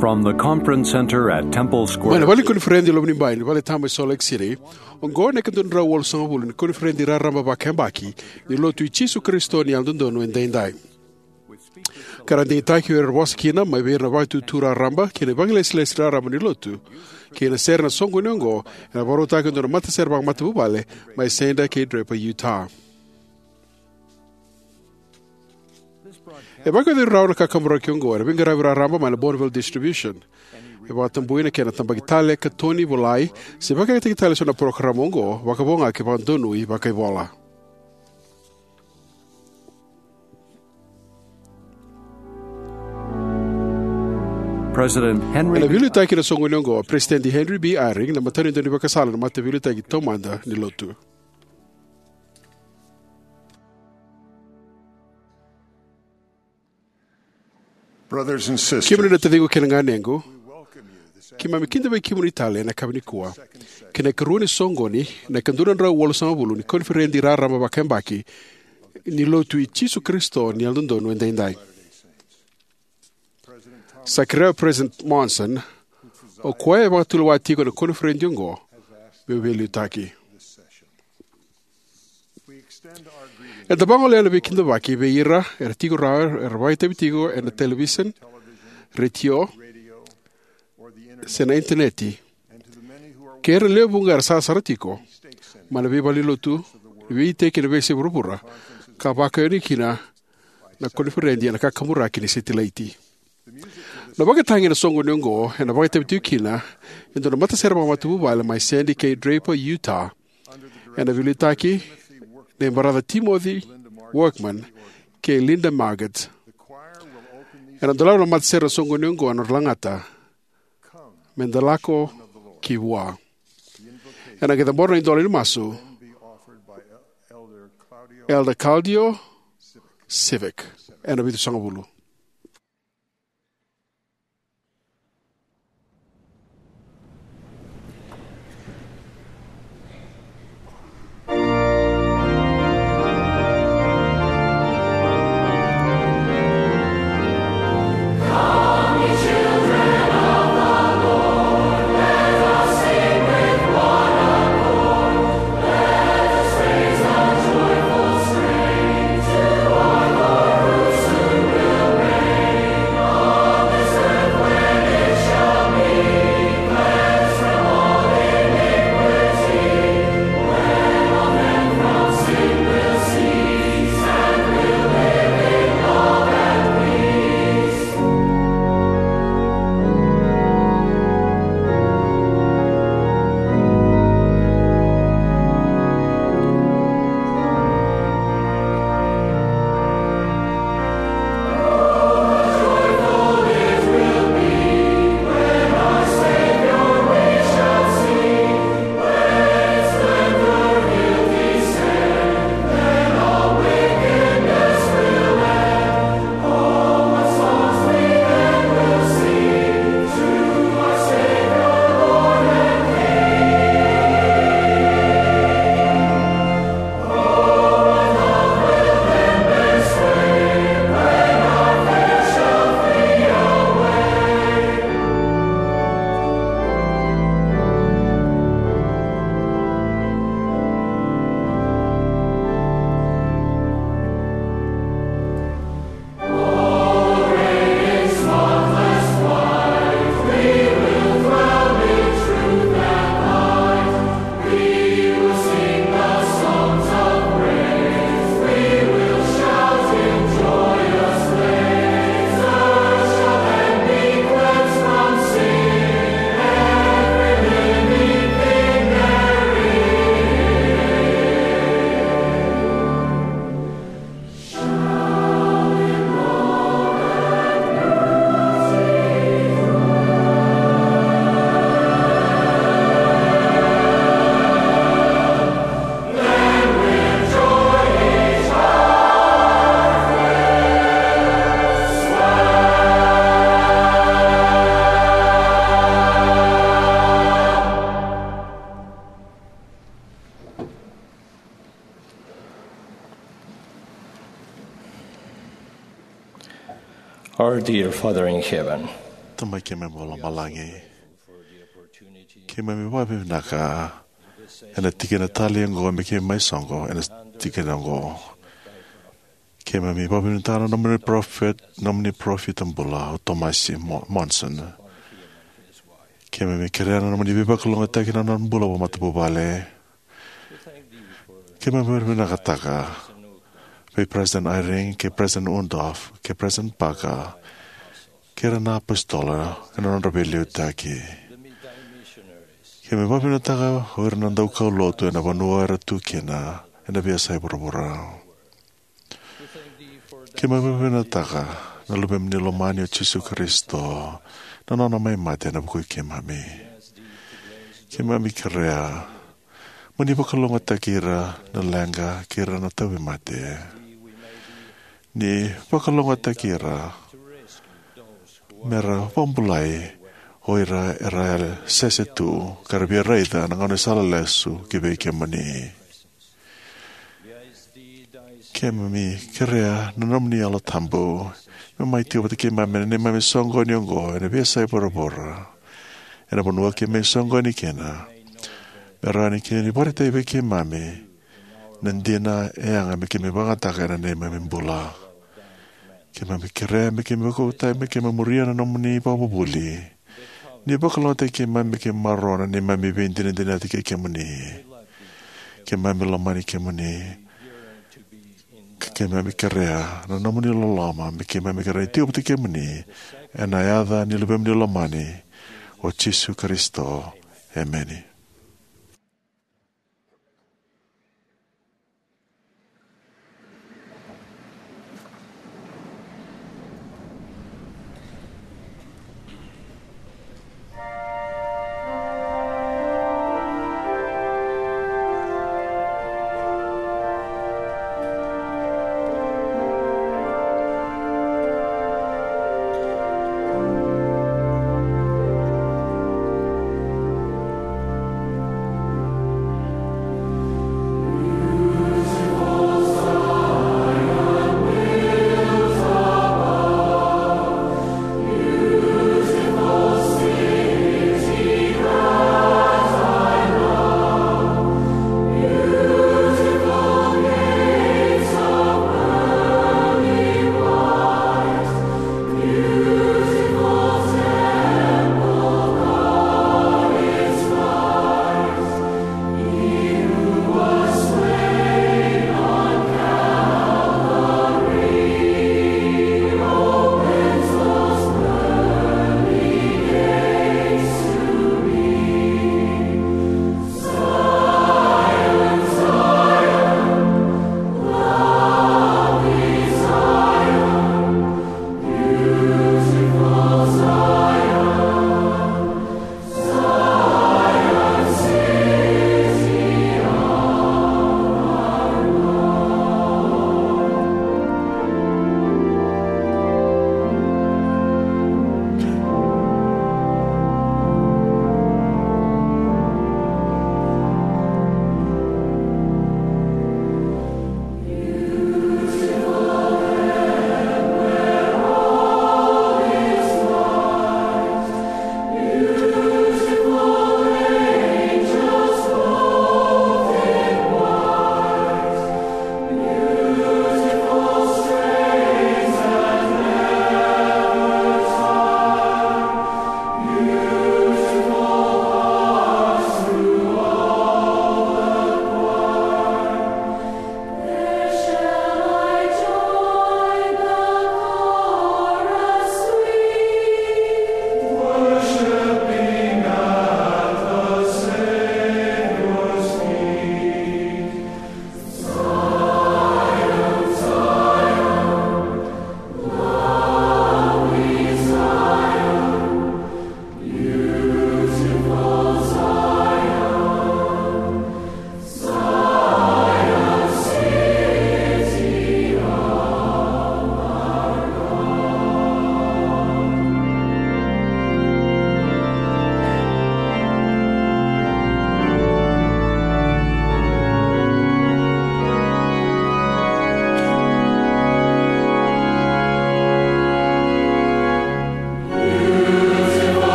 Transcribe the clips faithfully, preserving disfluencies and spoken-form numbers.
From the conference center at Temple Square. Mai na vale ni koniferedi e Lomanibai, ni vale tabu e Salt Lake City, oqo na ika dua na drau walusagavulu ni koniferedi raraba vakayabaki ni Lotu i Jisu Karisito ni Yalododonu Edaidai. Ka ra digitaki o ira era vosa kina mai vei ira na Vakaitutu Raraba kei na ivakalesilesi raraba ni Lotu kei na sere ena soqoni oqo, ena vakarautaki e dua na matasere vakamatavuvale mai Santa kei Draper, Utah. E vakayaco rawa na kakaburaki oqo ena veiqaravi raraba mai na Bonneville Distribution. E vakatabui na kena tabaki tale, katoni, volai, se vakayagataki tale eso na parokaramu oqo, vakavo ga ke vakadonui vakaivola. President Henry Ena veiliutaki ena soqoni oqo, President Henry B. Eyring, na matanitu ni vakasala na Mataveiliutaki Taumada ni Lotu. Brothers and sisters, kemuni na taciqu kei na ganequ, keimami kidavaki kemuni tale ena yakavi nikua ki na ikarua ni soqoni, na ika dua na drau walusagavulu ni koniferedi raraba vakayabaki ni Lotu i Jisu Karisito ni Yalododonu Edaidai. Sa kerea o President Monson, o koya e vakatulewa tiko ena koniferedi oqo, meu veiliutaki. Eda vagolea na veikidavaki vei ira era tiko rawa era vakaitavi tiko ena television, retio, se na initaneti, kei ira na lewe vuqa era sarasara tiko mai na veivalenilotu, na veiiteki ena veiyasai vuravura, ka vakayacori kina na koniferedi ena kakaburaki ni setilaiti. Na vakatagi ena soqoni oqo ena vakaitavi tiko kina e dua na matasere vakamatavuvale mai Sandy kei Draper, Utah, ena veiliutaki nei Baraca Timothy Workman kei Linda Marget. Ena dolava na matasere ena soqoni oqo ena nodra lagata, "Me da lako ki vua." Ena qai cabora na idola ni masu, Elder Claudio Civic, ena vitusagavulu. Our dear Father in heaven, Tamai keimami vakalomalagi, keimami vakavinavinaka ena tikina talei oqo me keimami mai soqo ena tikina oqo. Keimami vakavinavinaka na nomuni parofita, nomuni parofita bula o Tomasi Mo-, Monson. Keimami kerea na nomuni veivakalougatataki na nona bula vakamatavuvale. Keimami vakavinavinakataka vei President Eyring, kei President Uchtdorf, kei President Parker, kei ira na apositolo ena nodra veiliutaki. Keimami vakavinavinakataka o ira na daukaulotu ena vanua era tu kina ena veiyasai vuravura. Keimami vakavinavinakataka na Luvemuni lomani o Jisu Karisito, na nona mai mate ena vuku i keimami. Keimami kerea mo ni vakalougatataki ira na leqa kei ira na tauvimate. Ni vakalougatataki ira mera vakabulai o ira era sese tu ka ra via raica na gauna ni sala lesu ki vei kemuni. Keimami kerea na nomuni Yalo Tabu me mai tiko vata kei keimami ena neimami soqoni oqo ena veiyasai vuravura, ena vanua keimami soqoni kina, me rawa ni kemuni vakaraitaki vei keimami na dina e yaga me keimami vakayagataka ena neimami bula. Keimami kerea me keimami vakauta, me keimami muria na nomuni ivakavuvuli. Ni vakalougatataki keimami me keimami maroroya na neimami veidinadinati kei kemuni. Keimami lomani kemuni. Ka keimami kerea na nomuni loloma me keimami kerea ni tiko vata kei kemuni. Ena yaca ni Luvemuni lomani, o Jisu Karisito. Emeni.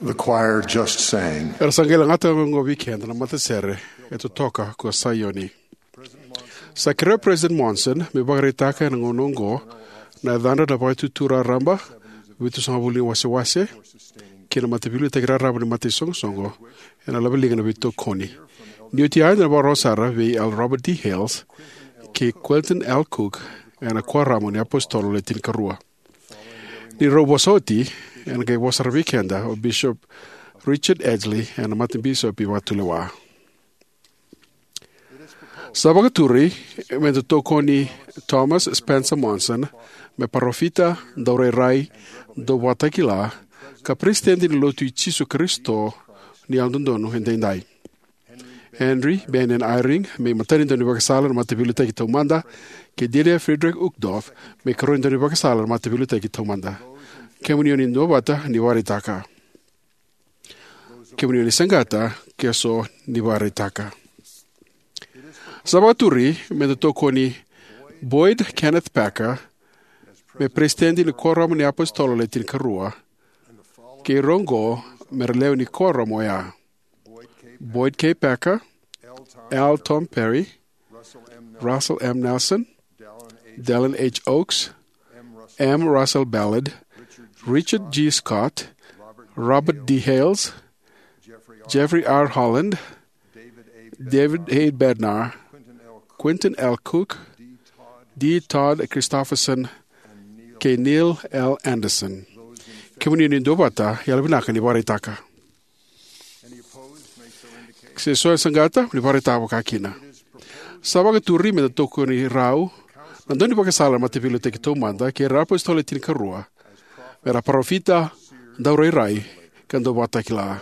The choir just sang. Era sa qai lagata oqo vei keda na matasere e totoka ko Saioni. Sa kerea o President Monson me vakaraitaka ena gauna oqo na yacadra na Vakaitutu Raraba, Vitusagavulu ni Wasewase kei na Mataveiliutaki Raraba ni Mataisoqosoqo ena laveliga na veitokoni. Ni oti a, eda na vakarau sara vei Elder Robert D. Hales kei Quentin L. Cook ena Kuoramu ni iApositolo Le Tinikarua. Ni rau vosa oti, ena qai vosa sara vei keda o Bishop Richard Edgley ena Matabisopi Vakatulewa. Sa vakaturi me da tokoni Thomas Spencer Monson me parofita, daurairai, dauvakatakila, ka Peresitedi ni Lotu i Jisu Karisito ni Yalododonu Edaidai. Henry Bennion Eyring me imatai ni daunivakasala ena Mataveiliutaki Taumada, kei Delia Friedrich Uchtdorf me ikarua ni daunivakasala ena Mataveiliutaki Taumada. Kemuni o ni duavata, ni vakaraitaka. Kemuni o ni saqata, ke so, ni vakaraitaka. Sa vakaturi me da tokoni Boyd Kenneth Packer me Peresitedi ni Kuoramu ni iApositolo Le Tinikarua, kei ira oqo me ra lewe ni kuoramu oya: Boyd K. Packer, L. Tom Perry, Russell M. Nelson, Dallin H. Oaks, M. Russell Ballard, Richard G. Scott, Robert D. Hales, Jeffrey R. Holland, David A. Bednar, Quentin L. Cook, D. Todd Christofferson, kei Neil L. Andersen. Kemuni o ni duavata, yalovinaka ni vakaraitaka. Se so e saqata, ni vakaraitaka vakakina. Sa vakaturi me da tokoni rau na daunivakasala ena Mataveiliutaki Taumada kei ira na iApositolo Le Tinikarua me ra parofita, daurairai, ka dauvakatakila.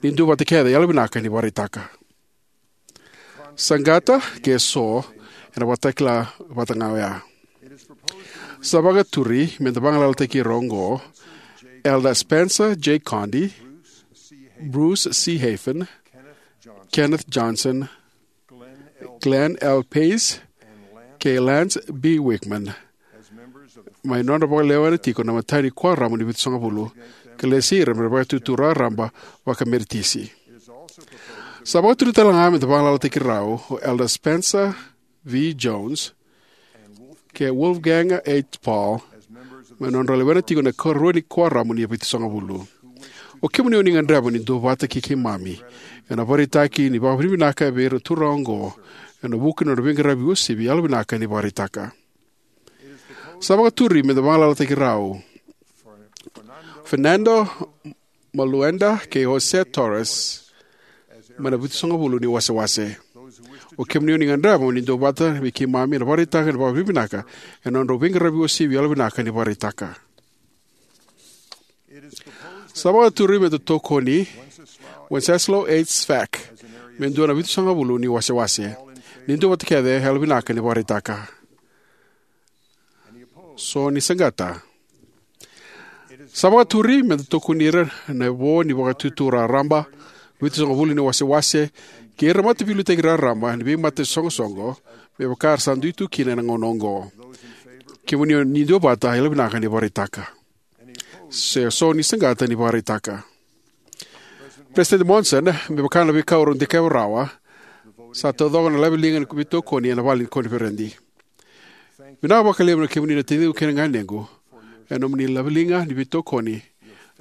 Ni duavata kece, yalovinaka ni vakaraitaka. Saqata, ke so, ena vakatakila vata ga oya. Sa vakaturi me da vagalalataki ira oqo: Elder Spencer J. Condie, Bruce C. Hafen, Kenneth Johnson, Glenn L. Pace, kei Lance B. Wickman, mai nodra vakalewena tiko na imatai ni Kuoramu ni Vitusagavulu, ka lesi ira me ra Vakaitutu Raraba vakameritisi. Sa vakaturi tale ga me da vagalalataki rau o Elder Spencer V. Jones kei Wolfgang H. Paul, mai nodra lewena tiko na ikarua ni Kuoramu ni Vitusagavulu. O kemuni o ni gadreva ni duavata kei keimami ena vakaraitaki ni vakavinavinaka vei ira na turaga oqo ena vuku ni nodra veiqaravi uasivi, yalovinaka ni vakaraitaka. Sa vakaturi me da vagalalataki rau Fernando Maluenda kei Jose Torres mai na Vitusagavulu ni Wasewase. O kemuni o ni gadreva mo ni duavata vei keimami ena vakaraitaka ni vakavinavinaka ena nodrau veiqaravi uasivi, yalovinaka ni vakaraitaka. Sa vakaturi me da tokoni Wenceslao H. Svak me dua na Vitusagavulu ni Wasewase. Ni duavata kece, yalovinaka ni vakaraitaka. So ni saqata. Sa vakaturi me da tokoni ira na vo ni Vakaitutu Raraba, Vitusagavulu ni Wasewase, kei ira na mataveiliutaki raraba ni veimatasoqosoqo, me vaka era sa dui tu kina ena gauna oqo. Kemuni o ni duavata, yalovinaka ni vakaraitaka. Se so ni saqata, ni vakaraitaka. President Monson, me vaka na veika au dikeva rawa, sa taucoko na laveliga ni veitokoni ena vale ni koniferedi. Vinaka vakalevu na kemuni na taciqu kei na ganequ ena nomuni laveliga ni veitokoni,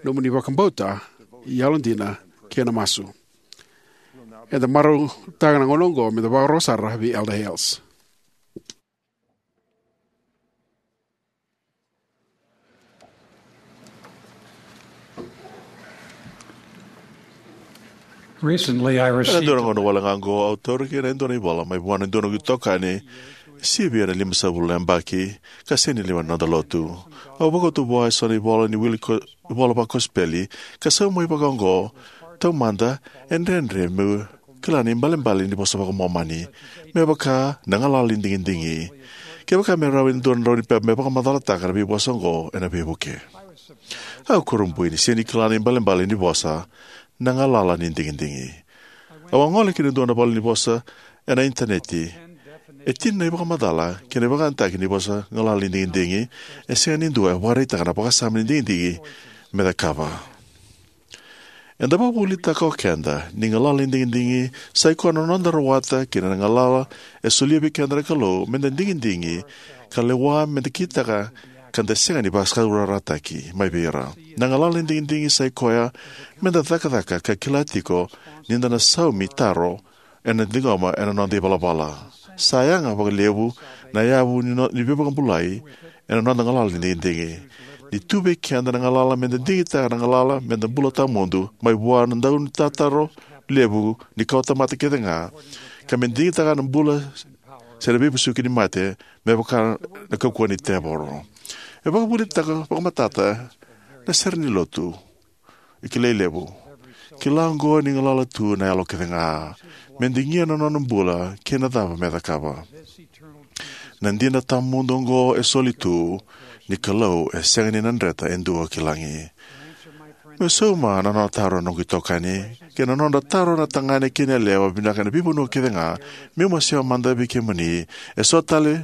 nomuni vakabauta, yalodina, kei na masu. Eda marautaka na gauna oqo me da vakarau sara vei Elder Hales. Recently, I received. Ena dua na gauna wale ga oqo, au taura kina e dua na ivola mai vua na dua na noqu itokani, sivia na limasagavulu na yabaki, ka sega ni lewena na noda lotu. Au vakauta vua eso na ivola ni wili ko-, ivola vakosipeli, ka sauma mai vakaoqo: Taumada, e dredre meu kila na ibalebale ni vosa vakaMomani, me vaka na galala ni digidigi. Kevaka me rawa e dua na drau ni pepa me vakamacalataka na veivosa oqo ena veivuke. Au kurabui ni sega ni kila na ibalebale ni vosa na galala ni digidigi. Au a gole ki na dua na valenivosa ena initaneti. E tini na ivakamacala kei na ivakayagataki ni vosa galala ni digidigi. E sega ni dua e vakaraitaka na vakasama ni digidigi me cakava. Eda vakavuvulitaka o keda ni galala ni digidigi sa i koya na noda rawata kina na galala e solia vei keda na Kalou, meda digidigi ka lewa, meda kitaka ka da sega ni vakasaurarataki mai vei ira. Na galala ni digidigi sa i koya meda cakacaka ka kila tiko ni da na saumi taro ena ciqoma ena noda ivalavala. Sa yaga vakalevu na yavu ni, no, ni veivakabulai ena noda galala ni digidigi. Ni tu vei keda na galala meda digitaka na galala meda bula tawamudu mai vua na daunitataro levu ni kawatamata kece ga, ka me digitaka na bula se na veivesuki ni mate me vaka na kaukauwa ni tevoro. E vakavuvulitaka vakamatata na sere ni lotu e kilai levu. Kila oqo ni galala tu na yalo kece ga me digia na nona bula kei na cava me cakava. Na dina tawamudu oqo e soli tu ni Kalou e sega ni na dreta e dua ki lagi. Me sauma na nona taro na noqu itokani kei na nodra taro na tagane kei na yalewa vinaka ena veivanua kece ga, meu masewa mada vei kemuni e so tale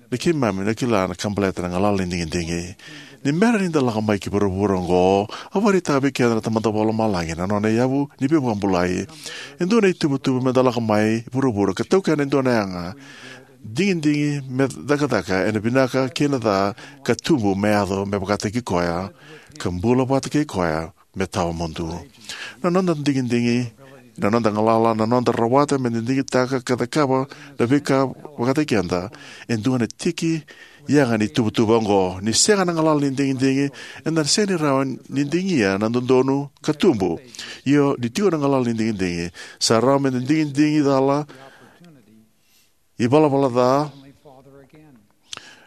na keimami na kila na ka baleta na galala ni digidigi. Ni bera ni da lako mai ki vuravura oqo, a vakaraitaka vei keda na Tamada Vakalomalagi na nona yavu ni veivakabulai. E dua na ituvatuva meda lako mai vuravura ka taukena e dua na yaga digidigi me cakacaka ena vinaka kei na ca, ka tubu me yaco me vakataki koya, ka bula vata kei koya me tawamudu. Na noda digidigi, na noda galala, na noda rawata meda digitaka ka cakava na veika vakataki keda, e dua na tiki yaga ni tuvatuva oqo. Ni sega na galala ni digidigi, eda na sega ni rawa ni digia na dodonu ka tubu. Io, ni tiko na galala ni digidigi, sa rawa meda digidigi cala, ivalavala ca,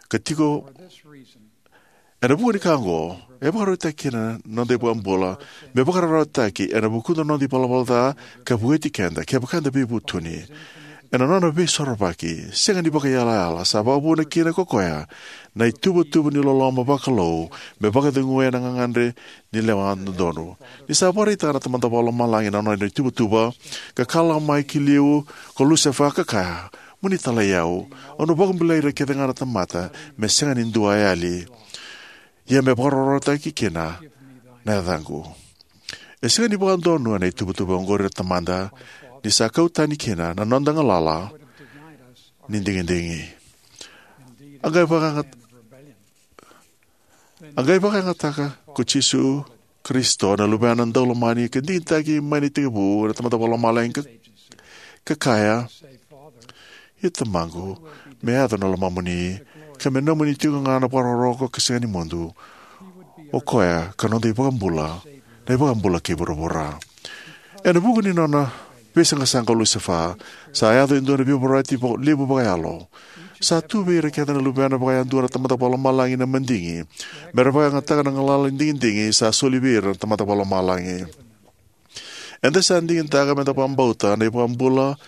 ka tiko. Ena vuku ni ka oqo, e vakarautaki kina na noda iVakabula me vakararawataki ena vukuda na noda ivalavala ca ka vueti keda kevaka eda veivutuni. Ena nona veisorovaki sega ni vakaiyalayala, sa vakavuna kina ko koya na ituvatuva ni loloma vakalou me vakaceguya na gagadre ni lewa dodonu. Ni sa vakaraitaka na Tamada Vakalomalagi na nona ituvatuva, ka kala mai ki liu ko Lusefa ka kaya, "Mo ni talai au, au na vakabulai ira kece ga na tamata me sega ni dua e yali. Ia me vakararawataki kina na yacaqu." E sega ni vakadonuya na ituvatuva oqori na Tamada ni sa kau tani kina na noda galala ni digidigi. A qai vakayagat-, a qai vakayagataka ko Jisu Karisito na Luvena Daulomani ka digitaki mai na itekivu na Tamada Vakalomalagi ka, ka kaya, "Ia Tamaqu, me yaco na lomamuni, ka me nomuni tiko ga na vakarokoroko ka sega ni mudu, o koya ka noda iVakabula, na iVakabula kei vuravura." Ena vuku ni nona veisaqasaqa o Lusefa, sa yaco e dua na veivorati va-, levu vakayalo. Sa tu vei ira kece na luvena vakayadua na Tamada Vakalomalagi na madigi me ra vakayagataka na galala ni digidigi sa soli vei ira na Tamada Vakalomalagi. Eda sa digitaka meda vakabauta na iVakabula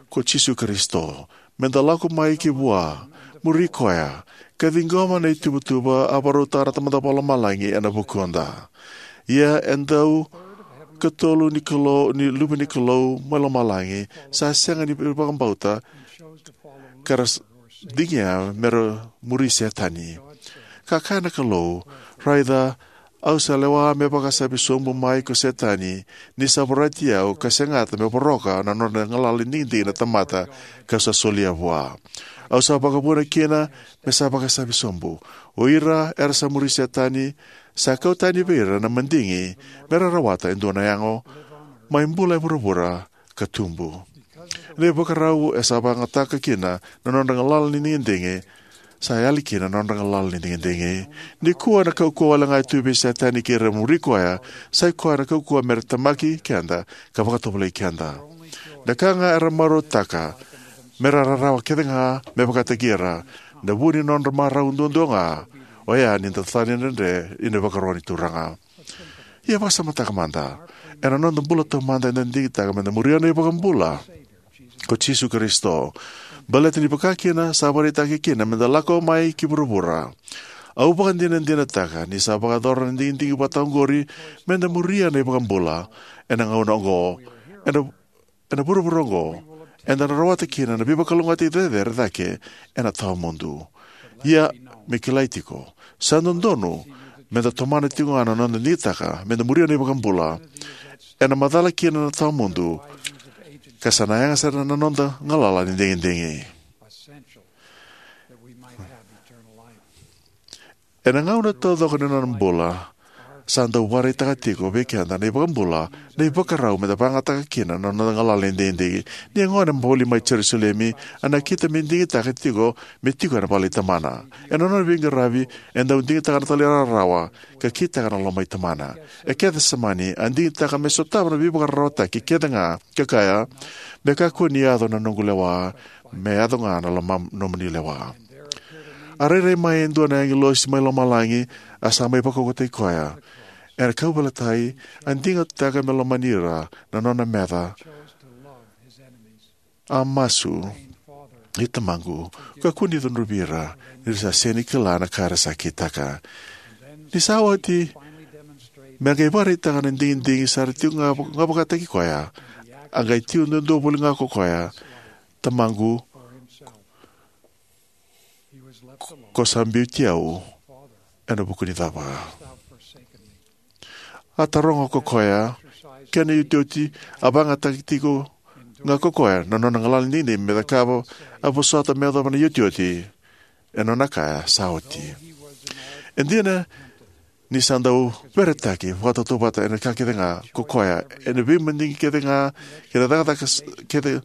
ko Jisu Karisito, meda lako mai ki vua, muri koya, ka ciqoma na ituvatuva a vakarautaka na Tamada Vakalomalagi ena vukuda. Ia e dau katolu ni Kalou, ni luve ni Kalou mai lomalagi, sa sega ni vakabauta, ka ra s-, digia me ra muri Setani. Ka kaya na Kalou, "Raica, au sa lewa me vakasavi sobu mai ko Setani, ni sa vorati au ka segata me voroka na nona galala ni digidigi na tamata kau sa solia vua. Au sa vakavuna kina me sa vakasavi sobu. O ira era sa muri Setani, sa kau tani vei ira na madigi me ra rawata e dua na yago, mai bula e vuravura ka tubu." Na ivakarau e sa vakayagataka kina na nodra galala ni digidigi, sa yali kina na nodra galala ni digidigi. Nikua na kaukauwa wale ga e tu vei Setani kei ira muri koya, sa i koya na kaukauwa me ra temaki keda ka vakatovolei keda. Na ka ga era marautaka me ra rarawa kece ga me vakataki ira, na vu ni nodra marau duadua ga, oya ni da tani dredre ina ivakarau ni Turaga. Ia vakasamataka mada, ena noda bula taumada eda digitaka meda muria na iVakabula ko Jisu Karisito. Baleta ni vaka kina sa vakaraitaki kina meda lako mai ki vuravura, au vakadinadinataka ni sa vakayacora na digidigi vata oqori meda muria na iVakabula ena gauna oqo, ena ena vuravura oqo, eda na rawata kina na veivakalougatataki cecere cake ena tawamudu. Ia, me kilai tiko, sa dodonu meda tomana tiko ga na noda digitaka meda muria na iVakabula ena macala kina na tawamudu, ka sa na yaga sara na noda galala ni digidigi. Ena gauna taucoko ni nona bula, sa dau vakaraitaka tiko vei keda na iVakabula na ivakarau me da vakayagataka kina na noda galala ni digidigi. Ni a gone voli mai Jerusalemi, a nakita me digitaka tiko me tiko ena vale i Tamana. Ena nona veiqaravi, e dau digitaka na talairawarawa ka kitaka na loma i Tamana. E Kecisemani, a digitaka me sotava na veivakararawataki kece ga, ka kaya, "Me kakua ni yaco na noqu lewa, me yaco ga na loma nomuni lewa." A rairai mai e dua na agilosi mai lomalagi, a sa mai vakaukauwataki koya. Ena kauveilatai, a digitaka me lomani ira na nona meca. A masu, "I Tamaqu, kakua ni cudruvi ira, ni ra sa sega ni kila na ka era sa kitaka." Ni sa oti, me qai vakaraitaka na digidigi sara tiko ga vakataki koya, a qai tiko duadua voli ga ko koya, "Tamaqu, ko sa biuti au ena vuku ni cava?" A taroga ko koya, kena iotioti, a vakayagataka tiko ga ko koya na nona galala ni digidigi me cakava, a vosota me yacova na iotioti. E nona kaya, "Sa oti." E dina ni sa dau veretaki vakatautauvata ena ka kece ga ko koya, ena veimadigi kece ga, kei na cakacaka s-, kece,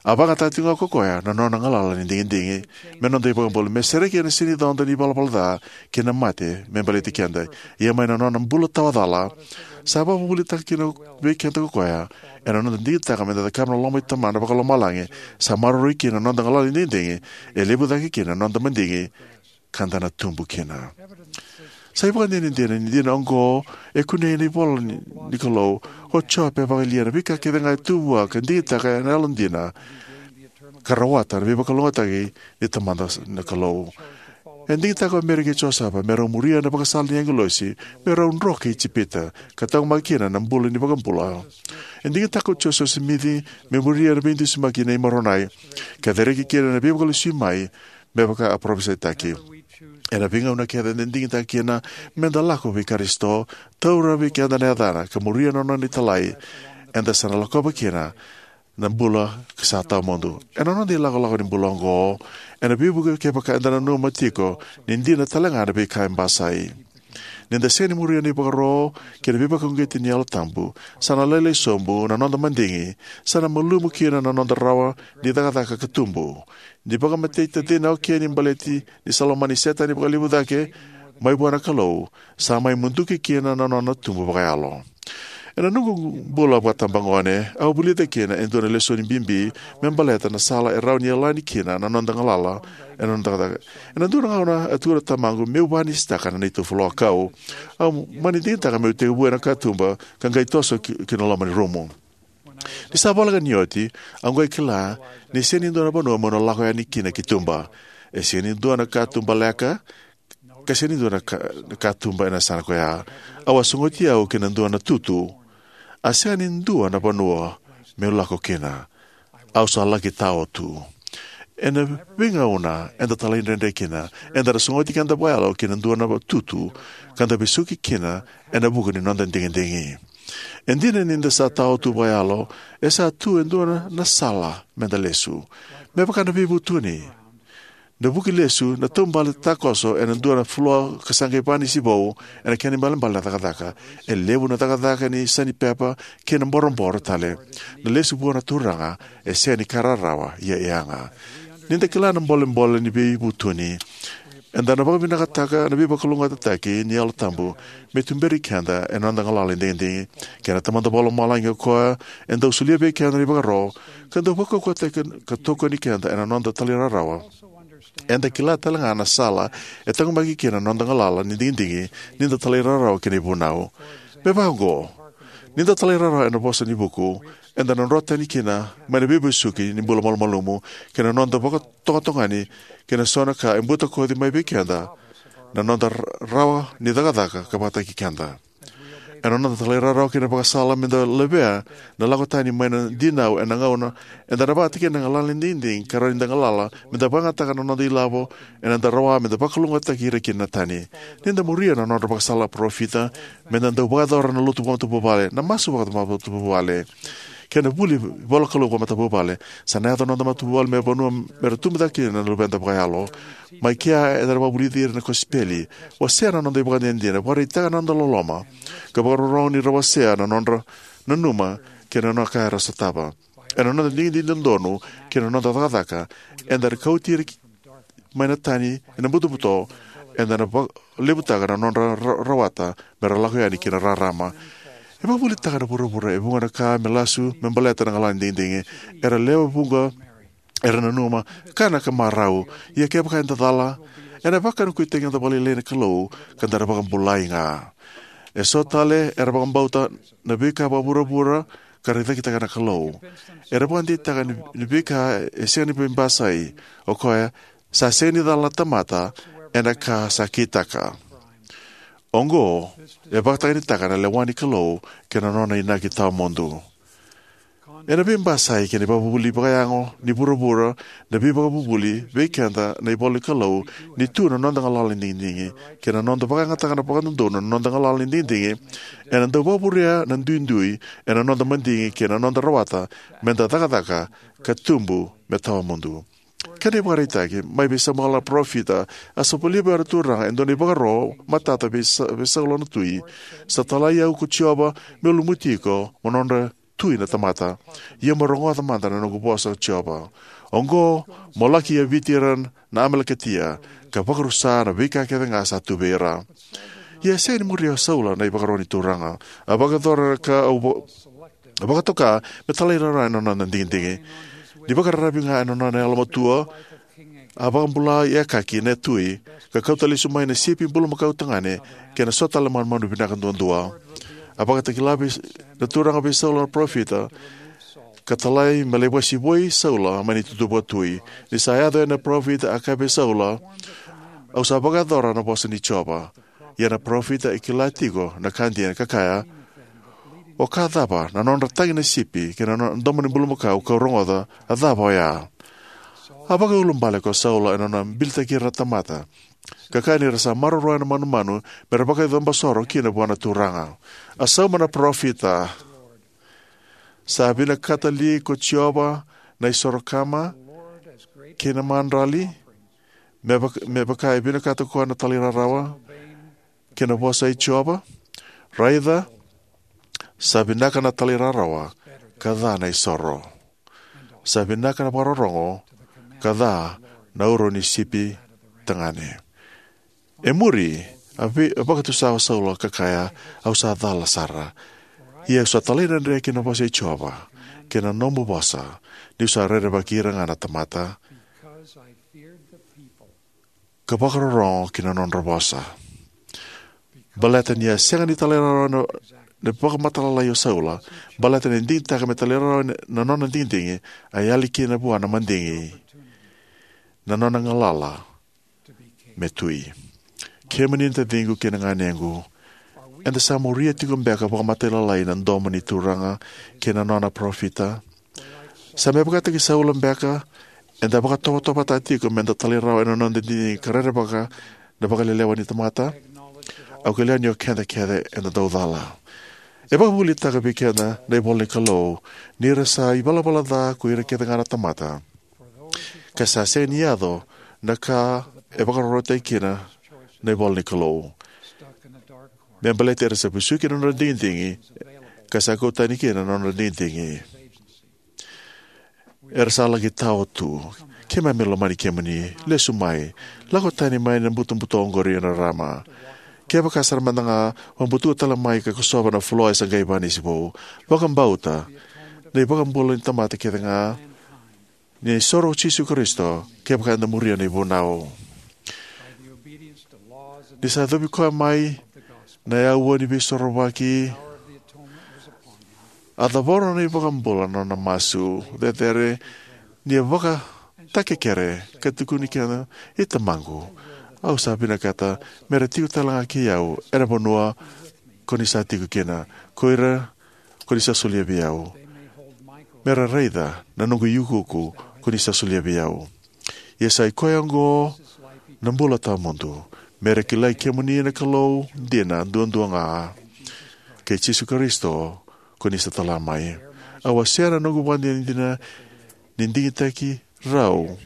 a vakayagataka tiko ga ko koya na nona galala ni digidigi me noda iVakabula, me sereki ena sega ni coda ni valavala ca kei na mate me baleti keda. Ia mai na nona bula tawacala, sa vakavuvulitaka kina vei keda ko koya, ena noda digitaka me da cakava na loma i Tamana vakalomalagi, sa maroroi kina na noda galala ni digidigi, e levu cake kina na noda madigi, ka da na tubu kina. Sa ivakadinadina ni dina oqo e kunei ena ivola ni, ni Kalou. O Jope e vakayalia na veika kece ga e tu vua ka digitaka ena yalodina, ka rawata na veivakalougatataki ni Tamada na Kalou. E digitaka o Meri kei Josefa me rau muria na vakasala ni agilosi me rau dro ki Ijipita, ka taqomaki kina na bula ni iVakabula. E digitaka o Josefa Simici me muria na veidusimaki nei Moronai, ka cereki kina na Veivakalesui mai me vaka a parofisaitaki. Ena veigauna kece eda digitaka kina me da lako vei Karisito, taura vei keda na yacana, ka muria na nona italai, eda sa na lakova kina na bula sa tawamudu. Ena noda ilakolako ni bula oqo, ena veivuke kevaka eda nanuma tiko ni dina tale ga na veika e basai. Ni da sega ni muria na ivakaro kei na veivakauqeti ni Yalo Tabu, sa na lailai sobu na noda madigi, sa na malumu kina na noda rawa ni cakacaka ka tubu. Ni vakamatei tacina o Keni baleti ni sa lomani Setani vakalevu cake mai vua na Kalou, sa mai muduki kina na nona tubu vakayalo. Ena noqu bula vakatabagone, au vulica kina e dua na lesoni bibi me baleta na sala e rawa ni yalani kina na noda galala ena noda cakacaka. Ena dua na gauna, a tukuna o tamaqu meu vakanisitaka na neitou folokau. Au mani digitaka meu tekivu ena katuba ka qai toso ki, ki na loma ni rumu. Ni sa voleka ni oti, au qai kila ni sega ni dua na vanua meu na lako yani kina ki tuba. E sega ni dua na katuba leka, ka sega ni dua na ka, na katuba ena yasana koya. Au a sogoti au ki na dua na tutu. A sega ni dua na vanua meu lako kina. Au sa laki tao tu. Ena veigauna eda talaidredre kina, eda na sogoti keda vakayalo ki na dua na tutu, ka da vesuki kina ena vuku ni noda digidigi. E dina ni da sa tao tu vakayalo, e sa tu e dua na, na sala me da lesu. Me vaka na veivutuni. Na vuki lesu, na taubale takoso ena dua na floor ka sa qai vakanisi vou ena kena ibalebale na cakacaka. E levu na cakacaka ni sanipepa kei na boroboro tale. Na lesu vua na Turaga e sega ni ka rarawa, ia e yaga. Ni da kila na bolebole ni veivutuni, eda na vakavinakataka na veivakalougatataki ni Yalo Tabu me tuberi keda ena noda galala ni digidigi. Kei na Tamada Vakalomalagi o koya e dau solia vei keda na ivakaro ka dau vakaukauwataki ka tokoni keda ena noda talairawarawa. Eda kila tale ga na sala e taqomaki kina na noda galala ni digidigi ni da talairawarawa ki na ivunau. Me vaka oqo, ni da talairawarawa ena vosa ni vuku, eda na dro tani kina mai na veivesuki ni bula malumalumu kei na noda vakatogani kei na so na ka e butakoci mai vei keda na noda rawa ni cakacaka ka vakataki keda. Ena noda talairawarawa ki na ivakasala meda levea na lako tani mai na dinau ena gauna eda na vakataki na galala ni digidigi ka rawa ni da galala meda vakayagataka na noda ilavo ena noda rawa meda vakalougatataki ira kina na tani. Ni da muria na nodra ivakasala na parofita, meda dau vakayacora na lotu vakamatavuvale, na masu vakamatavuvale, kei na vuli ivolanikalou vakamatavuvale, sa na yaco na noda matavuvale me vanua mera tubu cake kina na luveda vakayalo. Mai kea eda na vakavulici ira ena kosipeli, wasea na noda ivakadinadina, vakaraitaka na noda loloma, ka vakarorogo ni ra wasea na nodra nanuma kei na ka era sotava. Ena noda digidigi dodonu kei na noda cakacaka, eda na kauti ira ki-, mai na tani ena butobuto, eda na vakalevutaka na nodra ra-, rawata mera lako yani ki na rarama. E vakavulitaka na vuravura e vuqa na ka me lasu me baleta na galala ni digidigi. Era lewe vuqa era nanuma, kana ka marau. Ia kevaka eda cala, ena vakanukuitaki na noda vakalailai na Kalou ka da na vakabulai ga. Eso tale era vakabauta na veika vakavuravura ka ra cakitaka na Kalou. Era vakadeitaka ni, ni veika e sega ni veibasai, o koya, sa sega ni cala na tamata ena ka sa kitaka. Oqo e vakatakanitaka na lewa ni Kalou kei na nona inaki tawamudu. Ena veibasai kei na ivakavuvuli vakayago ni vuravura, na veivakavuvuli vei keda na ivolanikalou ni tu na noda galala ni digidigi, kei na noda vakayagataka na vakadodonu na noda galala ni digidigi, ena dau vakavurea na duidui ena noda madigi kei na noda rawata meda cakacaka ka tubu me tawamudu. Kena ivakaraitaki, mai vei Samuela na parofita, a solia vua na Turaga e dua na ivakaro matata vei Sa-, vei Saula na tui. Sa talai au ko Jiova meu lumuti iko mo nodra tui na tamata. Ia mo rogoca mada na noqu vosa, Jiova. Oqo, mo laki yaviti ira na Amalekatia, ka vakarusa na veika kece ga sa tu vei ira. Ia e sega ni muria o Saula na ivakaro ni Turaga. A vakayacora ka au va-, vakatoka me talairawarawa ena nona digidigi. Ni vakararavi ga ena nona yalomatua, a vakabula i Akaki na tui, ka kauta lesu mai na sipi bulumakau tagane kei na so tale na manumanu vinaka duadua. A vakatakila vei na Turaga vei Saula na parofita, ka talai me lai vakasivoi Saula mai na itutu vakatui. Ni sa yaco yani na parofita, a kaya vei Saula, au sa vakayacora na vosa ni Jiova. Ia na parofita e kila tiko na ka dina, ka kaya, o ka cava na nodra tagi na sipi kei na no-, domo ni bulumakau kau rogoca, a cava oya? A vakaiulubale ko Saula ena nona bilitaki ira na tamata, ka kaya ni ra sa maroroya na manumanu mera vakacabasoro kina vua na Turaga. A sauma na parofita, sa vinakata li ko Jiova na isoro kama kei na madrali, me vaka, me vaka e vinakata ko koya na talairawarawa kei na vosa i Jiova? Raica, sa vinaka na talairawarawa ka ca na isoro. Sa vinaka na vakarorogo ka ca na uro ni sipi tagane. E muri, a vei-, a vakatusa o Saula ka kaya, au sa cala sara. Ia au sa talaidredre ki na vosa i Jiova, kei na nomu vosa, niu sa rerevaki ira ga na tamata, ka vakarorogo ki na nodra vosa. Baleta ni a sega ni talairawarawa na, na vakamatailalai o Saula, baleta ni digitaka me talairawarawa na, na nona digidigi, a yali kina vua na madigi na nona galala me tui. Kemuni na taciqu kei na ganequ, eda sa muria tiko beka vakamatailalai na domo ni Turaga kei na nona parofita? Sa me vakataki Saula beka, eda vakatovotovotaka tiko meda talairawarawa ena noda digidigi ka rerevaka na vakalelewa ni tamata? Au kila ni o keda kece eda dau cala. E vakavuvulitaka vei keda na ivola ni Kalou ni ra sa ivalavala ca ko ira kece ga na tamata, ka sa sega ni yaco na ka e vakarorotaki kina na ivola ni Kalou, me baleti ira sa vesuki na nodra digidigi, ka sa kau tani kina na nodra digidigi. Era sa laki tao tu. Keimami lomani kemuni. Lesu mai. Lako tani mai na butobuto oqori e rarama. Kevaka sara mada ga o butuka tale mai ka kosova na floor e sa qai vakanisi vou, vakabauta na iVakabula ni tamata kece ga, ni isoro o Jisu Karisito, kevaka eda muria na ivunau. Ni sa yacovi koya mai na aua ni veisorovaki, a cavoro na iVakabula na nona masu cecere, ni a vakatakekere ka tukuni kina, "I Tamaqu, au sa vinakata me ra tiko tale ga kei au ena vanua ko ni sa tiko kina, ko ira ko ni sa solia vei au, me ra raica na noqu iukuuku ko ni sa solia vei au. Ia sa i koya oqo na bula tawamudu, me ra kilai kemuni na Kalou dina duadua ga, kei Jisu Karisito ko ni sa tala mai. Au wasea na noqu ivakadinadina ni digitaki rau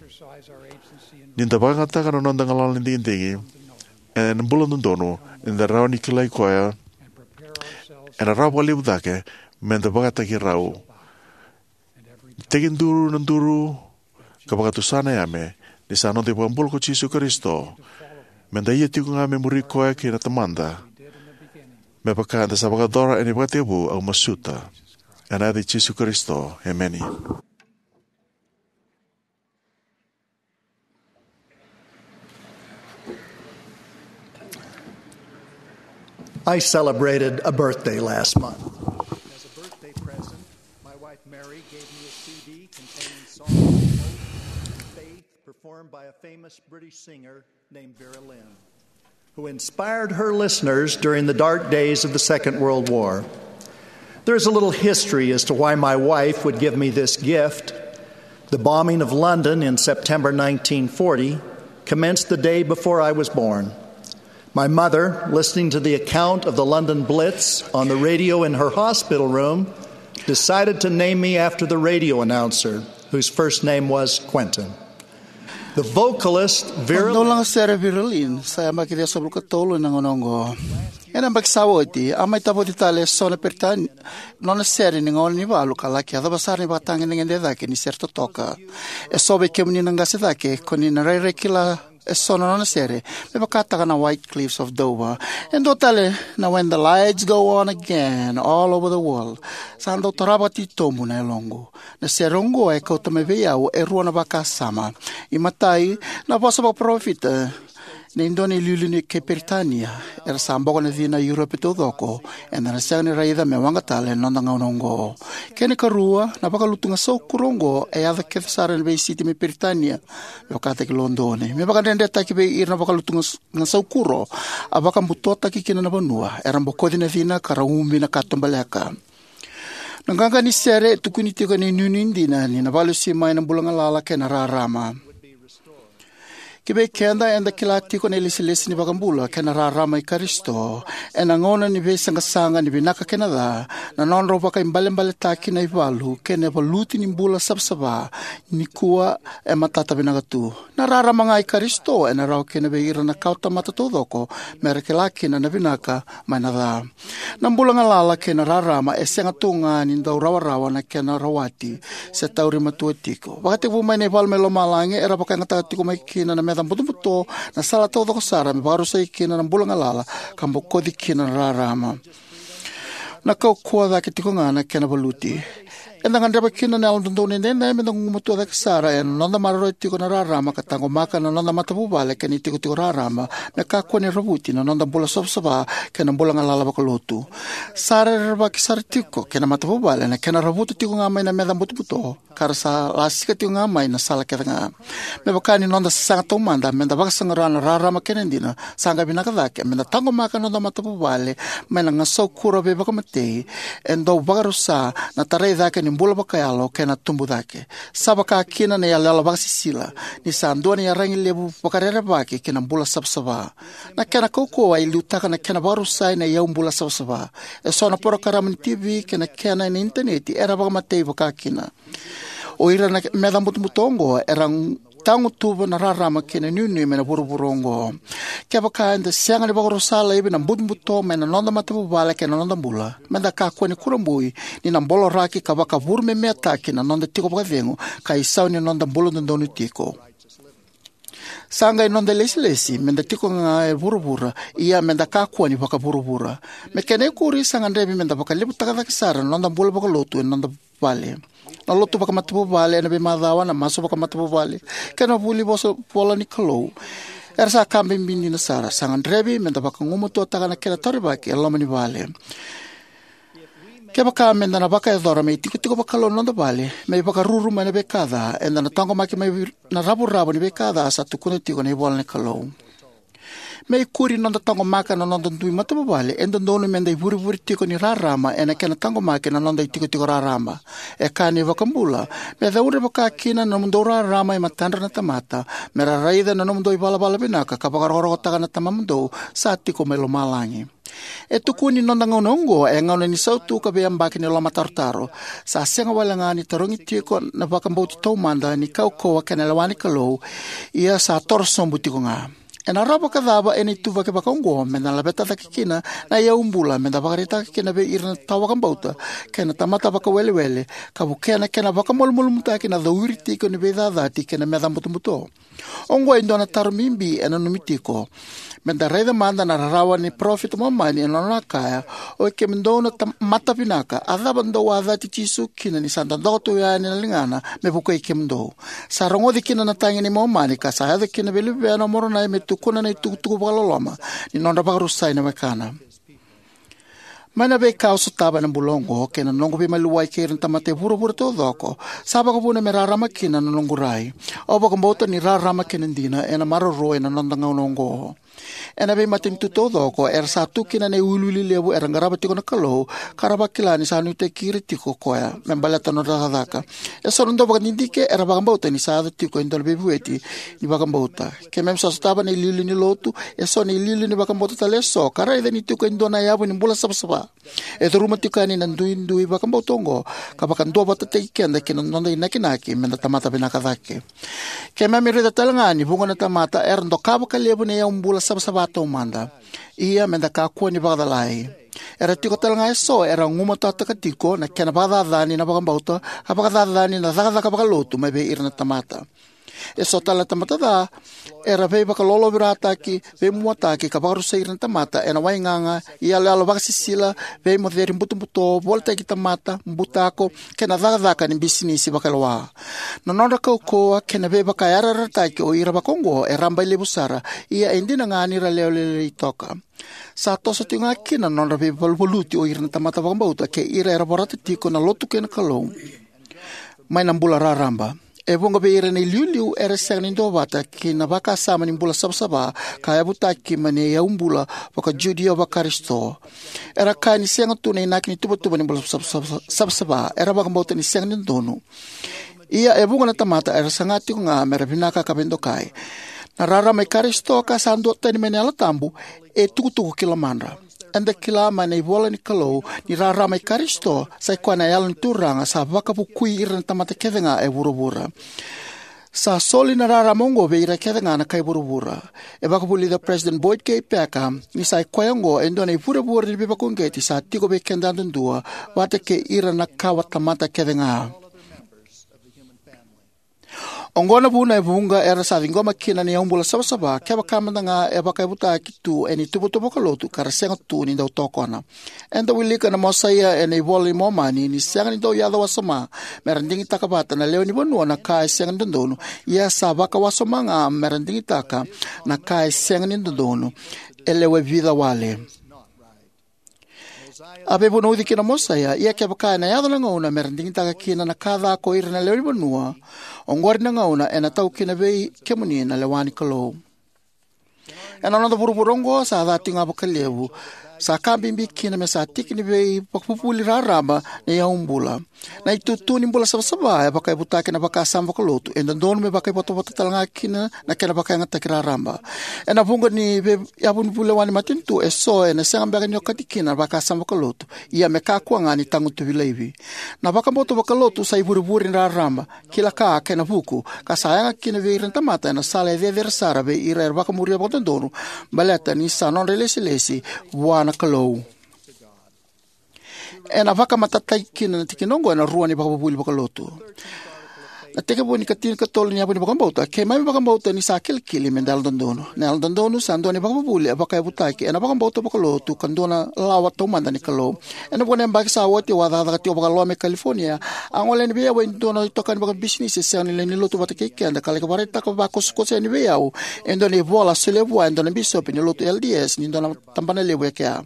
ni da vakayagataka na noda galala ni digidigi ena bula dodonu, eda rawa ni kilai koya ena rawa vakalevu cake, me da vakataki rau. Tekiduru na duru ka vakatusa na yame, ni sa noda iVakabula ko Jisu Karisito, me da ia tiko ga me muri koya kei na Tamada, me vaka eda sa vakayacora ena ivakatekivu, au masuta ena yaca i Jisu Karisito, emeni. I celebrated a birthday last month. As a birthday present, my wife Mary gave me a C D containing songs of hope and faith performed by a famous British singer named Vera Lynn, who inspired her listeners during the dark days of the Second World War. There is a little history as to why my wife would give me this gift. The bombing of London in September nineteen forty commenced the day before I was born. My mother, listening to the account of the London Blitz on the radio in her hospital room, decided to name me after the radio announcer, whose first name was Quentin. The vocalist Vera Lynn. Dau laga sere Vera Lynn sa yabaki ciwasagavulu ka tolu ena gauna oqo. Ena yabaki sa oti, a mai tavoci tale e so na Peritania nona sere ni gauna ni valu ka laki yacova sara ni vakatagedegede cake ni sere totoka. E so vei kemuni na qase cake ko ni na rairai kila e so na nona sere, me vakataka na White Cliffs of Dover. E dua tale na When the Lights Go On Again All Over the World. Sa dau tara vakatitobu na yaloqu. Na sere oqo e kauta mai vei au e rua na vakasama. I matai, na vosa vakaparofita ni dua na iliuliu ni kei Peritania era sa boko na cina e Europe taucoko, eda na sega ni raica me waqa tale ena noda gauna oqo. Kena ikarua, na vakalutu gasaukuro oqo e yaco kece sara ena veisiti mai Peritania, me vakataki Lodoni. Me vakadredretaki vei ira na vakalutu gas- gasaukuro a vakabutotaki kina na vanua era bokoci na cina ka ra ubi na katubaleka. Na qaqa ni sere e tukuni tiko ena inuinui dina ni na vakalesui mai na bula galala kei na rarama. Ki vei keda, eda kila tiko na ilesilesi ni vakabula kei na rarama i Karisito ena gauna ni veisaqasaqa ni vinaka kei na ca, na nodrau vakaibalebaletaki na ivalu kei na valuti ni bula savasava nikua e matata vinaka tu. Na rarama ga i Karisito ena rawa kina vei ira na kawatamata taucoko me ra kila kina na vinaka mai na ca. Na bula galala kei na rarama e sega tu ga ni dau rawarawa na kena rawati se tauri matua tiko. Vakatekivu mai na ivalu mai lomalagi era vakayagataka tiko mai kina na meca butobuto, na sala taucoko sara me vakarusai kina na bula galala ka bokoci kina na rarama. Na kaukauwa cake tiko ga na kena valuti. Eda gadreva kina na Yalododonu Edaidai me da gugumatua cake sara ena noda maroroya tiko na rarama ka taqomaka na noda matavuvale kei na itikotiko raraba me kakua ni ravuti na noda bula savasava kei na bula galala vakalotu. Sa rerevaki sara tiko kei na matavuvale na kena ravuta tiko ga mai na meca butobuto ka ra sa lasika tiko ga mai na sala kece ga. Me vaka ni noda sasaga taumada me da vakasaqara na rarama kei na dina, sa qai vinaka cake me da taqomaka na noda matavuvale mai na gasaukuro veivakamatei e dau vakarusa na tarai cake ni bula vakayalo kei na tubu cake. Sa vaka kina na iyaloyalo vakasisila ni sa dua na iyaragi levu vakarerevaki ki na bula savasava. Na kena kaukauwa e liutaka na kena vakarusai na iyaubula savasava. E so na porokaramu ni T V kei na kena ena initaneti era vakamatei vaka kina. O ira na meca butobuto oqo era tagutuva na rarama kei na inuinui mai na vuravura oqo. Kevaka eda sega ni vakarusa laivi na butobuto mai na noda matavuvale kei na noda bula, me da kakua ni kurabui ni na boloraki ka vakavurumemeataki na noda tiko vakacegu ka isau ni noda bula dodonu tiko. Sa qai noda ilesilesi me da tiko ga e vuravura, ia me da kakua ni vakavuravura. Me kena ikuri, sa gadrevi me da vakalevutaka cake sara na noda bula vakalotu ena noda vale. Na lotu vakamatavuvale ena veimacawa, na masu vakamatavuvale kei na vuli vosa vola ni Kalou era sa ka bibi dina sara. Sa gadrevi me da vakagumatuataka na kena taurivaki e loma ni vale. Kevaka me da na vakayacora me itikotiko vakalou na noda vale, me ivakaruru mai na veika ca, eda na taqomaki mai na ravuravu ni veika ca sa tukuna tiko na ivola ni Kalou. Me ikuri ni noda taqomaka na noda dui matavuvale, e dodonu me da ivurevure tiko ni rarama ena kena taqomaki na noda itikotiko raraba. E kaya na iVakabula, me caudre vakakina na nomudou rarama e matadra na tamata, me ra raica na nomudou ivalavala vinaka ka vakarokorokotaka na Tamamudou sa tiko mai lomalagi. E tukuni ni noda gauna oqo e gauna ni sautu ka veiyabaki ni lomatarotaro. Sa sega walega ni tarogi tiko na vakabauti taumada ni kaukauwa kei na lewa ni Kalou, ia sa toro sobu tiko ga. Ena rawa vakacava ena ituvaki vakaoqo me da laveta cake kina na iyaubula me da vakaraitaka kina vei ira na tawa vakabauta kei na tamata vakawelewele, ka vukea na kena vakamalumalumutaki na cauri tiko ni veicacati kei na meca butobuto? Oqo e dua na taro bibi e nanumi tiko. Me da raica mada na rarawa ni parofita Momani ena nona kaya, oi kemudou na ta- mata vinaka, a cava dou a cati Jisu kina ni sa dodoka tu yani na ligana me vukei kemudou? Sa rogoci kina na tagi nei Momani ka sa yaco kina vei luvena o Moronai me tukuna na itukutuku vakaloloma ni nodra vakarusai na wekana. Mai na veika au sotava ena bula oqo kei na noqu veimaliwai kei ira na tamata e vuravura taucoko, sa vakavuna me rarama kina na noqu rai. Au vakabauta ni rarama kei na dina ena maroroi ena noda gauna oqo. Ena veimatanitu taucoko era sa tu kina na iwiliwili levu era qarava tiko na Kalou, ka ra vakila ni sa nuitaki ira tiko o koya me baleta na nodra cakacaka. E so na dauvakadidike era vakabauta ni sa yaco tiko e dua na veivueti ni vakabauta. Keimami sa sotava na iliuliu ni lotu, e so na iliuliu ni vakabauta tale e so, ka raica ni tiko e dua na yavu ni bula savasava. E curuma tiko yani na duidui vakabauta oqo ka vakaduavatataki keda ki na noda inakinaki me da tamata vinaka cake. Keimami raica tale ga ni vuqa na tamata era doka vakalevu na iyaubula savasava taumada. Ia me da kakua ni vakacalai. Era tiko tale ga e so era gumatataka tiko na kena vakacacani na vakabauta, a vakacacani na cakacaka vakalotu mai vei ira na tamata. E so tale na tamata ca era veivakalolovirataki, veimuataki ka vakarusai ira na tamata ena waigaga, iyaloyalo vakasisila, veimoceri butobuto, volitaki tamata, butako, kei na cakacaka ni bisinisi vakailoa. Na nodra kaukauwa kei na veivakayarayarataki o ira vakaoqo e rabailevu sara, ia e dina ga ni ra lewe lailai toka. Sa toso tiko ga kina na nodra veivaluvaluti o ira na tamata vakabauta kei ira era vorata tiko na lotu kei na Kalou mai na bula raraba. E vuqa vei ira na iliuliu era sega ni duavata kei na vakasama ni bula savasava ka yavutaki mai na iyaubula vaka-Judio vaKarisito. Era kaya ni sega tu na inaki ni tuvatuva ni bula savasava, savasava. Era vakabauta ni sega ni dodonu. Ia e vuqa na tamata era saga tiko ga me ra vinaka ka veidokai. Na rarama i Karisito ka sa duatani mai na Yalo Tabu e tukutuku ki lomadra. Eda kila mai na ivola ni Kalou ni rarama i Karisito sa i koya na Yalo ni Turaga sa vakavukui ira na tamata kece ga e vuravura. Sa soli na rarama oqo vei ira kece ga na kai vuravura. E vakavulica o President Boyd K. Packer ni sa i koya oqo e dua na ivurevure ni veivakauqeti sa tiko vei keda yadudua, vata kei ira na kawa tamata kece ga. Oqo na vuna e vuqa era sa ciqoma kina na iyaubula savasava, kevaka mada ga e vakayavutaki tu ena ituvatuva vakalotu ka ra sega tu ni dau tokona. Eda wilika na Mosaia ena iVola i Momani ni sega ni dau yaco wasoma me ra digitaka vata na lewe ni vanua na ka e sega ni dodonu, ia sa vakawasoma ga me ra digitaka na ka e sega ni dodonu. E lewe vica wale. A veivunauci kina o Mosaia, ia kevaka ena yaco na gauna me ra digitaka kina na ka ca ko ira na lewe ni vanua, oqori na gauna ena tau kina vei kemuni na lewa ni Kalou. Ena noda vuravura oqo sa ca tiko ga vakalevu, sa ka bibi kina me sa tiki ni veivakavuvuli raraba na iyaubula. Na itutu ni bula savasava e vakayavutaki ena vakasama vakalotu, e dodonu me vakaivotavota tale ga kina na kena vakayagataki raraba. Ena vuqa ni veiyavu ni vulewa ni matanitu e so ena sega beka ni okati kina na vakasama vakalotu, ia me kakua ga ni tagutuvi laivi. Na vakabauta vakalotu sa ivurevure ni raraba, kila ka kei na vuku, ka sa yaga kina vei ira na tamata ena sala e cecere sara vei ira era vakamuria vakadodonu, baleta ni sa nodra ilesilesi vua na Kalou. Ena vakamatatataki kina na tikina oqo ena rua na ivakavuvuli vakalotu. Na tekivu ni katinikatolu ni yavu ni vakabauta, keimami vakabauta ni sa kilikili me da yalododonu. Na yalododonu sa dua na ivakavuvuli e vakayavutaki ena vakabauta vakalotu ka dua na lawa taumada ni Kalou. Ena vuqa na yabaki sa oti au a cakacaka tiko vakaloa mai California. A gole yani vei au e dua na itokani vakabisinisi e sega ni lewe ni lotu vata kei keda ka laki vakaraitaka vakosokoso yani vei au e dua na ivola a solia vua e dua na bisopi ni lotu L D S ni dua na tabana levu e kea.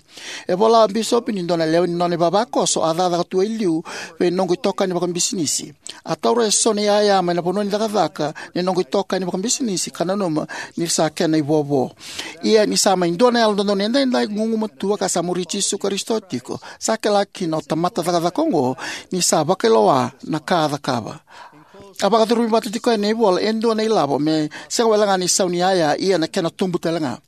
E vola o bisopi ni dua na lewe ni nona ivavakoso a cakacaka tu e liu vei noqu itokani vakabisinisi. A taura e so na yaya mai na vanua ni cakacaka ni noqu itokani vakabisinisi ka nanuma ni sa kena ivovo. Ia ni sa mai dua na Yalododonu Edaidai gugumatua ka sa muri Jisu Karisito tiko, sa kila kina o tamata cakacaka oqo ni sa vakailoa na ka a cakava. A vakacurumi vata tiko yani na ivola e dua na ilavo me sega walega ni sau ni yaya ia na kena tubu talega.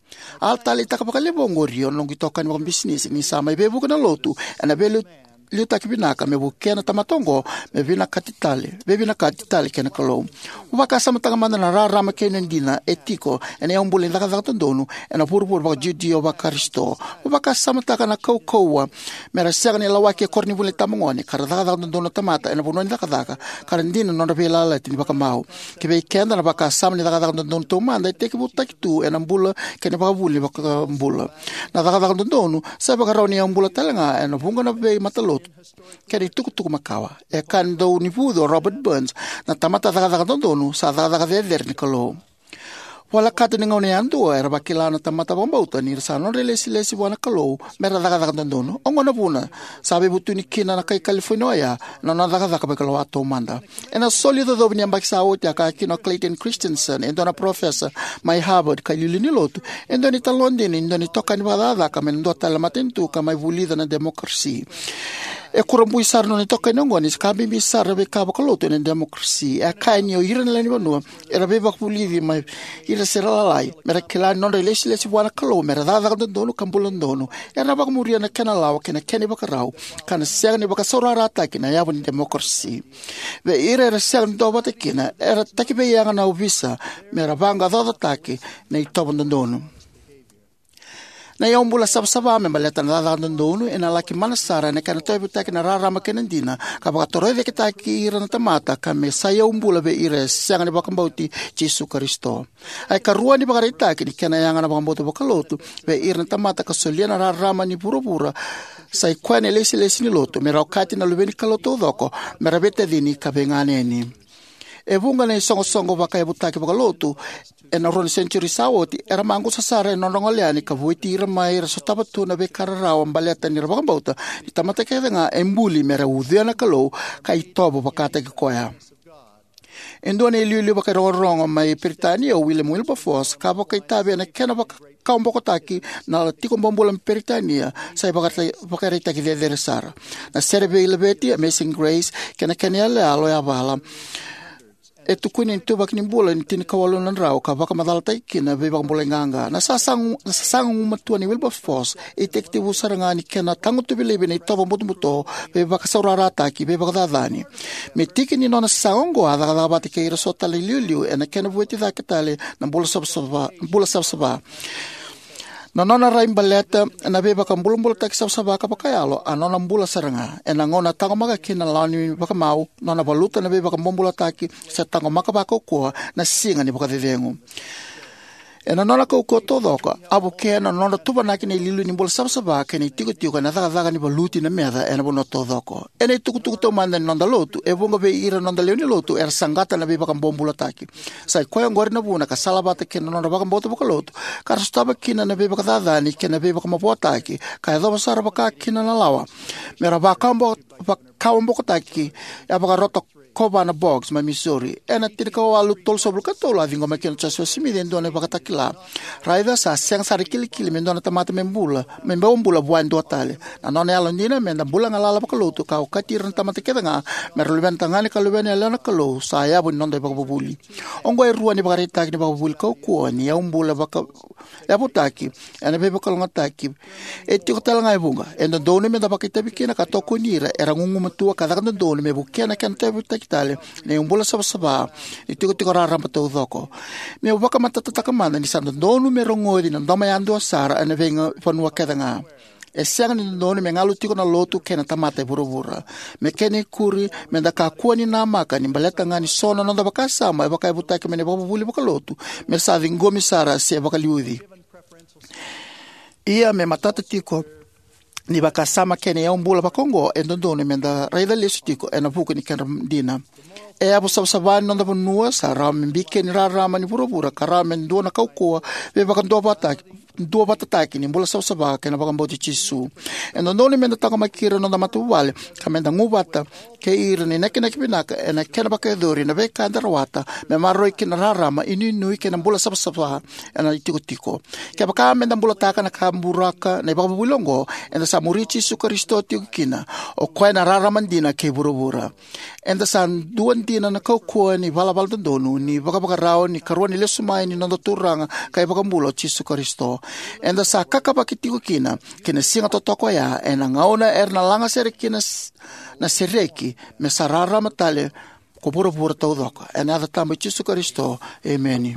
A taleitaka vakalevu oqori o noqu itokani vakabisinisi ni sa mai veivuke na lotu ena veiliu liutaki vinaka me vukea na tamata oqo me vinakati tale, veivinakati tale kei na Kalou. Mo vakasamataka mada na rarama kei na dina e tiko ena yaubula ni cakacaka dodonu ena vuravura vaka-Judio vakarisito. Mo vakasamataka na kaukauwa me ra sega ni lawaki e koronivuli ni tabagone ka ra cakacaka dodonu na tamata ena vanua ni cakacaka ka ra dina na nodra veiyalayalati ni vakamau. Ki vei keda, na vakasama ni cakacaka dodonu taumada e tekivutaki tu ena bula kei na vakavuli ni vakabula. Na cakacaka dodonu sa ivakarau ni yaubula talega ena vuqa na veimatalotu kei na itukutuku makawa. E kaya na daunivucu o Robert Burns, na tamata cakacaka dodonu sa cakacaka cecere ni Kalou. Volekata ni gauna yadua era vakila na tamata vakabauta ni sa nodra ilesilesi vua na Kalou me ra cakacaka dodonu. Oqo na vuna sa veivutuni kina na kai California oya na nona cakacaka vakailoa taumada. Ena soli icocovi ni yabaki sa oti, a kaya kina o Clayton Christensen, e dua na parofesa mai Harvard ka iliuliu ni lotu, e dua na italanoa dina ni dua na itokani vakacakacaka mai na dua tale na matanitu ka mai vulica na demokarasi. E kurabui sara na nona itokani oqo ni sa ka bibi sara na veika vakalotu ena demokarasi. E a kaya ni o ira na lewenivanua era veivakavulici mai ira se ra lalai me ra kila ni nodra ilesilesi vua na Kalou me ra cakacaka dodonu ka bula dodonu, era na vakamuria na kena lawa kei na kena ivakarau, ka na sega ni vakasaurarataki na yavu ni demokarasi. Vei ira era sega ni duavata kina, era takiveiyaga na ovisa me ra vaqaqacotaki na itovo dodonu. Na yaubula savasava me baleta na cakacaka dodonu ena laki mana sara ena kena tauyavutaki na rarama kei na dina, ka vakatorocaketaki ira na tamata ka me sa yaubula vei ira e sega ni vakabauti Jisu Karisito. A ikarua ni vakaraitaki ni kena yaga na vakabauta vakalotu vei ira na tamata ka solia na rarama ni vuravura sa ikoya na ilesilesi ni lotu, me ra okati na luve ni Kalou taucoko me ra veitacini ka veiganeni. E vuqa na isoqosoqo vakayavutaki vakalotu ena rua na senitiuri sa oti era maqusa sara ena nodra gole yani ka vueti ira mai ra sotava tu na veika rarawa baleta ni ra vakabauta ni tamata kece ga e buli me ra ucuya na Kalou ka itovo vakataki koya. E dua na iliuliu vakairogorogo mai Peritania o William Wilberforce ka vakaitavi ena kena vaka kawabokotaki na tiko bobula mai Peritania sa ivakara-, vakaraitaki cecere sara. Na sere veilaveti Amazing Grace kei na kena iyaloyalo yavala e tukuni ena ituvaki ni bula ni tinikawalu na drau ka vakamacalataki kina na veivakabulai qaqa. Na sasaga, na sasaga gugumatua nei Wilberforce e tekitekivu sara ga ni kena tagutuvi laivi na itovo butobuto, veivakasaurarataki, veivakacacani. Me tiki ni nona sasaga oqo, a cakacaka vata kei ira so tale na iliuliu ena kena vueti cake tale na bula savasava, bula savasava. Na nona rai baleta na veivakabulabulataki savasava ka vakayalo a nona bula sara ga ena gauna a taqomaka kina na lawa ni vakamau, nona valuta na veivakabobulataki, se taqomaka vakaukauwa na siga ni vakacecegu. Ena nona kaukauwa taucoko, a vukea na nodra tuvanaki na iliuliu ni bula savasava kei na itikotiko ena cakacaka ni valuti na meca ena vanua taucoko. Ena itukutuku taumada ni noda lotu, e vuqa vei ira na noda lewe ni lotu era saqata na veivakabobulataki. Sa ikoya oqori na vuna ka salavata kei na nodra vakabauta vakalotu ka ra sotava kina na veivakacacani kei na veivakamavoataki, ka yacova sara vaka kina na lawa me ra vakabo-, vakawabokotaki, a vakarota Kovana Boggs mai Missouri. Ena tinikawalu tolusagavulu ka tolu a ciqoma kina o Josefa Simici e dua na ivakatakila. Raica sa sega sara ni kilikili me dua na tamata me bula, me bau bula vua e dua tale. Na nona yalodina me da bula galala vakalotu ka okati ira na tamata kece ga me ra luvena tagane ka luvena yalewa na Kalou sa yavu ni noda ivakavuvuli. Oqo e rua na ivakaraitaki ni vakavuvuli kaukauwa ni yaubula vaka-, yavutaki ena veivakalougatataki. E tiko tale ga e vuqa. E dodonu me da vakaitavi kina ka tokoni ira era gugumatua ka caka dodonu me vukea na kena tauyavutaki tale na yaubula savasava ni tikotiko raraba taucoko. Meu vakamatatataka mada ni sa dodonu me rogoci na domo yadua sara ena veivanua kece ga. E sega ni dodonu me galu tiko na lotu kei na tamata e vuravura. Me kena ikuri, me da kakua ni namaka ni baleta ga ni so na noda vakasama e vakayavutaki mai na ivakavuvuli vakalotu me sa ciqomi sara se vakaliuci. Ia me matata tiko ni vakasama kei na yaubula vakaoqo e dodonu me da raica lesu tiko ena vuku ni kedra dina. E yavu savasava ni noda vanua sa rawa me bikeni rarama ni vuravura ka rawa me dua na kaukauwa veivakaduavatataki, duavatataki ni bula savasava kei na vakabauti Jisu. E dodonu meda taqomaki ira na noda matavuvale ka meda gu vata kei ira na inakinaki vinaka ena kena vakayacori na veika eda rawata me maroroi kina na rarama, inuinui kei na bula savasava ena itikotiko. Kevaka meda bulataka na ka buraka na ivakavuvuli oqo, eda sa muri Jisu Karisito tiko kina, o koya na rarama dina kei vuravura. Eda sa dua dina na kaukauwa ni valavala dodonu ni vakavakarau ni karua ni lesu mai ni noda Turaga ka iVakabula o Jisu Karisito. Eda sa kakavaki tiko kina ki na siga totoka oya, ena gauna era na laga sere kina s-, na sereki, me sa rarama tale ko vuravura taucoko. Ena yaca tabu i Jisu Karisito, emeni.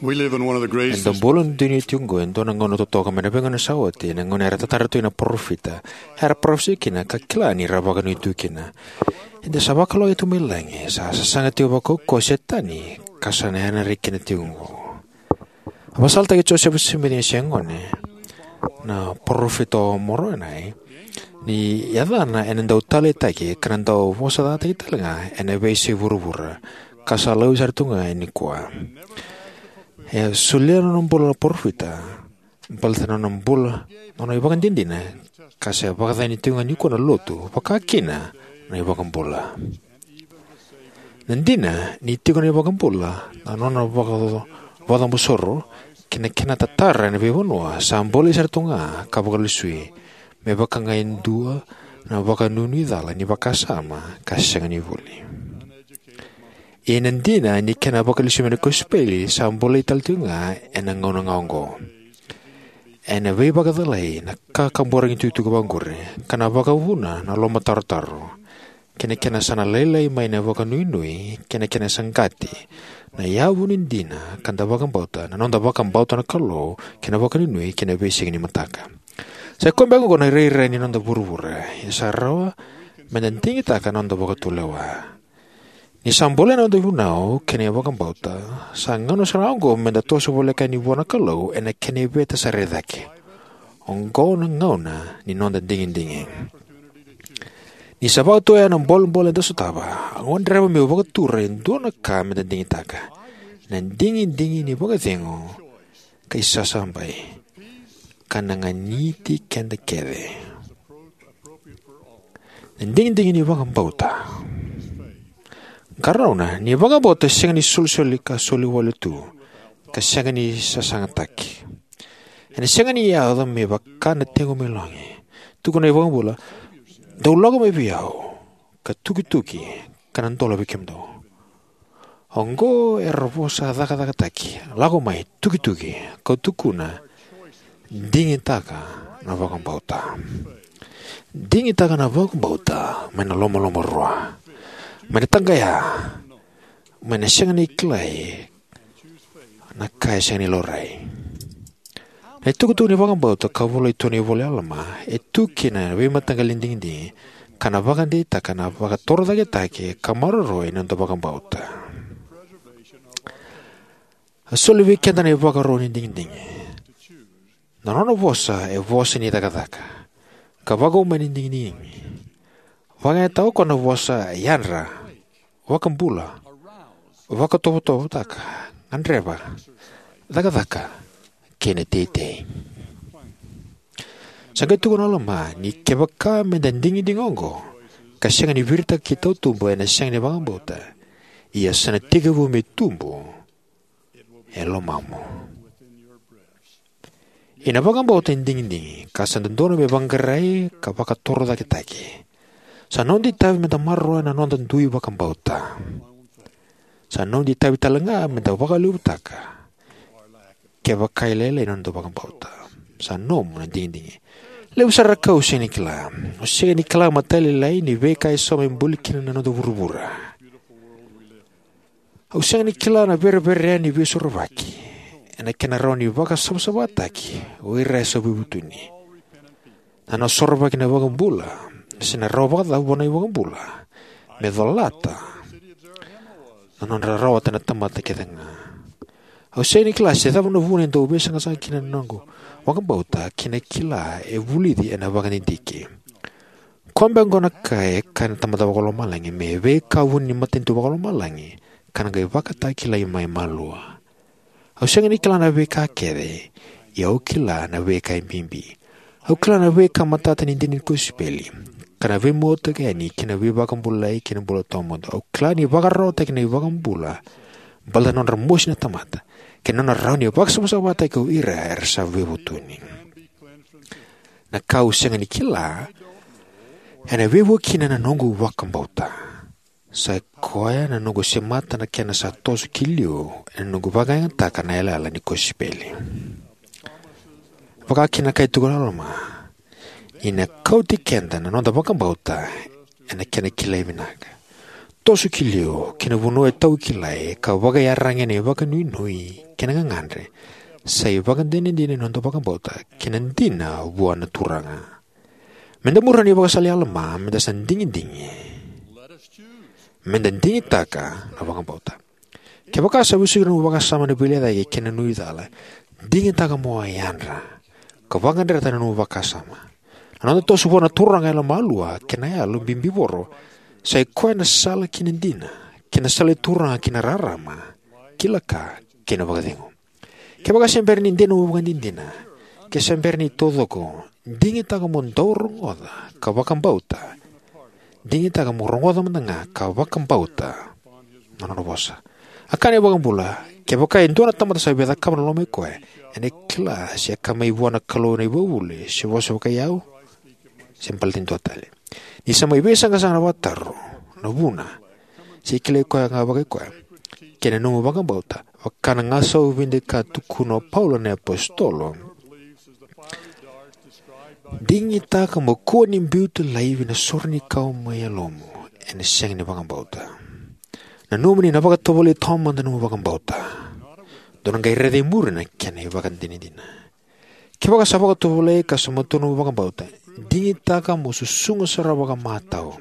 We live in one of the greatest Eda bula na dunia tiko oqo, e dua na gauna totoka mai na veigauna sa oti, ena gauna era tatara tu na parofita, era parofisai kina ka kila ni ra vakanuinui tu kina. Eda sa vakalougatataki tu mai lagi, sa sasaga tiko vakaukauwa o Setani, ka sa na yanayana kina tiko oqo. A vakasalataki Josefa Simici ni se gone, na parofita o Moronai, ni yacana ena dau taleitaki, ka na dau vosacataki talega ena veiyasai vuravura, ka sa laurai sara tu ga e nikua. E solia na nona bula na parofita, baleta na nona bula, na nona ivakadinadina, ka sa vakacacani tiko ga nikua na lotu, vaka kina na iVakabula. Na dina, ni tiko na iVakabula, na nona vaka-, vakacabosoro, kei na kena tatara ena veivanua, sa bolei sara tu ga, ka vakalesui, me vaka ga e dua, na vakanuinui cala, ni vakasama, ka sega ni vuli. Ia na dina, ni kena vakalesui mai na kosipeli, sa bolei tale tu ga, ena gauna ga oqo. Ena veivakacalai, na kakaburaki tukutuku vaqori, ka na vakavuna, na lomatarotaro. Kei na kena sa na lailai mai na vakanuinui, kei na kena saqati, na yavu ni dina, ka da vakabauta, na noda vakabauta na Kalou, kei na vakanuinui, kei na veisiga ni mataka. Sa i koya beka oqo na irairai ni noda vuravura, e sa rawa, meda digitaka na noda vakatulewa. Ni sa bolei na noda vunau, kei na vakabauta, sa gauna sara oqo, meda toso voleka yani vua na Kalou, ena kena iveta sa rai cake. Oqo na gauna, ni noda digidigi. Ni sa vakatoya na bolebole eda sotava, au gadreva meu vakatura e dua na ka meda digitaka. Na digidigi ni vakacegu, ka isasabai. Ka na ganiti keda kece. Na digidigi ni vakabauta. Qarauna, ni vakabauta sega ni solisoli ka soli wale tu. Ka sega ni sasagataki. Ena sega ni yaco me vaka na tegu mai logi. Tukuna na iVakabula, dou lako mai vei au, ka tukituki, ka na dola vei kemudou. Oqo era vosa cakacakataki, lako mai, tukituki, ka tukuna, digitaka na vakabauta. Digitaka na vakabauta, mai na lomalomarua. Mai na taqaya, mai na sega ni kilai, na ka e sega ni laurai. Na itukutuku ni vakabauta ka volai tu ena ivola i Alama, e tu kina na veimataqali digidigi, ka na vakadeitaka na vakatorocaketaki ka maroroi ni noda vakabauta. A soli vei keda na ivakaro ni digidigi. Na nona vosa e vosa ni cakacaka. Ka vakaumani digidigi. Vakayagataka o koya na vosa yadra, vakabula, vakatovotovotaka, gadreva, cakacaka, kei na teitei. Sa qai tukuna o Alama ni kevaka meda digidigi oqo, ka sega ni viritaka ki tautuba ena sega ni vakabauta, ia sa na tekivu me tubu e lomamu. Ena vakabauta e digidigi, ka sa dodonu me vaqarai ka vakatorocaketaki. Sa noda itavi meda maroroya na noda dui vakabauta. Sa noda itavi talega meda vakalevutaka. Kevaka e lailai na noda vakabauta. Sa nomu na digidigi. Levu sara na ka au sega ni kila. Au sega ni kila matailalai ni veika e sauma e buli kina na noda vuravura. Au sega ni kila na verevere yani ni veisorovaki. Ena kena rawa ni vakasavasavataki, o ira e sa veivutuni. Na nona sorovaki na iVakabula, se na rawa vakacava vua na iVakabula. Me colata. Na nodra rawata na tamata kece ga. Au sega ni kila se cava na vuna e dau veisaqasaqa kina na noqu vakabauta, kei na kila e vulici ena vakadidike. koya beka oqo na ka e kaya na Tamada Vakalomalagi me veika vuni ni matanitu vakalomalagi, ka na qai vakatakilai mai malua. Au sega ni kila na veika kece, ia au kila na veika e bibi. Au kila na veika matata ni dina ni kosipeli, ka na veimuataki yani ki na veivakabulai kei na bula tawamudu. Au kila ni vakararawataki na iVakabula baleta na nodra mosi na tamata, kei na nona rawa ni vakasavasavataki o ira era sa veivutuni. Na ka au sega ni kila ena veivuke kina na noqu vakabauta. Sa i koya na noqu semata na kena sa toso ki liu ena noqu vakayagataka na yalayala ni kosipeli. Vaka kina na ka e tukuna o Alama, ni na kauti keda na noda vakabauta ena kena kilai vinaka. Toso ki liu ki na vanua e taukilai ka vakaiyaragi ena ivakanuinui kei na gagadre, sa ivakadinadina ni noda vakabauta kei na dina vua na Turaga. Meda muria na ivakasala i Alama, meda sa digidigi. Meda digitaka na vakabauta. Kevaka sa vesuki na nomu vakasama na veilecayaki kei na nuicala, digitaka mo yadra ka vakayadrata na nomu vakasama. Na noda toso vua na Turaga yalomalua kei na yalo bibivoro, sa i koya na sala ki na dina, kei na sala i Turaga ki na rarama, kila ka, kei na vakacegu. Kevaka se bera ni dina mo vakadinadina, ke se bera ni taucoko, digitaka mo dau rogoca ka vakabauta. Digitaka mo rogoca mada ga ka vakabauta na nona vosa. A kaya na iVakabula, kevaka e dua na tamata sa via cakava na loma i koya, ena kila se ka mai vua na Kalou na ivakavuvuli, se vosa vakai au, se baleta ni dua tale. Ni sa mai veisaqasaqa na vakataro, na vuna, se kilai koya ga vakai koya, kei na nomu vakabauta, vaka na gasau vidai ka tukuna o Paula na iapositolo. Digitaka mo kua ni biuta laivi na sore ni kau mai yalomu ena sega ni vakabauta. Nanuma ni na vakatovolei taumada na nomu vakabauta. Dou na qai raica e muri na kena ivakadinadina. Kevaka sa vakatovolei ka sa matua na nomu vakabauta, digitaka mo susuga sara vakamatau.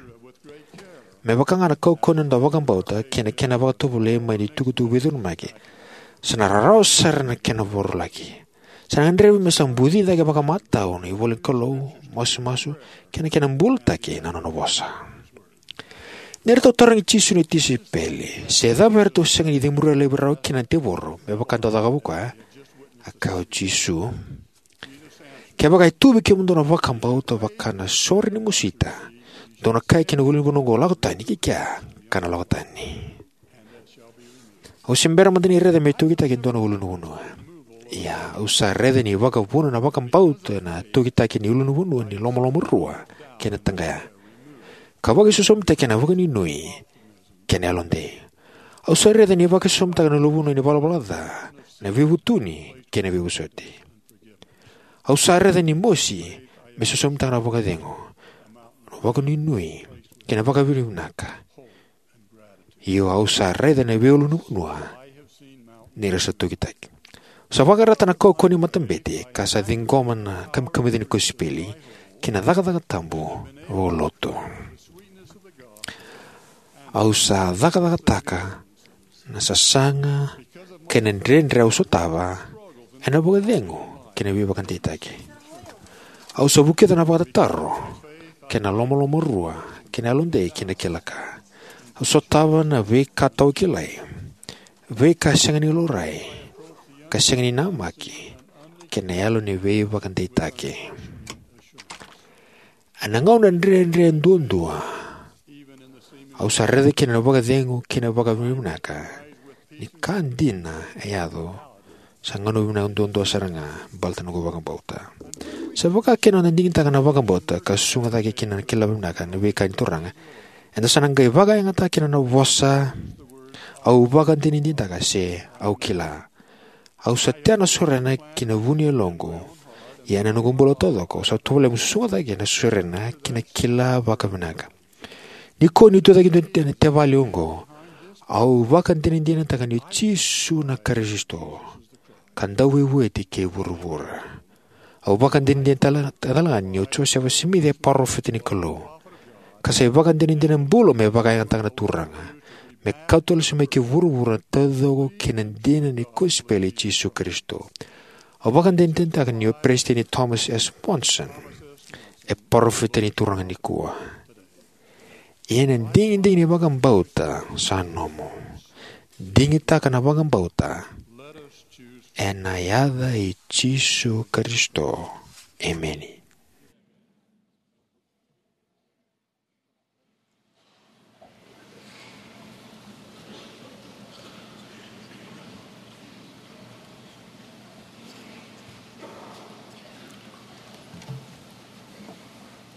Me vaka ga na kaukauwa ni noda vakabauta kei na kena vakatovolei mai na itukutuku veicurumaki, sa na rarawa sara na kena vorolaki. Sa na gadrevi me sa buci cake vakamatau na ivola ni Kalou, masumasu, kei na kena bulataki na nona vosa. Ni ratou tarogi Jisu na tisaipeli se cava eratou sega ni cemuria laivi rawa kina na tevoro me vaka dau cakava o koya, a kaya o Jisu, kevaka e tu vei kemudou na vakabauta vaka na sore ni musita, dou na kaya ki na ulunivanua oqo, lako tani ki kea, ka na lako tani. Au se bera mada ni raica me tokitaki e dua na ulunivanua. Ia, au sa raica ni vakavuna na vakabauta na tokitaki ni ulunivanua ni lomalomarua kei na taqaya, ka vakaisosomitaki ena vakanuinui kei na yalodei. Au sa raica ni vakaisosomitaka na ulunivanua ni valavala ca, na veivutuni kei na veivosoti. Au sa raica ni mosi me sosomitaka na vakacegu, na vakanuinui kei na vakavinavinaka. Io, au sa raica na veiulunivanua ni ra sa tokitaki. Au sa vakayadrata na kaukauwa ni matabete ka sa ciqoma na kamikamica ni kosipeli kei na cakacaka tabu vakalotu. Au sa cakacakataka na sasaga kei na dredre au sotava ena vakacegu kei na veivakadeitaki. Au sa vukica na vakatataro kei na lomalomarua kei na yalodei kei na kila ka. Au sotava na veika taukilai, veika sega ni laurai, ka sega ni namaki, kei na yalo ni veivakadeitaki. Ena gauna dredre duadua, au sa raica kina na vakacegu kei na vakavinavinaka. Ni ka dina e yaco, sa gauna vinaka duadua sara ga baleta na noqu vakabauta. Sa vaka kina na digitaka na vakabauta ka susuga cake kina na kila vinaka na veika ni Turaga, eda sa na qai vakayagataka kina na vosa, au vakadinadinataka se au kila. Au sa tea na sorena ki na vu ni yaloqu. Ia ena noqu bula taucoko, au sa tovolea meu susuga cake na sorena ki na kila vakavinaka. Nikua niu tucake e dua na tevali oqo, au vakadinadinataka ni o Jisu na Karisito, ka Dauveivueti kei vuravura. Au vakadinadinataka tale ga ni o Josefa Simici e parofita ni Kalou, ka sa ivakadinadina bula me vakayagataka na Turaga, me kauta lesu mai ki vuravura na taucoko kei na dina ni kosipeli i Jisu Karisito. Au vakadinadinataka ni o Peresitedi Thomas S. Monson e parofita ni Turaga nikua. Ia na digidigi ni vakabauta sa nomu. Digitaka na vakabauta. Ena yaca i Jisu Karisito. Emeni.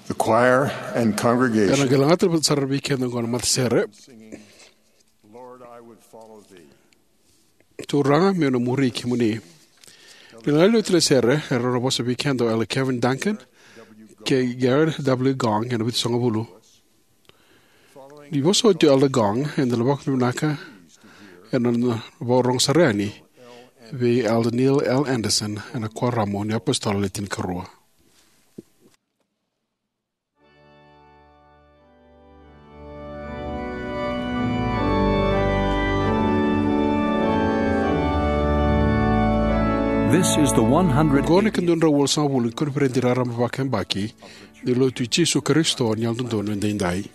The choir and congregation. Ena qai lagata vata sara vei keda oqo na matasere. Lord, I would follow thee. Turaga, meu na muri kemuni. Ni na lewe ni sere, era na vosa vei keda o Elder Kevin Duncan kei Gerard W. Gong ena vitusagavulu. Ni vosa oti o Elder Gong, eda na vakavinavinaka ena nona vakarorogo sara yani vei Elder Neil L. Andersen ena Kuoramu ni iApositolo Le Tinikarua. This is the one hundred. Oqo na ika dua na drau walusagavulu ni koniferedi raraba vakayabaki ni Lotu i Jisu Karisito ni Yalododonu Edaidai.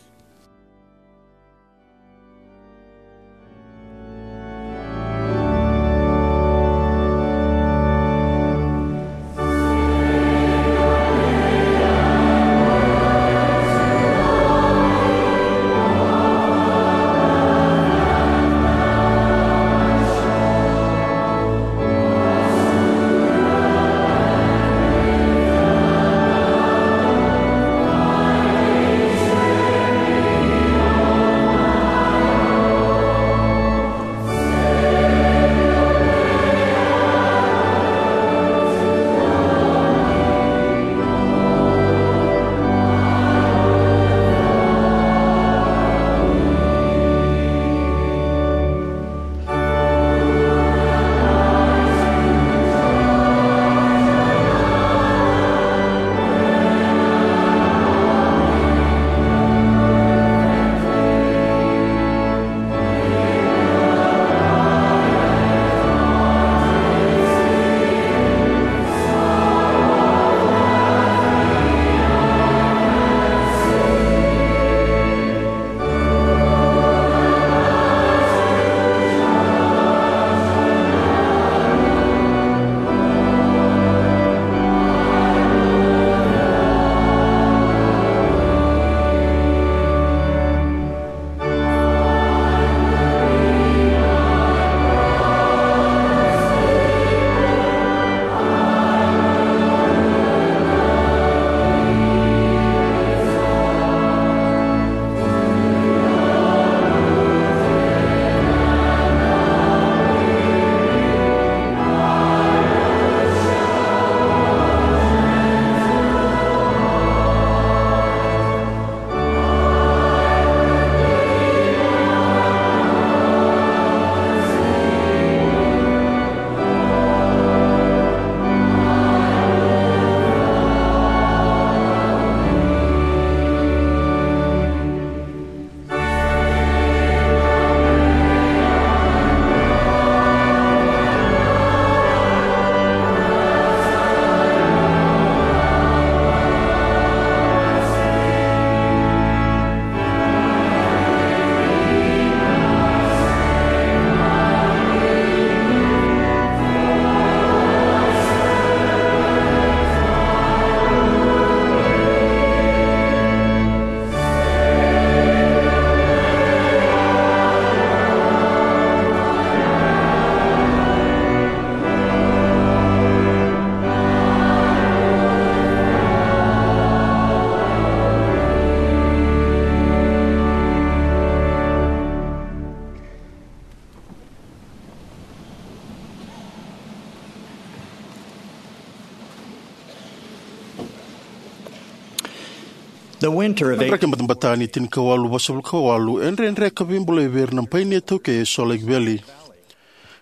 The winter of Na draki batabata ni tinikawalu vasagavulu ka walu e dredre ka veibulai vei ira na painia iTaukei e Salt Lake Valley.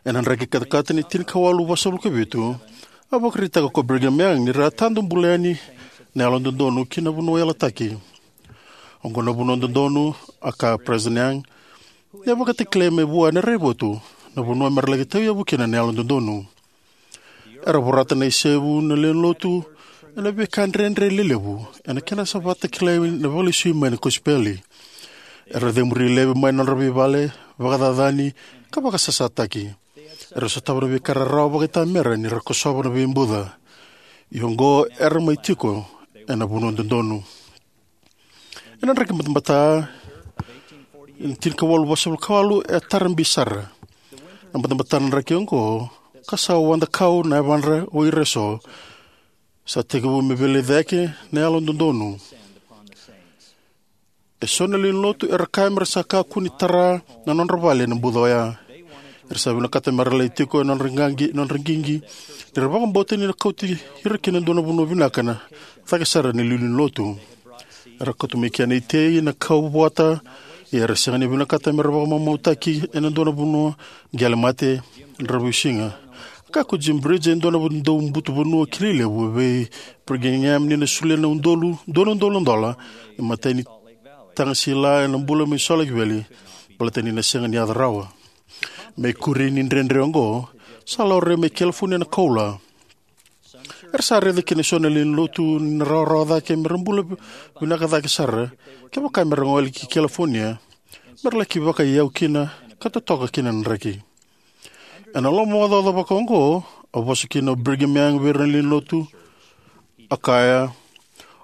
Ena draki katakata ni tinikawalu vasagavulu ka vitu, a vakaraitaka ko Brigham Young ni ra a tadu bula yani na yalododonu ki na vanua yalataki. Oqo na vanua dodonu, a kaya o Peresitedi Young, ni a vakatakilai mai vua ena raivotu na vanua me ra laki tauyavu kina na yalododonu. Era vorata na isevu na lewe ni lotu ena veika dredre lelevu ena kena sa vakatakilai na vakalesui mai na kosipeli. Era cemuri laivi mai na nodra veivale, vakacacani, ka vakasasataki. Era sotava na veika rarawa vakaitamera ni ra kosova na veibuca. Ia oqo era mai tiko ena vanua dodonu. Ena draki batabata, ena tinikawalu vasagavulu ka walu, e tara bi sara. Na batabata na draki oqo, ka sa wada kau na yavadra o ira eso, sa tekivu me veilecayaki na yalododonu. Eso na lewe ni lotu era kaya mera sa kakua ni tara na nodra vale ena buca oya. Era sa vinakata mera lai tiko ena nodra qaqi, nodra qiqi, ni ra vakabauta ni na kauti ira ki na dua na vanua vinaka na cake sara ni lewe ni lotu. Era kauta mai kina na itei, na kau vota, ia era sega ni vinakata mera vakamamautaki ena dua na vanua qele mate, dravuisiga. Ka ko Jim Bridge, e dua na dau butu vanua kilai levu vei Brigham Young ni na solia na udolu, dua na udolu na dola, e matai ni taga sila ena bula mai Salt Lake Valley, baleta ni na sega ni yaco rawa. Me ikuri ni dredre oqo, sa laurai mai California na koula. Era sa raica kina eso na lewe ni lotu ni na rawarawa cake mera bula vinaka cake sara. Kevaka mera gole ki California, mera laki vakaiyau kina ka totoka kina na draki. Ena loma vakacaca vaka oqo, a vosa kina o Brigham Young vei ira na lewe ni lotu, a kaya,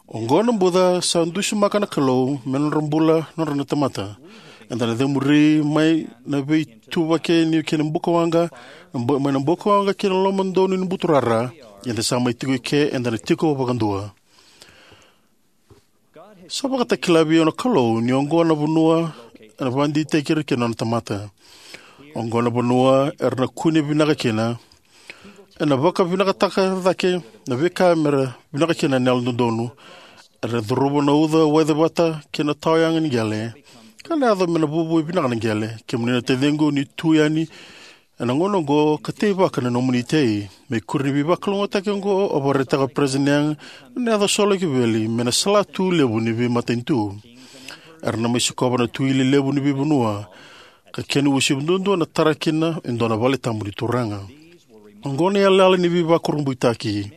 oqo na buca sa dusimaka na Kalou me nodra bula nodra na tamata. Eda na cemuri mai na veituvaki ni kena bukawaqa, na bu-, mai na bukawaqa ki na loma donu ni buturara, eda sa mai tiko i ke, eda na tiko vakadua. Sa vakatakila vei au na Kalou ni oqo na vanua ena vakadeitaki ira kina nona tamata. Oqo na vanua era na kune vinaka kina. Ena vakavinakataka cake na veika mera vinaka kina na yalododonu. Era curuma na uca waicevata kei na tawayaga ni qele. Ka na yaco me na vuvu vinaka na qele. Kemuni na taciqu, ni tu yani ena gauna oqo ka teivaka na nomuni itei. Me ikuri ni veivakalougatataki oqo, au vakaraitaka o Peresitedi Young na yaco Salt Lake Valley me na salatu levu ni veimatanitu. Era na mai sikova na tuili levu ni veivanua, ka kena uasivi duadua na tara kina e dua na vale tabu ni Turaga. Oqo na iyalayala ni veivakurabuitaki.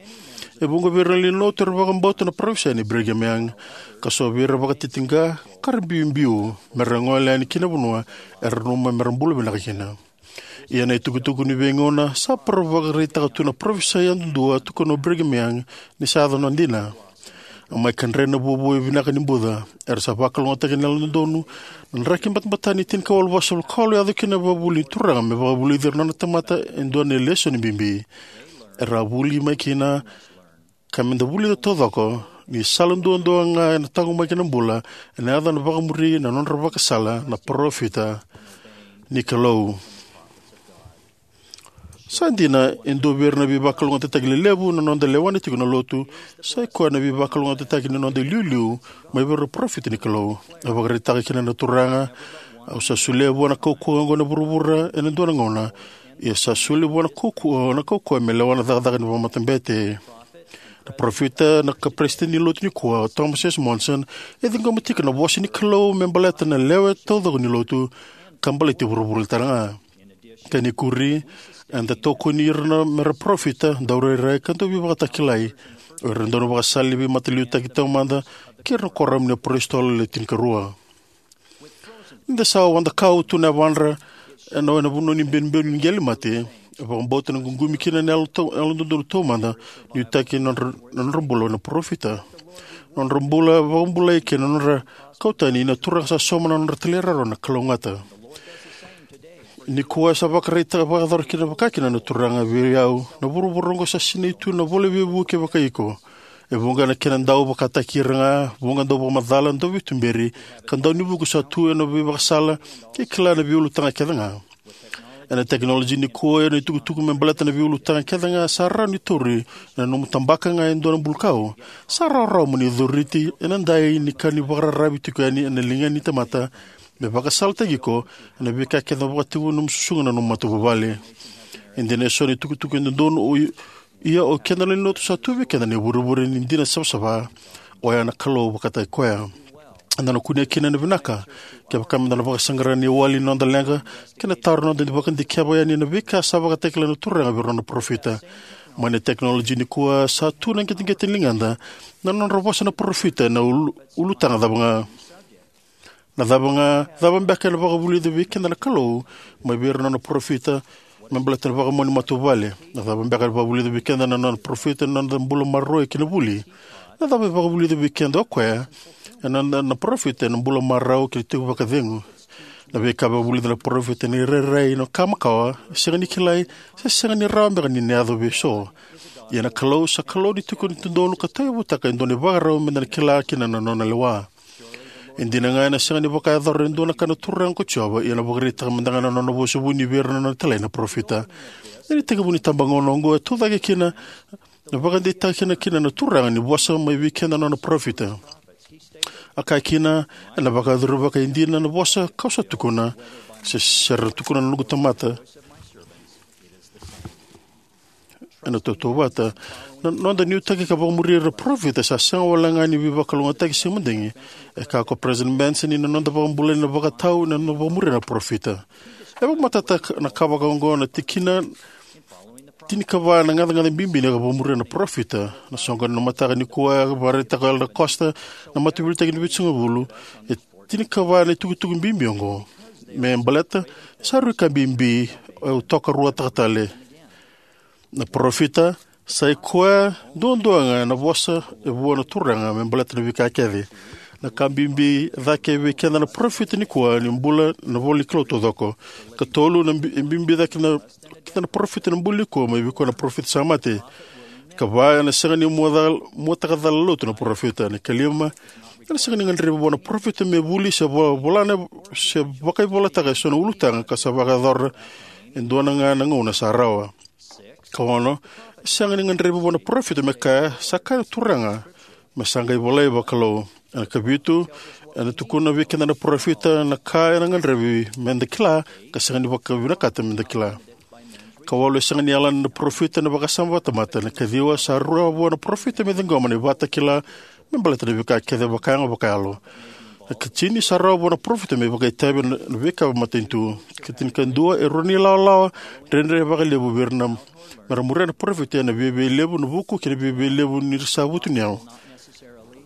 E vuqa vei ira na lewe ni lotu era vakabauta na parofisai nei Brigham Young, ka so vei ira vakatitiqa ka ra biubiu mera gole yani ki na vanua era nanuma mera bula vinaka kina. Ia na itukutuku ni veigauna sa vakaraitaka tu na parofisai yadudua tukuna o Brigham Young ni sa yaco na dina. A mai kadre na vuvu e vinaka ni buca. Era sa vakalougatataki na yalododonu. Na draki batabata ni tinikawalu vasagavulu ka walu yaco kina na vakavuli ni Turaga me vakavulici ira na nona tamata e dua na lesoni bibi. Era a vuli mai kina, ka meda vulica taucoko ni sala duadua ga ena taqomaki na bula ena yaco na vakamuri na nodra vakasala na parofita ni Kalou. Sa dina, e dua vei ira na veivakalougatataki lelevu na noda lewa ni tiko na lotu, sa i koya na veivakalougatataki ni noda iliuliu mai vei ira na parofita ni Kalou. A vakaraitaka kina na Turaga, au sa solia vua na kaukauwa oqo na vuravura ena dua na gauna, ia sa solia vua na kaukauwa, na kaukauwa me lewa na cakacaka ni vakamatabete. Na parofita na ka peresitedi ni lotu nikua, o Thomas S. Monson, e ciqoma tiko na vosa ni Kalou me baleta na lewe taucoko ni lotu, ka baleti vuravura tale ga. Kena ikuri, eda tokoni ira na mera parofita, daurairai ka dauveivakatakilai. O ira dau na vakasala ni veimataliutaki taumada, kei ira na kuoramu ni apositolo le tinikarua. Ni da sa wada kau tu na yavadra ena, ena vanua ni benibeni ni qele mate, e vakabauta na ququmi kina na yalo tau, yalododonu taumada, nuitaki na nodra, na nodra bula na parofita. Na nodra bula, vakabulai kei na nodra kau tani na Turaga sa sauma na nodra talairawarawa na kalougata. Nikua sa vakaraitaka vakayacora kina vakakina na Turaga vei au, na vuravura oqo sa sinai tu na ivola veivuke vakaiko. E vuqa na kena dau vakataki ira ga, vuqa dau vakamacala, dau veituberi, ka dau ni vuku sa tu ena veivakasala, ke kila na veiulutaga kece ga. Ena tekinoloji nikua, ena itukutuku me baleta na veiulutaga kece ga sa rawa ni tauri ena nomu tabaka ga e dua na bulukau. Sa rawarawa mo ni coriti ena dai ni ka ni vakararavi tiko yani ena liga ni tamata, me vakasalataki iko ena veika kece vakatekivu nomu susuga na nomu matavuvale. E dina eso na itukutuku e dodonu, o i-, ia o keda na lewe ni lotu sa tu vei keda na ivurevure ni dina savasava, oya na Kalou vakataki koya. Eda na kunea kina na vinaka kevaka meda na vakasaqara na iwali ni noda leqa kei na taro, noda vakadikeva yani na veika sa vakatakila na Turaga vei ira na nona parofita. Mai na tekinoloji nikua, sa tu na qeteqete ni ligada na nodra vosa na parofita ena ulu, ulutaga cava ga. Na cava ga, cava beka ena vakavulica vei keda na Kalou mai vei ira na nona parofita me baleta na vakamau ni matavuvale? Na cava beka ena vakavulica vei keda na nona parofita ena noda bula maroroi kei na vuli? Na cava e vakavulica vei keda o koya ena noda na parofita ena bula marau kei na tiko vakacegu? Na veika e vakavulica na parofita ena irairai, na ka makawa, sega ni kilai, se sega ni rawa beka ni na yaco vei so. Ia na Kalou sa Kalou ni tiko ni dodonu ka tauyavutaka e dua na ivakarau meda na kila kina na nona lewa. E dina ga ena sega ni vakayacora e dua na ka na Turaga ko Jiova, ia ena vakaraitaka mada ga na nona vosa vuni vei ira na nona italai na parofita. Ena itekivu ni itabagauna oqo e tucake kina na vakadeitaka kina, kina na Turaga ni vosa mai vei keda na nona parofita. A kaya kina, ena vakayacori vakaidina na vosa kau sa tukuna, se, se ra tukuna na noqu tamata ena tautauvata. Na noda nuitaki ka vakamuria na parofita sa sega wale ga ni veivakalougatataki se madigi. E kaya ko President Benson ni na noda vakabulai na vakatau ena noda vakamuria na parofita. E vakamatata na ka vakaoqo na tikina tinikava na gacagaca bibi ni ka vakamuria na parofita. Na soqoni ni mataka nikua e vakaraitaka o Elder Costa na Mataveiliutaki ni Vitusagavulu. E tinikava na itukutuku bibi oqo. Me baleta, sa rui ka bibi, au tokaruataka tale. Na parofita sa i koya duadua ga na vosa e vua na Turaga me baleta na veika kece. Na ka bibi e cake vei keda na parofita nikua ni bula na ivola ni Kalou taucoko. Katolu, na bi-, e bibi cake na, keda na parofita na bula nikua mai vei koya na parofita sa mate. Kava, ena sega ni muacal-, muataka cala lotu na parofita. Na kalima, ena sega ni gadrevi vua na parofita me vuli se vo-, volana se vakaivolataka e so na ulutaga ka sa vakayacora e dua na ga na gauna sa rawa. Kaono, e sega ni gadrevi vua na parofita me kaya, sa kaya na Turaga, me sa qai volai vakalou. Ena kavitu, ena tukuna vei keda na parofita na ka ena gadrevi meda kila, ka sega ni vakavinakata meda kila. Kawalu, e sega ni yalana na parofita na vakasama vakatamata. Ena kaciwa, sa rawa vua na parofita me ciqoma na ivakatakila me baleta na veika kece vakayago vakayalo. Na katini, sa rawa vua na parofita me vakaitavi na, na veika matanitu. Katinikadua, e rua na ilawalawa dredre vakalevu vei ira na, mera muria na parofita, ena viavialevu na vuku kei na viavialevu ni ra sa vutuniyau.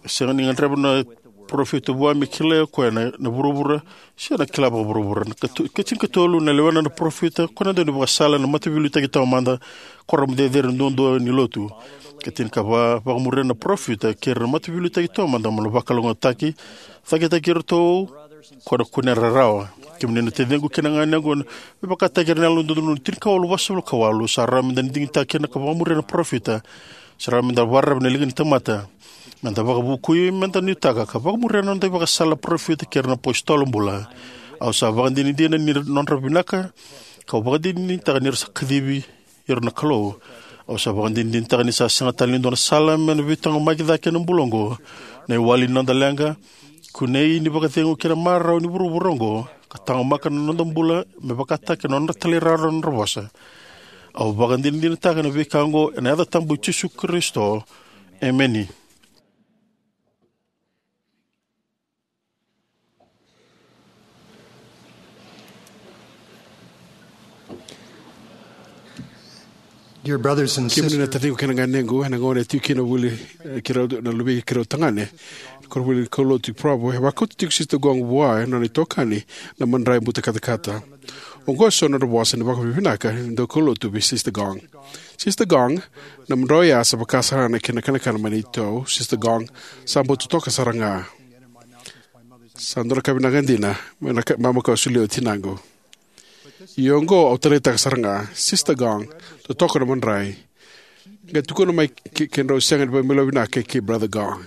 E sega ni gadreva na parofita vua me kilai o koya na, na vuravura, se na kila vakavuravura. Na katu-, katinikatolu, na lewena na parofita ko na dau ni vakasala na Mataveiliutaki Taumada, Kuoramu Cecere Duadua ni Lotu. Katinikava, vakamuria na parofita kei ira na Mataveiliutaki Taumada mo na vakalougatataki, cakitaki iratou ko na kunea rarawa. Kemuni na taciqu kei na ganequ, me vakataki ira na Yalododonu Tinikawalu Vasagavulu ka walu, sa rawa meda na digitaka kina ka vakamuria na parofita. Sa rawa meda vakararavi na liga ni tamata. Meda vakavukui, meda nuitaka ka vakamuria na noda ivakasala na parofita kei ira na apositolo bula. Au sa vakadinadina ni nodra vinaka, kau vakadinadinataka ni ra sa kacivi ira na Kalou. Au sa vakadinadinataka ni sa sega tale ni dua na sala me na veitaqomaki cake ena bula oqo. Na iwali ni noda leqa, kunei ni vakacegu kei na marau ni vuravura oqo, ka taqomaka na noda bula me vakataki na nodra talairawarawa na nodra vosa. Au vakadinadinataka na veika oqo ena yaca tabu i Jisu Karisito. Emeni. Dear brothers and sisters, kemuni na taciqu kei na ganequ, ena gauna e tiko kina voli, eh, keirau na luvei keirau tagane, koronivuli kaulotu i Provo, e vakauta tiko Sister Gong vua e nona itokani na madrai buta katakata. Oqo e so na nodra vosa ni vakavinavinaka ni daukaulotu vei Sister Gong. Sister Gong, na madrai oya sa vaka sara ga na kena kanakana mai na itou. Sister Gong, sa bau totoka sara ga. Sa dua na ka vinaka dina, mai na ka, mama ka solia o tinaqu. Ia oqo au taleitaka sara ga, Sister Gong, totoka na madrai. Qai tukuna mai ke, kedrau sega ni vakamelovinaka kei, kei Brother Gong.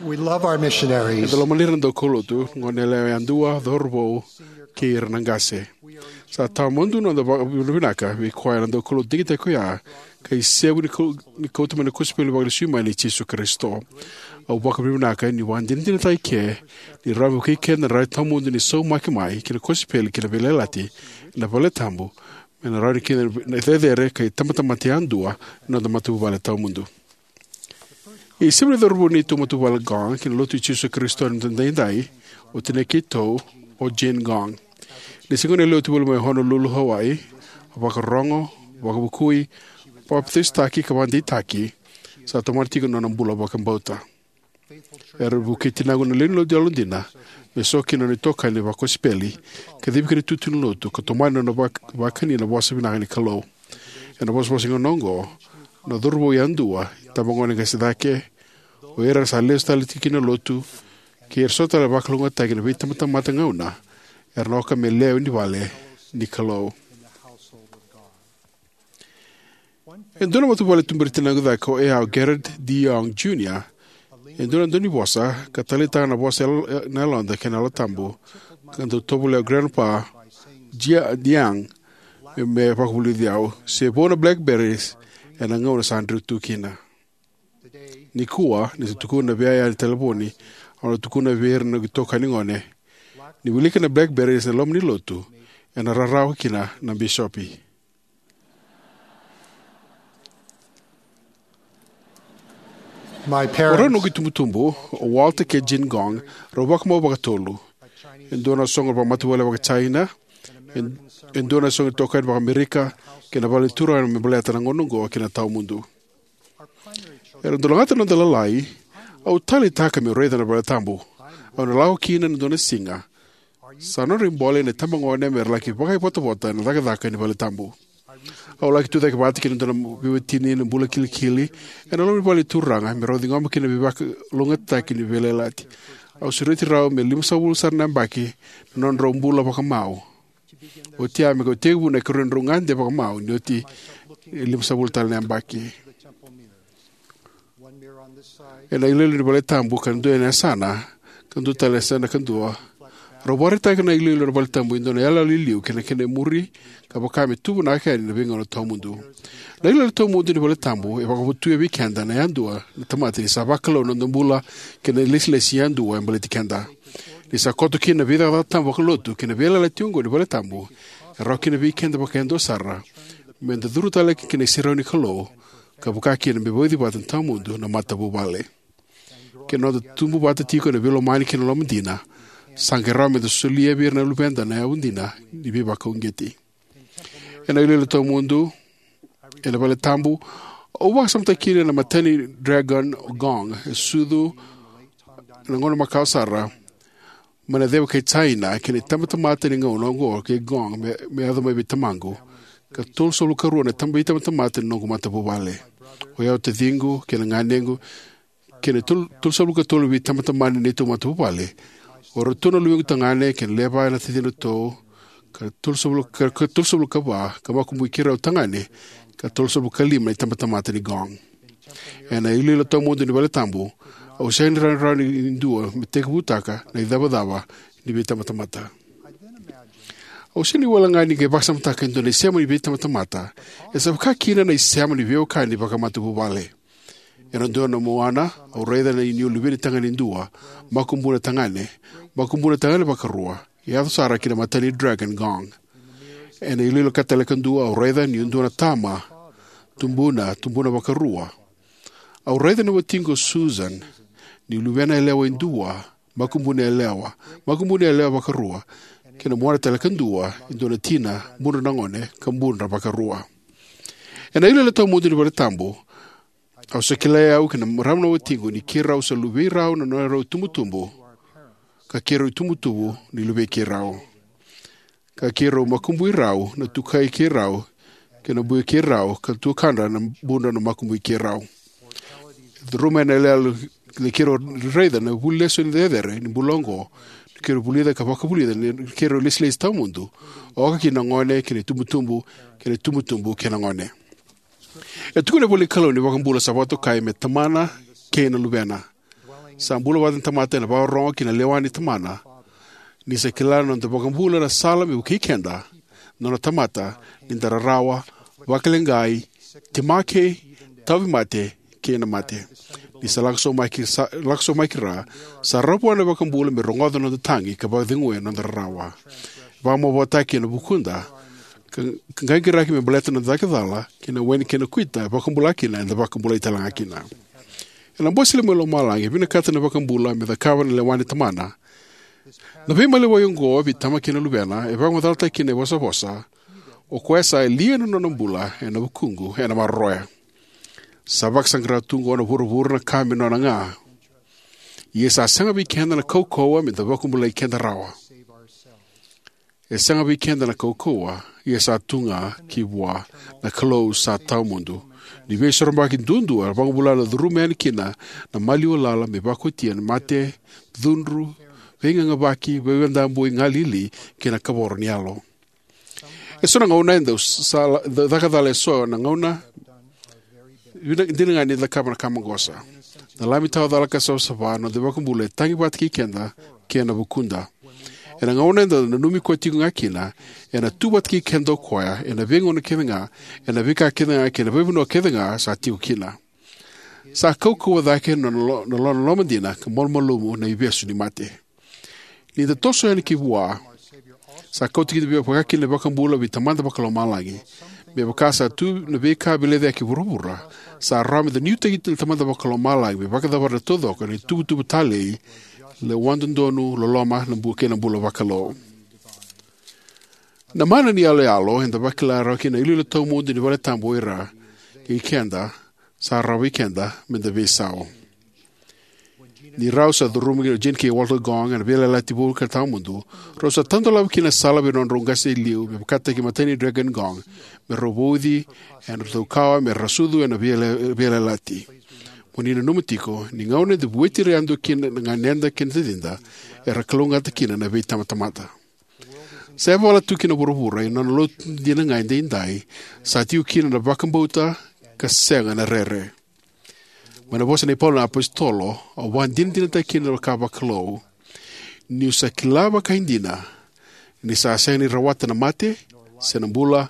We love our missionaries. Eda lomani ira na daukaulotu, gone yalewa yadua, cauravou, kei ira na qase. Sa tawamudu na noda vakavinavinaka vei koya na daukaulotu digitaki koya, ka isevu ni kau-, ni kauta mai na kosipeli vakalesui mai nei Jisu Karisito. Au vakavinavinaka niu vakadinadinataka eke ni rawa me vukei keda na rai tawamudu ni saumaki mai ki na kosipeli kei na veiyalayalati ena valetabu, me na rawa ni keda na cecere ka itabatamata yadua na noda matavuvale tawamudu. Isevu ni cauravou nei neitou matavuvale Gong ki na Lotu i Jisu Karisito ni Siga Edaidai, o tinai keitou, o Jane Gong. Ni se gone yalewa tu voli mai Honolulu, Hawaii, a vakarogo, vakavukui, papitaisotaki ka vakadeitaki, sa tomana tiko na nona bula vakabauta. Era vukei tinaqu na lewe ni lotu yalodina me so kina na nona itokani vakosipeli, kacivi kina itutu ni lotu, ka tomani na nona vak- vakani na vosa vinaka ni Kalou. Ena vosavosa ni gauna oqo, na cauravou yadua, itabagone qase cake, o ira era sa lesu tale tiko ki na lotu, kei ira so tale vakalougatataki ena veitabatamata gauna, era na oka me lewe ni vale ni Kalou. E dua na matavuvale tuberi tinaqu cake o Eau Gerard D. Young Junior, e dua na daunivosa, ka taleitaka na vosa yal- na yaloda kei na Yalo Tabu, ka dau tovolea o Grandpa Jia Young me, me vakavulici au, se vou na blackberries ena gauna sa dreu tu kina. Nikua, ni sa tukuna vei au ena talevoni, au na tukuna vei ira na itokani gone, ni wilika na blackberries ena loma ni lotu, ena rarawa kina na bisopi. My O rau parents, noqu itubutubu, o Walter kei Jin Gong, rau vakamau vakatolu. E dua na soqo vakamatavuvale vakaJaina, e, e dua na soqo itokani vakaAmerika, kei na vale ni Turaga me baleta na gauna oqo kei na tawamudu. Era dau lagata na noda lalai, au taleitaka meu raica na vale tabu. Au na lako kina ena dua na siga. Sa nodra ibole na itabagone me ra laki vakaivotavota ena cakacaka ni vale tabu. Au laki tucake vata kei na dua na veiwatini na bula kilikili ena loma ni vale ni Turaga me rau ciqoma kina na veivakalougatataki ni veiyalayalati. Au sureti rau me limasagavulu sara na yabaki na nodrau bula vakamau. Oti ya me kau tekivu na ikarua ni nodrau gade vakamau ni oti e limasagavulu tale na yabaki. Ena iloilo ni vale tabu ka dua ena yasana, ka dua tale ena yasana ka dua. Rau vakaraitaka na iloilo ni vale tabu e dua na iyaloyalo i liu kei na kena imuri, ka vaka me tu vinaka yani ena veigauna tawamudu. Na iloilo tawamudu ni vale tabu e vakavotuya vei keda na yadua na tamata ni sa vakalou na noda bula kei na ilesilesi yadua e baleti keda. Ni sa koto kina na veicakacaka tabu vakalotu kei na veiyalayalati oqo ni vale tabu, e rawa kina vei keda vakayadua sara meda curu tale ki na iserau ni Kalou, ka vaka kina me vauci vata na tawamudu na matavuvale. Ke na noda tubu vata tiko ena veilomani kei na loma dina, sa qai rawa meda solia vei ira na luveda na yavu dina ni veivakauqeti. Ena iloilo tawamudu ena vale tabu, au vakasamataka kina na imatai ni dragon Gong e sucu ena gauna makawa sara mai na ceva kei Jaina, kei na itabatamata ni gauna oqo kei Gong me, me yaco mai vei tamaqu. Ka tolusagavulu ka rua na taba itabatamata ni noqu matavuvale. O yau, taciqu kei na ganequ, kei na tol- tolusagavulu ka tolu veitabatamata ni neitou matavuvale. O iratou na luvequ tagane kei na lewe va na tacidratou, ka tolusagavulu ka, ka tolusagavulu ka va ka makubui keirau tagane, ka tolusagavulu ka lima na itabatamata ni Gong. Ena iloilo tawamudu ni vale tabu, au sega ni rawarawa ni dua me tekivutaka na icavacava ni veitabatamata. Au sega ni wele ga ni qai vakasamataka e dua na isema ni veitabatamata e sa vaka kina na isema ni veiwekani vakamatavuvale. Ena dua na muana, au raica na inuinui luveni tagane e dua, makubuna tagane, makubuna tagane vakarua, e yaco sara ki na imatai ni dragon Gong. Ena iloilo ka tale ka dua, au raica ni dua na tama, tubuna, tubuna vakarua. Au raica na watiqu o Susan, ni luvena yalewa e dua, makubuna yalewa, makubuna yalewa vakarua, kei na muana tale ka dua, e dua na tina, budra na gone, ka budra vakarua. Ena iloilo tawamudu ni vale tabu, au sa kilai au kei na marama na watiqu ni keirau sa luvei rau na nodrau itubutubu, ka keirau itubutubu ni luvei keirau. Ka keirau makubui rau na tukai keirau, kei na bui keirau, ka tuakadra na budra na makubui keirau. E curuma ena iyaloyalo ni keirau raica na vuli lesoni cecere ni bula oqo, ni keirau vulica ka vakavulica ni keirau ilesilesi tawamudu, oka kina na gone kei na itubutubu, kei na itubutubu kei na gone. E tukuna na ivolanikalou ni iVakabula sa vakatokai me Tamana kei na Luvena. Sa bula vata na tamata ena vakarorogo ki na lewa ni Tamana. Ni sa kila na noda iVakabula na sala me vukei keda, nona tamata, ni da rarawa, vakaleqai, temaki, tauvimate, kei na mate. Ni sa lako sobu mai ki, sa, lako sobu mai ki ra, sa rawa vua na iVakabula me rogoca na noda tagi ka vakaceguya na noda rarawa. Vakamavoataki ena vukuda, ka, ka qaqiraki me baleta na noda cakacala, kei na waini kei na kuita, e vakabula kina, eda vakabulai talega kina. Ena Bose i loma i lomalagi, e vinakata na iVakabula me cakava na lewa ni Tamana. Na veimaliwai oqo vei Tama kei na Luvena e vakamacalataki kina na ivosavosa: O koya sa lia na nona bula ena vukuqu ena maroroya. Sa vakasaqara tu oqo na vuravura na ka me nona ga. Ia sa sega vei keda na kaukauwa me da vakabulai keda rawa. E sega vei keda na kaukauwa, ia sa tu ga ki vua na Kalou sa tawamudu. Ni veisoromaki duadua e vakabula na curuma yani kina na maliwa lala me vakaotia na mate, cudru, veigagavaki, veidabui, galili, kei na kavoro ni yalo. E so na gauna e dau sa, dau caka cala e so na gauna vina, dina ga ni cakava na ka maqosa. Na Lami tawa cala ka savasava, na noda iVakabula, e tagi vata kei keda kei na vukuda. Ena gauna eda nanumi koya tiko ga kina, ena tu vata kei keda o koya ena veigauna kece ga, ena veika kece ga kei na veivanua kece ga sa tiko kina. Sa kaukauwa cake na lo-, na lo-, na loloma dina ka malumalumu na ivesu ni mate. Ni da toso yani ki vua, sa kauta kina vaka kina na iVakabula vei Tamada Vakalomalagi. Me vaka sa tu na veika veilecayaki e vuravura, sa rawa me da nuitaki na Tamada Vakalomalagi me vakacavara na taucoko ena ituvatuva talei, lewa dodonu, loloma, na bu-, kei na bula vakalou. Na mana ni yaloyalo eda vakila rawa kina na iliuliu tawamudu ni valetabu o ira kei keda, sa rawa vei keda me da veisau. Ni rau sa curuma o Jean kei Walter Gong ena veiyalayalati vou ka tawamudu, rau sa tadolava kina na sala vei nodrau qase e liu me vakataki Matai ni Dragon Gong, me rau vauci ena nodrau kawa me ra sucu ena veiyala-, veiyalayalati. Mo ni nanuma tiko, ni gauna eda vueti ira yadua kina na ganeda kei na tacida, era kalougata kina na veitamatamata. Sa yavala tu kina na vuravura ena nona lotu dina ga edaidai, sa tiko kina na vakabauta ka sega na rere. Mai na vosa nei Paula na apositolo, au vakadinadinataka kina na ka vakalou, niu sa kila vakaidina ni sa sega ni rawata na mate, se na bula,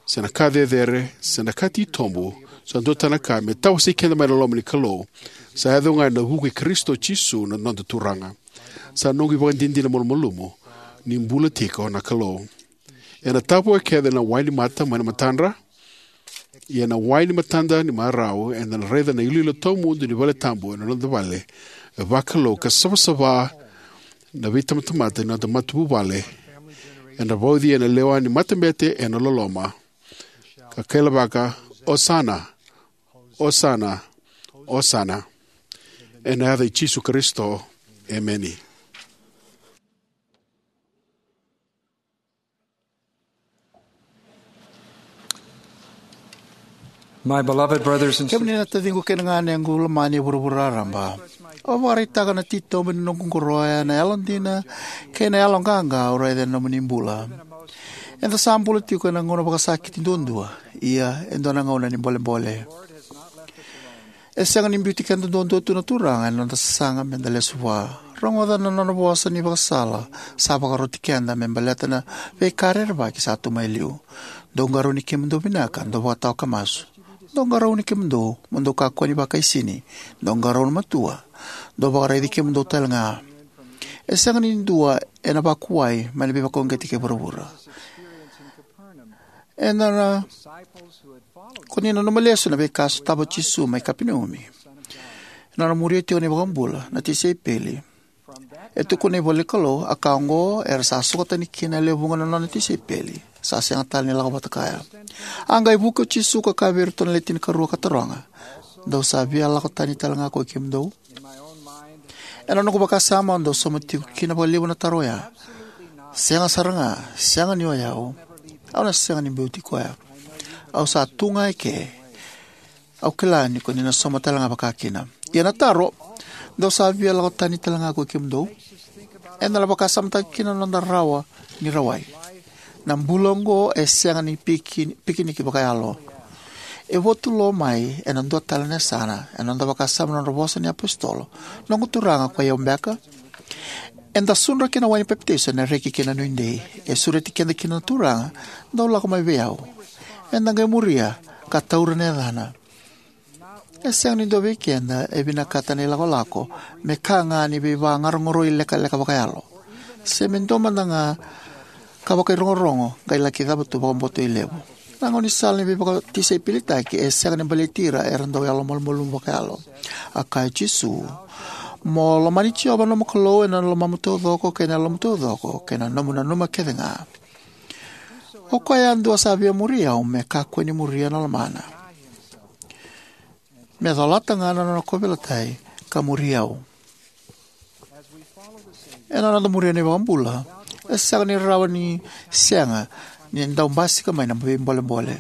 se na ka cecere, se na ka titobu, se dua tale na ka, me tawasei keda mai na loma ni Kalou. Sa yaco ga ena vuku i Karisito Jisu na noda Turaga. Sa noqu ivakadinadina malumalumu ni bula tiko na Kalou. Ena tavoya kece na wai ni mata mai na matadra, ia na wai ni matada ni marau, eda na raica na iliuliu tawamudu ni valetabu ena noda vale, e vakalou ka savasava na veitamatamata ni noda matavuvale, ena vauci ena lewa ni matabete ena loloma, ka kailavaka, Osana, Osana, Osana. Ena yaca i Jisu Karisito, emeni. My beloved brothers and Kemuni sisters, na taciqu kei na ganequ lomani e vuravura raraba, au vakaraitaka na titobu ni noqu qoroya, na yalodina kei na yaloqaqa au raica ena nomuni bula. Eda sa bula tiko ena gauna vakasakiti duadua, ia e dua na gauna ni bolebole. E sega ni biuti keda duadua tu na Turaga ena noda sasaga meda lesu vua. Rogoca na nona vosa ni vakasala sa vakaroti keda me baleta na veika rerevaki sa tu mai liu. Dou qarauni kemudou vinaka, dou vakatawa ka masu. Dou qarauni kemudou mo dou kakua ni vakaisini. Dou qarauna matua, dou vakaraici kemudou tale ga. E sega ni dua ena vakuwai mai na veivakauqeti kei vuravura. Ena na, ko ni nanuma lesu na veika a sotava o Jisu mai Kapenaumi. Ena nona muria tiko na iVakabula, na tisaipeli, e tukuna na ivola ni Kalou, a ka oqo era sa sokatani kina e lewe vuqa na nona tisaipeli, sa sega tale ni lako vata kaya. A qai vuki o Jisu ka kaya vei iratou na le tinikarua ka taroga, dou sa via lako tani tale ga ko i kemudou? Ena noqu vakasama, au dau sauma tiko kina vakalevu na taro oya. Sega sara ga, sega ni o yau. Au na sega ni biuti koya. Au sa tu ga eke. Au kila ni ko ni na sauma tale ga vakakina. Ia na taro, dou sa via lako tani tale ga ko i kemudou? Eda na vakasamataka kina na noda rawa ni rawai. Na bula oqo e sega ni piki-, pikiniki vakayalo. E votu lo mai ena dua tale na yasana, ena noda vakasama na nodra vosa na iapositolo: Noqu Turaga, ko i au beka? Eda sudra ki na wai ni papitaiso ena reki kei na nuidei. E sureti keda kina na Turaga, dou lako mai vei au. Eda qai muria ka taura na yacana. E sega ni dua vei keda e vinakata na ilakolako me ka ga ni veivaqarogoroi lekaleka vakayalo, se me dua mada ga ka vakairogorogo qai laki cava tu vakaboto i levu. Na gaunisala ni veivakatisaipelitaki e sega ni baleti ira era dau yalomalumalumu vakayalo. A kaya o Jisu, Mo lomani Jiova na nomu Kalou ena lomamu taucoko kei na yalomu taucoko kei na nomu nanuma kecega. O koya yadua sa via muri au me kakua ni muria na lomana, me colata ga na nona kauveilatai ka muri au. Ena noda muria na iVakabula, e sega ni rawa ni sega ni dau basika mai na veibolebole.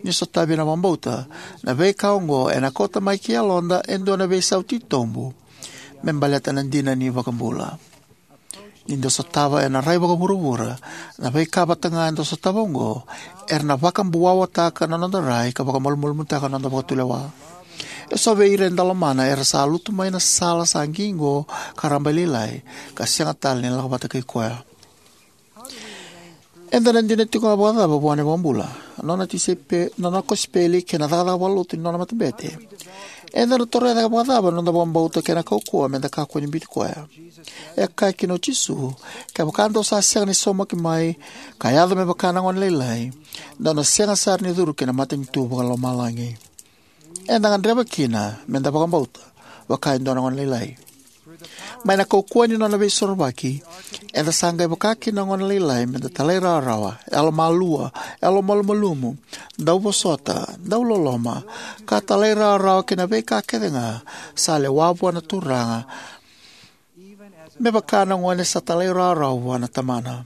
Ni sotavi ena vakabauta, na veika oqo ena kauta mai ki yaloda e dua na veisau titobu me baleta na dina ni iVakabula. Ni da sotava ena rai vakavuravura na veika vata ga eda sotava oqo, era na vakabuawataka na noda rai ka vakamalumalumutaka na noda vakatulewa. E so vei ira eda lomana era sa lutu mai na sala sa qiqo ka rabailailai, ka sega tale ni lako vata kei koya. Eda na dina tiko ga vakacava vua na iVakabula, nona tisaipeli, nona kosipeli kei na cakacaka vakalotu ni nona matabete? Eda na toroya cake vakacava na noda vakabauta kei na kaukauwa me da kakua ni biuti koya? E kaya kina o Jisu, kevaka dou sa sega ni saumaki mai ka yaco me vaka na gone lailai, dou na sega sara ni curu ki na matanitu vakalomalagi. Eda gadreva kina me da vakabauta vaka e dua na gone lailai. Mai na kaukauwa ni nona veisorovaki, eda sa qai vaka kina na gone lailai, me da talairawarawa, yalomalua, yalomalumalumu, dauvosota, dauloloma, ka talairawarawa ki na veika kece ga sa lewa vua na Turaga, me vaka na gone sa talairawarawa vua na tamana.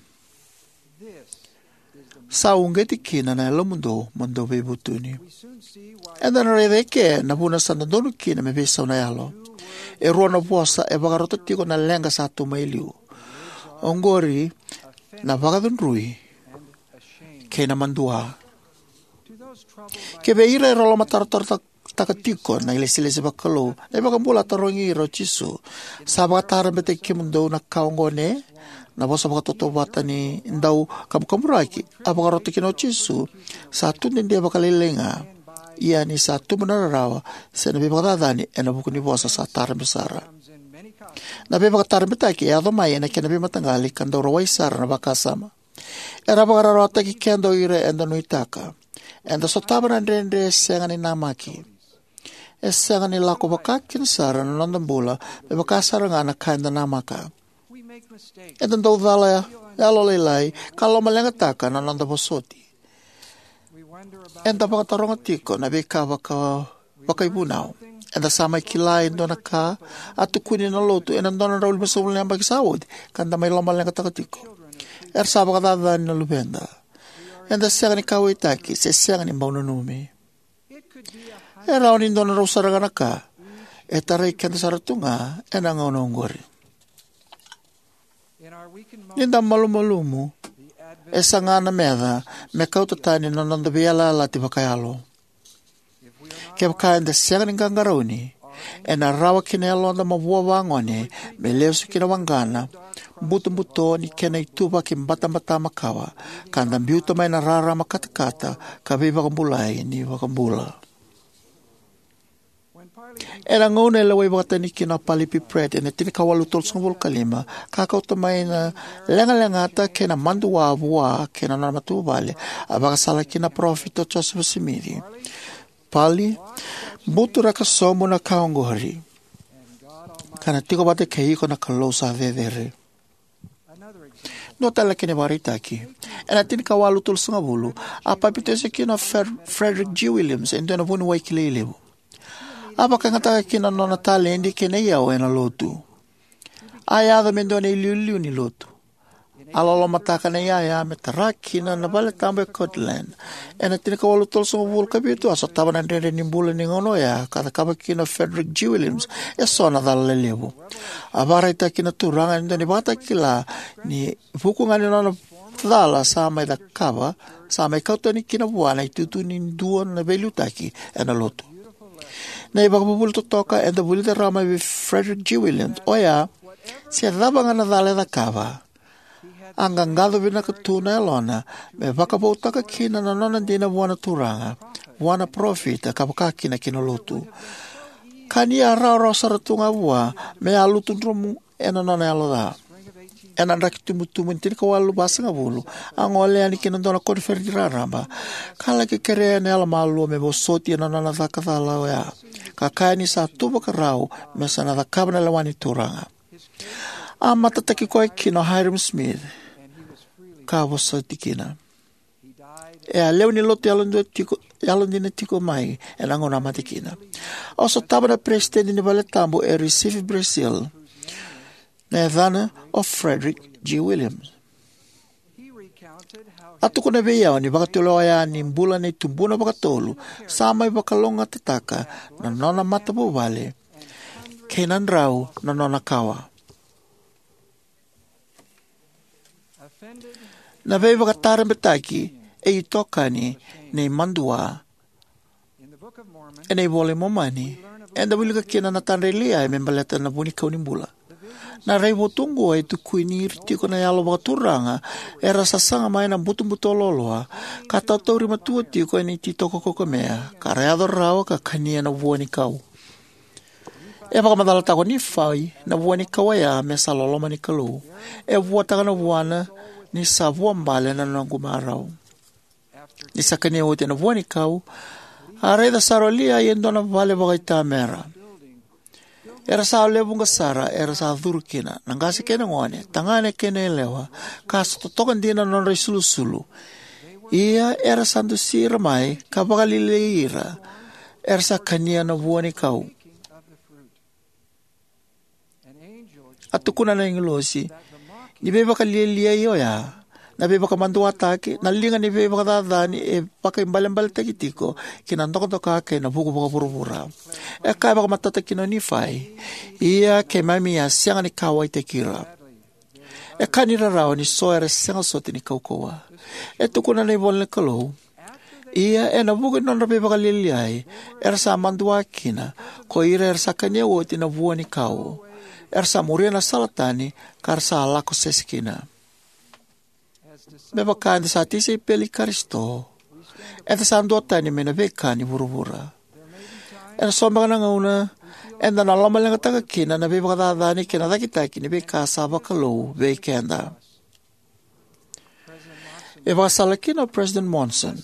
Sa uqeti kina na yalomudou mo dou veivutuni. Eda na raica eke na vuna sa dodonu kina me veisau na yalo. E rua na vosa e vakarota tiko na leqa sa tu mai liu. Oqori na vakacudrui kei na madua. Kivei ira era lomatarotarotaka tiko na ilesilesi vakalou, na iVakabula a tarogi ira o Jisu: Sa vakatarabetaki kemudou na ka oqo, ne? Na vosa vakatautauvata ni dau kabukaburaki a vakarota kina o Jisu sa tudede vakalailai ga, ia ni sa tubu na rarawa se na veivakacacani ena vuku ni vosa sa tarabe sara. Na veivakatarabetaki e yaco mai ena kena veimataqali ka dau rawai sara na vakasama. Era vakararawataki keda o ira eda nuitaka. Eda sotava na dredre e sega ni namaki. E sega ni lako vakakina sara na noda bula me vaka sara ga na ka eda namaka. Eda dau cala yalolailai ka lomaleqataka na noda vosoti. Eda vakataroga tiko na veika vaka, vakaivunau. Eda sa mai kila e dua na ka a tukuni na Lotu ena dua na drau limasagavulu na yabaki sa oti, ka da mai lomaleqataka tiko. Era sa vakacacani na luveda. Eda sega ni kauwaitaki se sega ni bau nanumi. E rawa ni dua na drau sara ga na ka e tarai keda sara tu ga ena gauna oqori. Ni da malumalumu, e saga na meca me kauta tani na noda veiyalayalati vakayalo. Kevaka eda sega ni qaqarauni, ena rawa ki na yaloda mavoa vagone me lesu ki na waqana butobuto ni kena ituvaki batabata makawa, ka da biuta mai na rarama katakata ka veivakabulai ni iVakabula. Ena gauna e lewai vakatani kina o Parley P. Pratt ena tinikawalu tolusagavulu ka lima, ka kauta mai na legalegata kei na madua vua kei na nona matavuvale, a vakasala kina na parofita o Josefa Simici: Parley, buturaka sobu na ka oqori, ka na tiko vata kei iko na Kalou sa cecere. Dua tale na kena ivakaraitaki. Ena tinikawalu tolusagavulu, a papitaiso kina o Fred-, Frederick G. Williams, e dua na vuniwai kilai levu. A vakayagataka kina na nona taledi kei na iyau ena Lotu. A yaco me dua na iliuliu ni Lotu. A lolomataka na iyaya me tara kina na valetabu e Kirtland. Ena tinikawalu tolusagavulu ka vitu, a sotava na dredre ni bula ni gauna oya ka cakava kina o Frederick G. Williams eso na cala lelevu. A vakaraitaka kina na Turaga e dua na ivakatakila ni vuku ga ni nona cala sa mai cakava, sa mai kauta yani kina vua na itutu ni dua na veiliutaki ena Lotu. Na ivakavuvuli totoka eda vulica rawa mai vei Frederick G. Williams oya, se cava ga na cala e cakava, a qaqaco vinaka tu na yalona me vakavoutaka kina na nona dina vua na Turaga, vua na parofita, ka vaka kina ki na Lotu. Ka ni a rawarawa sara tu ga vua me a lutu dromu ena nona yalo ca. Ena draki tubutubu ni tinikawalu vasagavulu, a gole yani ki na dua na koniferedi raraba, ka laki kerea ena yalomalua me vosoti ena nona caka cala oya, ka kaya ni sa tu vakarau me sa na cakava na lewa ni Turaga. A matataki koya kina o Hyrum Smith, ka vosoti kina. E a lewe ni lotu yalodina tiko, yalodina tiko mai ena gauna a mate kina. Au sotava na peresitedi ni valetabu e Recife, Brazil, na yacana o Frederick G. Williams. A tukuna vei au ni vakatulewa yani bula nei tubuna vakatolu sa mai vakalougatataka na nona matavuvale kei na drau na nona kawa. Na veivakatarabetaki e itokani ni madua. Ena iVola i Momani, eda wilika kina na tadra i Liai me baleta na vuanikau ni bula. Na raivotu oqo e tukuni ira tiko na yalo vakaturaga era sasaga mai na butobuto loaloa, ka tautauri matua tiko ena ititoko kaukamea, ka ra yaco rawa ka kania na vuanikau. E vakamacalataka o Nifai na vuanikau oya me sa loloma ni Kalou. E vuataka na vuana ni sa vuabale na noqu marau. Ni sa kania oti na vuanikau, a raica sara o Liai e dua na vale vakaitamera. Era sa lewe vuqa sara era sa curu kina, na qase kei na gone, tagane kei na yalewa, ka sa totoka dina na nodra isulusulu. Ia era sa dusi ira mai ka vakalialiai ira, era sa kania na vuanikau. A tukuna na agilosi ni veivakalialiai oya, na veivakamaduataki, na liga ni veivakacacani e vakaibalebaletaki tiko ki na dokadoka kei na vuku vakavuravura. E kaya vakamatata kina o Nifai, ia keimami a sega ni kauwaitaki ira. E ka ni rarawa ni so era sega soti ni kaukauwa. E tukuna na ivola ni Kalou, ia ena vuku ni nodra veivakalialiai era sa madua kina, ko ira era sa kania oti na vuanikau. Era sa muria na sala tani ka ra sa lako sese kina. Me vaka eda sa tisaipeli i Karisito, eda sa duatani mai na veika ni vuravura. Ena so beka na gauna eda na lomaleqataka kina na veivakacacani kei na cakitaki ni veika sa vakalou vei keda. E vakasala kina o President Monson,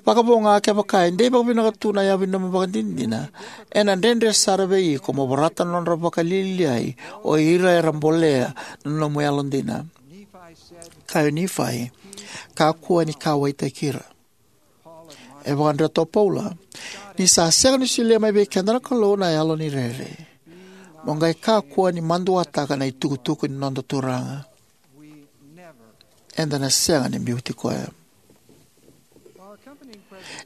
vakavo ga kevaka e dei vakavinaka tu na yavu ni nomu ivakadinadina, ena dredre sara vei iko mo vorata na nodra vakalialiai o ira era bolea na nomu yalodina. Kaya o Nifai, kakua ni kauwaitaki ira. E vakadreta o Paula, ni sa sega ni solia mai vei keda na Kalou na yalo ni rere. Mo qai kakua ni maduataka na itukutuku ni noda Turaga. Eda na sega ni biuti koya.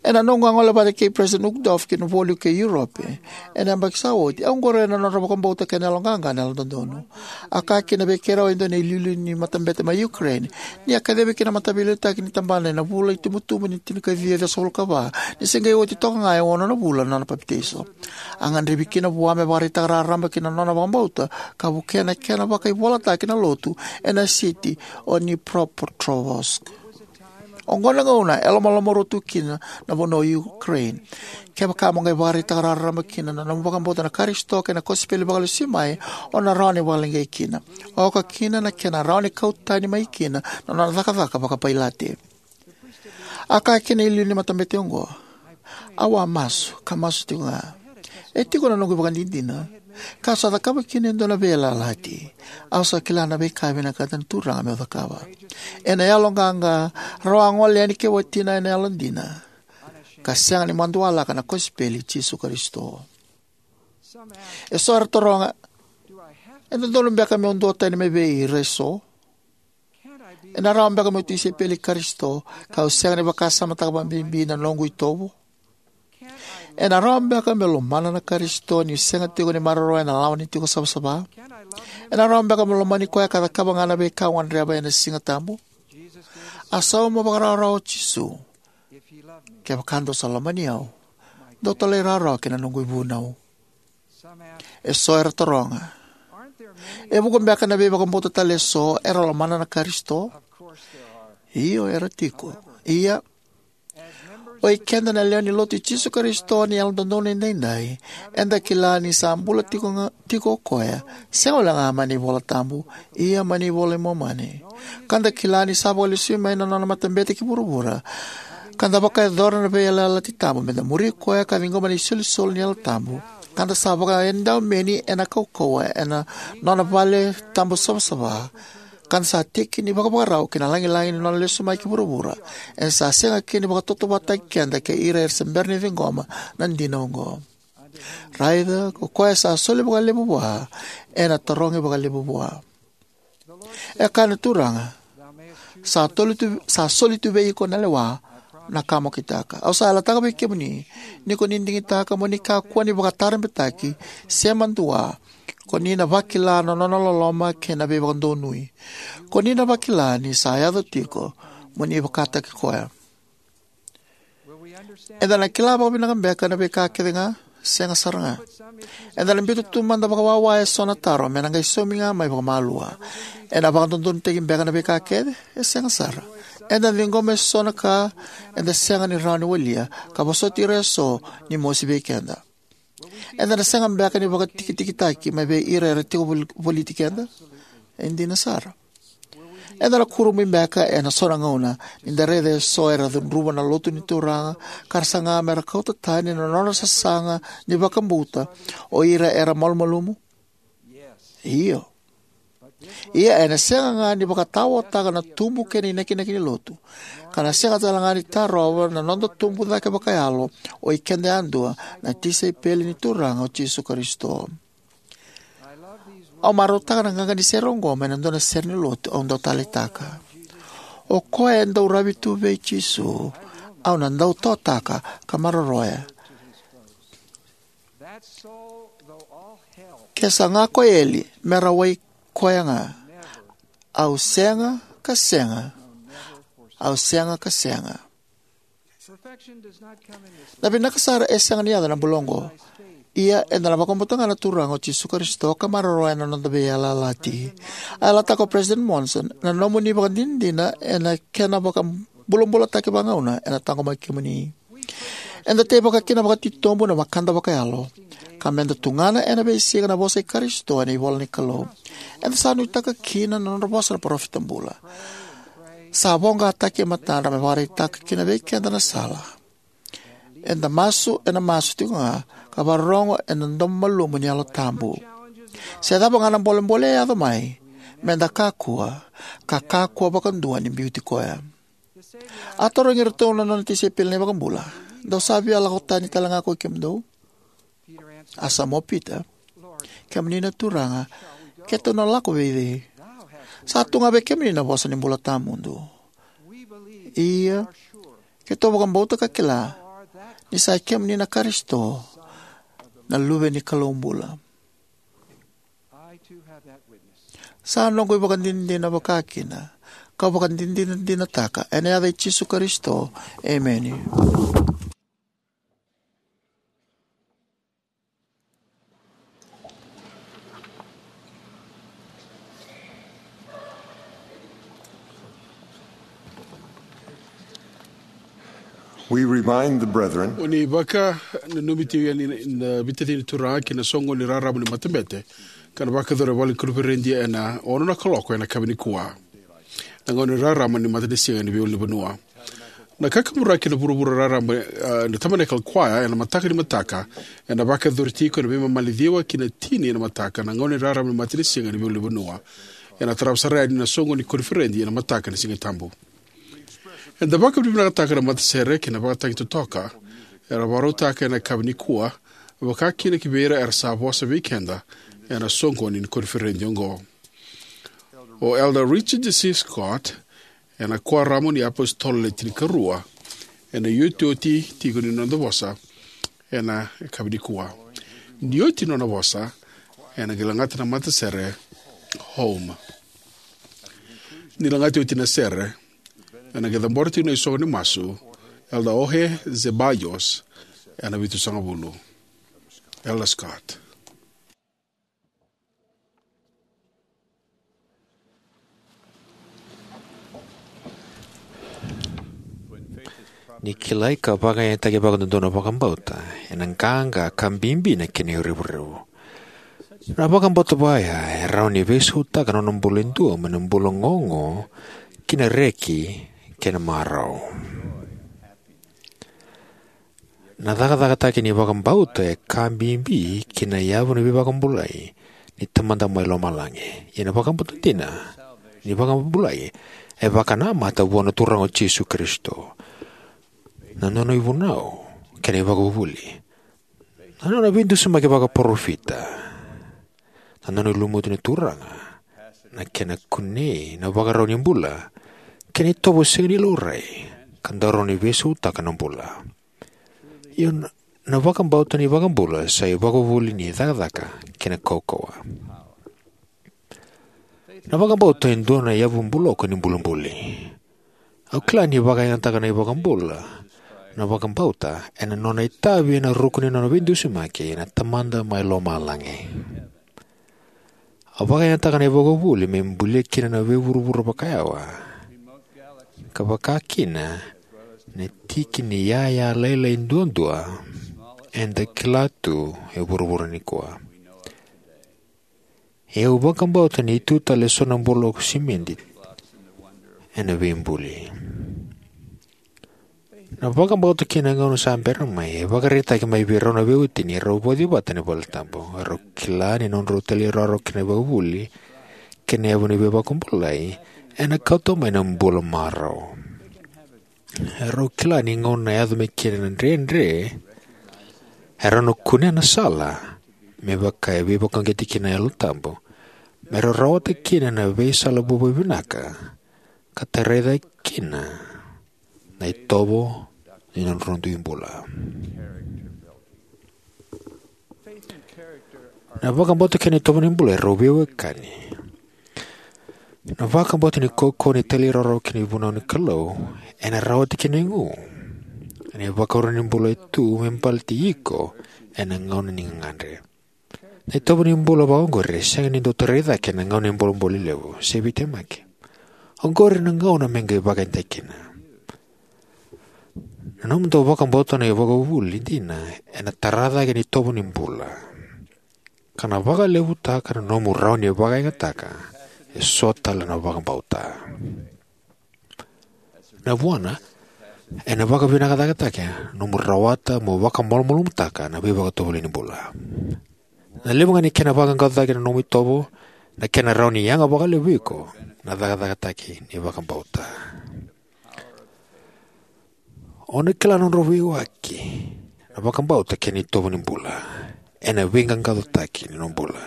Ena noqu a gole vata kei President Uchtdorf ki na voli kei Europe ena yabaki sa oti, au qoroya na nodra vakabauta kei na yaloqaqa na Yalododonu. A kaya kina vei keirau e dua na iliuliu ni matabete mai Ukraine, ni a kacivi kina na mataveiliutaki ni tabana ena vula itubutubu ni tinikaciwa ciwasagavulu ka va, ni se qai oti toka ga e ono na vula na nona papitaiso. A gadrevi kina vua me vakaraitaka raraba kina na nona vakabauta ka vukea na kena vakaivolataki na lotu ena siti o Dnipropetrovsk. Oqo na gauna e lomalomarua tu kina na vanua o Ukraine. Kevaka mo qai vakaraitaka raraba kina na nomu vakabauta na Karisito kei na kosipeli vakalesui mai, o na rawa ni vakaleqai kina, oka kina na kena rawa ni kau tani mai kina na nona cakacaka vakapailate. A kaya kina na iliuliu ni matabete oqo, au a masu ka masu tiko ga. E tiko na noqu ivakadinadina, ka sa cakava kina e dua na veiyalayalati. Au sa kila na veika e vinakata na Turaga meu cakava. Ena yaloqaqa, rau a gole yani kei watina ena yalodina, ka sega ni madualaka na kosipeli i Jisu Karisito. E so era taroga, e dodonu beka meu duatani mai vei ira e so? Ena rawa beka meu tisaipeli i Karisito kau sega ni vakasamataka vakabibi na noqu itovo? Ena rawa beka meu lomana na Karisito niu sega tiko ni maroroya na lawa ni tiko savasava? Ena rawa beka meu lomani koya ka cakava ga na veika au gadreva ena Siga Tabu? A sauma vakarawarawa o Jisu, kevaka dou sa lomani au, dou talairawarawa ki na noqu ivunau. E so era taroga, e vuqa beka na veivakabauta tale e so era lomana na Karisito? Io, era tiko. Ia, O i keda na lewe ni Lotu i Jisu Karisito ni Yalododonu Edaidai, eda kila ni sa bula tiko, ga, tiko o koya, sega walega mai na iVola Tabu, ia mai na iVola i Momani. Ka da kila ni sa vakalesui mai na nona matabete ki vuravura, ka da vakayacora na veiyalayalati tabu me da muri koya ka ciqoma na isolisoli ni Yalo Tabu, ka da sa vakaedaumeni ena kaukauwa ena nona vale tabu savasava, ka da sa tiki ni vakavakarau ki na lagilagi ni nona lesu mai ki vuravura, eda sa sega kina ni vakatautauvatataki keda kei ira era se bera ni ciqoma na dina oqo. Raica, ko koya sa soli vakalevu vua, ena tarogi vakalevu vua. E kaya na Turaga, sa, toli tu, sa soli tu vei iko na lewa, na ka mo kitaka. Au sa yalataka vei kemuni, ni ko ni digitaka mo ni kakua ni vakatarabetaki, se madua, ko ni na vakila na nona loloma kei na veivakadonui. Ko ni na vakila ni sa yaco tiko, mo ni vakataki koya. Eda na kila vakavinaka beka na veika kece ga, sega sara ga. Eda na biuta tu mada vakawawa eso na taro, me na qai saumi ga mai vakamalua. Ena vakadodonutaki beka na veika kece, e sega sara. Eda na ciqoma eso na ka, eda sega ni rawa ni walia, ka vosoti ira eso, ni mosi vei keda. Eda na sega beka ni vakatikitikitaki mai vei ira era tiko vol-, voliti keda? E dina sara. Eda na kurumui beka ena so na gauna, ni da raica eso era cudruva na lotu ni Turaga, ka ra saga me ra kauta tani na nodra sasaga ni vakabauta, o ira era malumalumu? Io. Ia ena sega ga ni vakataotaka na tubu kei na inakinaki ni lotu, ka na sega tale ga ni tarova na noda tubu cake vakayalo, o i keda yadua, na tisaipeli ni Turaga o Jisu Karisito. Au marautaka na qaqa ni sere oqo mai na dua na sere ni lotu au dau taleitaka. O koya e dau ravi tu vei Jisu, au na dau totaka ka maroroya. Ke saga ko eli, me rawai koya ga. Au sega ka sega. Au sega ka sega. Na vinaka sara e sega ni yaco na bula oqo. Ia, eda na vakabauta ga na Turaga o Jisu Karisito ka maroroya na noda veiyalayalati. A yalataka o President Monson, na nomuni vakadinadina ena kena vakabulabulataki vagauna ena taqomaki kemuni. Eda teivaka kina vakatitobu na vakada vakayalo, ka meda tugana ena veisiga na vosa i Karisito ena ivola ni Kalou. Eda sa nuitaka kina na nodra vosa na parofita bula. Sa voqataki e matadra me vakaraitaka kina vei keda na sala. Eda masu ena masu tiko ga, ka vakarorogo ena domo malumu ni Yalo Tabu. Se cava ga na bolebole e yaco mai, meda kakua, ka kakua vakadua ni biuti koya. A tarogi iratou na nona tisaipeli na iVakabula, dou sa via lako tani tale ga ko i kemudou? A sauma o Pita, kemuni na Turaga, keitou na lako vei cei? Sa tu ga vei kemuni na vosa ni bula tawamudu. Ia, keitou vakabauta ka kila, ni sa i kemuni na Karisito, na Luve ni Kalou bula. Sa noqu ivakadinadina vakakina, kau vakadinadinataka, ena yaca i Jisu Karisito, emeni. We remind the brethren. O ni vakananumi tiko yani na veitacini ni Turaga ki na soqoni raraba ni matabete, ka na vakayacori e vale ni koniferedi ena ono na kaloko ena yakavi nikua. Na gauna ni rarama ni matanisiga ni veiulunivanua. Na kakaburaki na vuravura rarama, ah, na Tabernacle Choir ena mataka ni mataka, ena vakayacori tiko ena veimama ni ciwa ki na tini ena mataka, na gauna ni rarama ni matanisiga ni veiulunivanua. Ena tarava sara yani na soqoni ni koniferedi ena mataka ni Siga Tabu. Eda vakavinavinakataka na matasere kei na vakatagi totoka era vakarautaka ena yakavi nikua, vakakina ki vei ira era sa vosa vei keda ena soqoni ni koniferedi oqo. O Elder Richard C. Scott, ena Kuoramu ni iApositolo Le Tinikarua, ena iotioti tiko ni noda vosa ena yakavi nikua. Ni oti nona vosa, ena qai lagata na matasere Home. Ni lagati oti na sere, ena qai cabora tiko na isogo ni masu, Elder Jorge Ceballos, ena vitusagavulu. Elder Scott. Ni kilai ka vakayagataki vakadodonu na vakabauta, ena qaqa ka bibi na kena revurevu. Na vakabauta vaya e rawa ni veisautaka na nona bula e dua mai na bula gogo ki na reki kei na marau. Na cakacakataki ni vakabauta e ka bibi ki na yavu ni veivakabulai ni Tamada mai Lomalagi. Ia na vakabauta dina ni vakabulai e vakanamata vua na Turaga o Jisu Karisito, na nona ivunau kei na ivakavuvuli, na nona veidusimaki vakaparofita, na nona lumuti na Turaga, na kena kunei na ivakarau ni bula, kei na itovo sega ni laurai ka dau rawa ni veisautaka na bula. Io, na, na vakabauta ni vakabula sa ivakavuvuli ni cakacaka kei na kaukauwa. Na vakabauta e dua na yavu buloko ni bulibuli. Au kila ni vakayagataka na iVakabula na vakabauta ena nona itavi ena ruku ni nona veidusimaki na Tamada mai Lomalagi. Au vakayagataka na ivakavuvuli me bulia kina na veivuravura vakayawa, ka vaka kina na tiki ni yaya lailai duadua eda kila tu e vuravura nikua. Ia au vakabauta ni tu tale eso na buloko simedi ena veibuli. Na vakabauta kei na gauna sa bera mai e vakaraitaki mai vei rau na veiwatini erau vauci vata ena valetabu. Erau kila ni nodrau talairawarawa ki na ivakavuvuli kei na yavu ni veivakabulai ena kauta mai na bula marau. Erau kila ni gauna e yaco mai kina na dredre, erau na kunea na sala me vaka e veivakauqeti kina na Yalo Tabu, me rau rawata kina na veisala vovou vinaka ka tarai cake kina na itovo ni nodrau dui bula. Na vakabauta kei na itovo ni bula erau veiwekani. Na vakabauta ni kaukauwa ni talairawarawa ki na ivunau ni Kalou ena rawati kina na igu ena ivakarau ni bula e tu me baleti iko ena gauna ni gagadre. Na itovo ni bula vakaoqori e sega ni dau tarai cake ena gauna ni bolebole levu se veitemaki. Oqori na gauna me qai vakayagataki kina. Na nomu dau vakabauta na ivakavuvuli dina ena tara cake na itovo ni bula, ka na vakalevutaka na nomu rawa ni vakayagataka eso tale na vakabauta. Na vuana, ena vakavinakataki na nomu rawata mo vakamalumalumutaka na veivakatovolei ni bula. Na levu ga ni kena vaqaqacotaki na nomu itovo, na kena rawa ni yaga vakalevu vei iko na cakacakataki ni vakabauta. O na kila na nodrau veiwaki na vakabauta kei na itovo ni bula ena veiqaqacotaki ni nomu bula.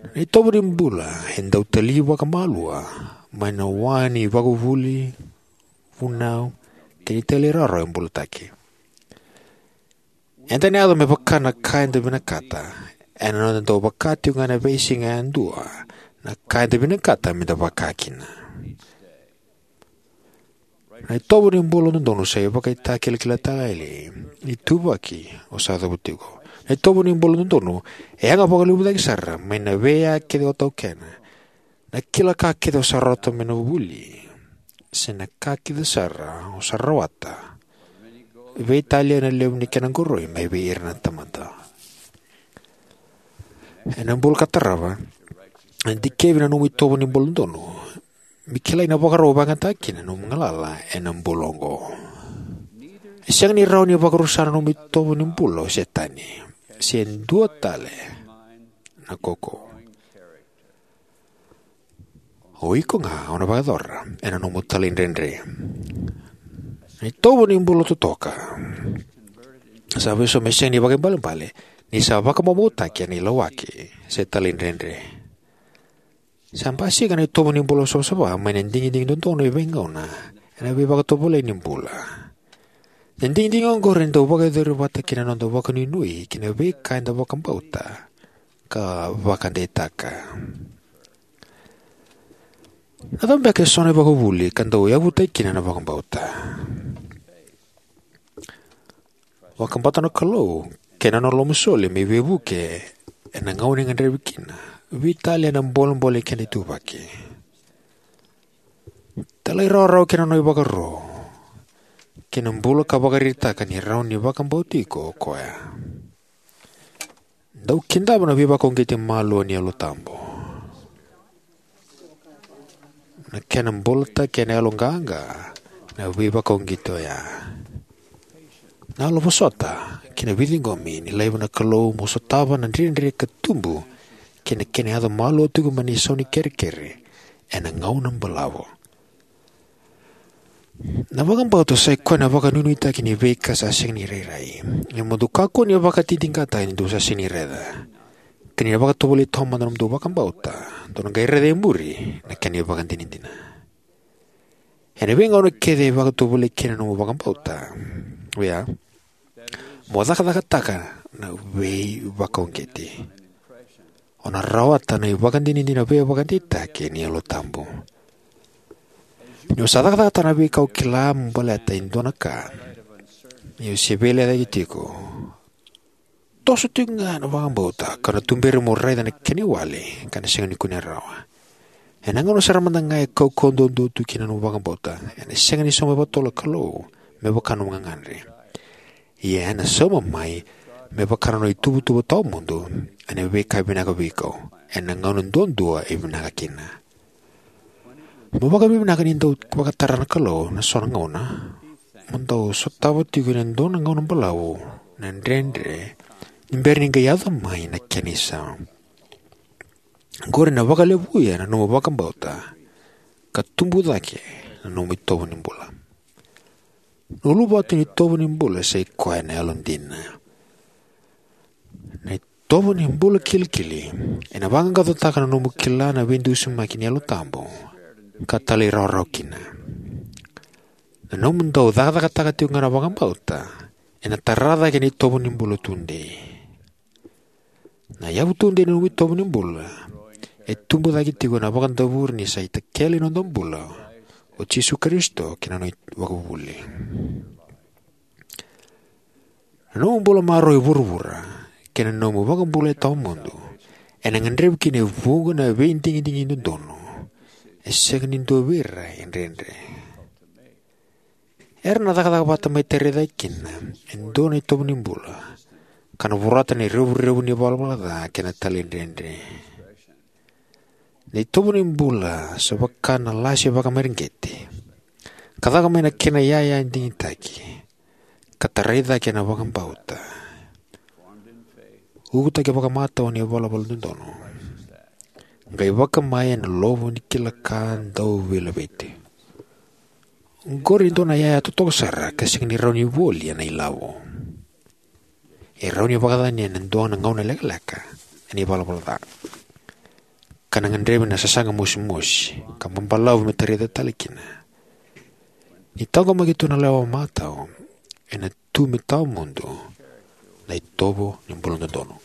Na itovo ni bula e dau tali vakamalua mai na wa ni ivakavuvuli, vunau, kei na talairawarawa e bulataki. Eda na yaco me vaka na ka eda vinakata ena noda dau vaka tiko ga ena veisiga yadua na ka eda vinakata meda vaka kina. Na itovo ni bula dodonu sa ivakatakilakilataki ni ituvaki o sa cavuta tiko. Na itovo ni bula dodonu e yaga vakalevu cake sara mai na veika kece o taukena, na kila ka kece o sa rawata mai na vuli, se na ka kece sara o sa rawata, veitalia na levu ni kena qoroi mai vei ira na tamata. Ena bula ka tarava, e dikevi na nomu itovo ni bula dodonu me kilai na ivakarau e vakayagataka kina na nomu galala ena bula oqo. E sega ni rawa ni vakarusa na nomu itovo ni bula o Setani se dua tale na kaukauwa. O iko ga o na vakayacora ena nomu talaidredre. Na itovo ni bula totoka sa vesu me sega ni vakaibalebale ni sa vakamaumauataki ena ilawaki se talaidredre. Sa basika na itovo ni bula savasava mai na digidigi dodonu e veigauna ena veivakatovolei ni bula. Na digidigi oqori e dau vakayacori vata kei na noda vakanuinui ki na veika eda vakabauta ka vakadeitaka. Na cava beka eso na ivakavuvuli ka dau yavutaki kina na vakabauta? Vakabauta na Kalou kei na nona lomasoli me veivuke ena gauna e gadrevi kina, veitalia na bolebole ni keda ituvaki. Talairawarawa ki na nona ivakaro kei na bula ka vakaraitaka ni rawa ni vakabauti iko o koya. Dau kidava na veivakauqeti malua ni Yalo Tabu. Na kena bulataki ena yaloqaqa na veivakauqeti oya. Na yalo vosota kei na veiciqomi ni laiva na Kalou mo sotava na dredre ka tubu kei na kena yaco malua tiko mai na isau ni kerekere ena gauna balavu. Na vakabauta sai koya na vakanuinuitaki ni veika sa sega ni rairai. Ia mo dou kakua ni vakatitiqataka ni dou sa sega ni raica. Ka ni na vakatovolei taumada na nomudou vakabauta, dou na qai raica e muri na kena ivakadinadina. Ena veigauna kece e vakatovolei kina na nomu vakabauta, oya, mo cakacakataka na veivakauqeti. O na rawata na ivakadinadina veivakadeitaki ni Yalo Tabu. Ni o sa cakacakataka na veika o kila mo baleta e dua na ka, ia o se veilecayaki tiko. Toso tiko ga na vakabauta ka na tuberi mo raica na kena iwali ka na sega ni kunea rawa. Ena gauna sara mada ga e kaukauwa duadua tu kina na nomu vakabauta, ena sega ni sauma vakatotolo na Kalou me vaka na nomu gagadre. Ia ena sauma mai me vaka na nona ituvatuva tawamudu ena veika vinaka vei iko ena gauna duadua e vinaka kina. Mo vakavinavinaka ni dau vakatara na Kalou na so na gauna. Mo dau sotava tiko ena dua na gauna balavu na dredre ni bera ni qai yaco mai na kena isau. Qori na vakalevuya na nomu vakabauta ka tubu cake na nomu itovo ni bula. Na uluvatu ni itovo ni bula sai koya na yalodina. Na itovo ni bula kilikili ena vaqaqacotaka na nomu kila na veidusimaki ni Yalo Tabu ka talairawarawa kina. Na nomu dau cakacakataka tiko ga na vakabauta ena tara cake na itovo ni bula tudei. Na yavu tudei ni nomu itovo ni bula e tubu cake tiko ena vakadavori ni sa itakele ni noda bula o Jisu Karisito kei na nona ivakavuvuli. Na nomu bula marau e vuravura kei na nomu vakabula e tawamudu ena gadrevi kina e vuqa na veidigidigi dodonu e sega ni dua vei ira e dredre. Era na cakacaka vata mai tarai cake kina e dua na itovo ni bula ka na vorata na revurevu ni valavala ca kei na talaidredre. Na itovo ni bula sa vaka na lasi vakamareqeti ka caka mai na kena iyaya digitaki ka tarai cake ena vakabauta. Ukutaki vakamatau ni valavala dodonu. Qai vakamai ena lovo ni kila ka dau veilaveti. Oqori e dua na iyaya totoka sara ka sega ni rawa ni voli ena ilavo. E rawa ni vakacacani ena dua na gauna lekaleka ena ivalavala ca ka na gadrevi na sasaga mosimosi ka babalavu me tarai cake tale kina. Ni taqomaki tu na lewa matau ena tu me tawamudu na itovo ni bula dodonu.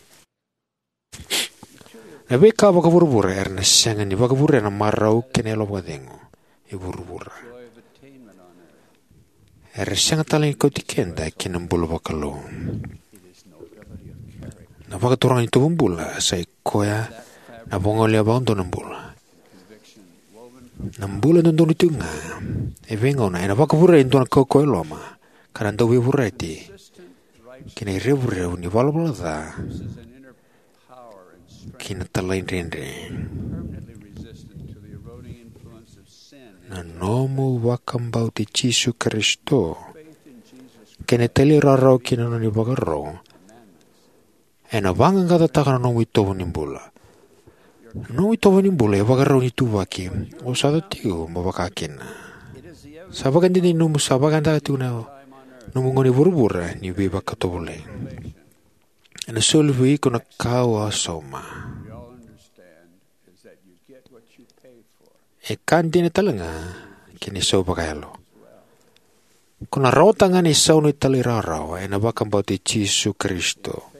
Na veika vakavuravura era na sega ni vakavurea na marau kei na yalo vakacegu e vuravura. Era sega tale ni kauti keda ki na bula vakalou. Na vakaturaga ni itovo bula sai koya na vagolea vakadua na bula. Na bula e dodonu tiko ga e veigauna ena vakavurea e dua na kaukauwa e loma ka na dau veivureti kei na irevurevu ni valavala ca kei na talaidredre. Na nomu vakabauti Jisu Karisito kei na talairawarawa kina nona ivakaro ena vaqaqacotaka na nomu itovo ni bula. Na nomu itovo ni bula e vakarau ni ituvaki o sa yaco tiko mo vakakina. Sa vakadinadina ni nomu sa vakayagataka tiko na nomu gauna e vuravura ni veivakatovolei. Ena soli vei iko na ka o a sauma. E ka dina tale ga kei na isau vakayalo. Ko na rawata ga na isau ni talairawarawa ena vakabauti Jisu Karisito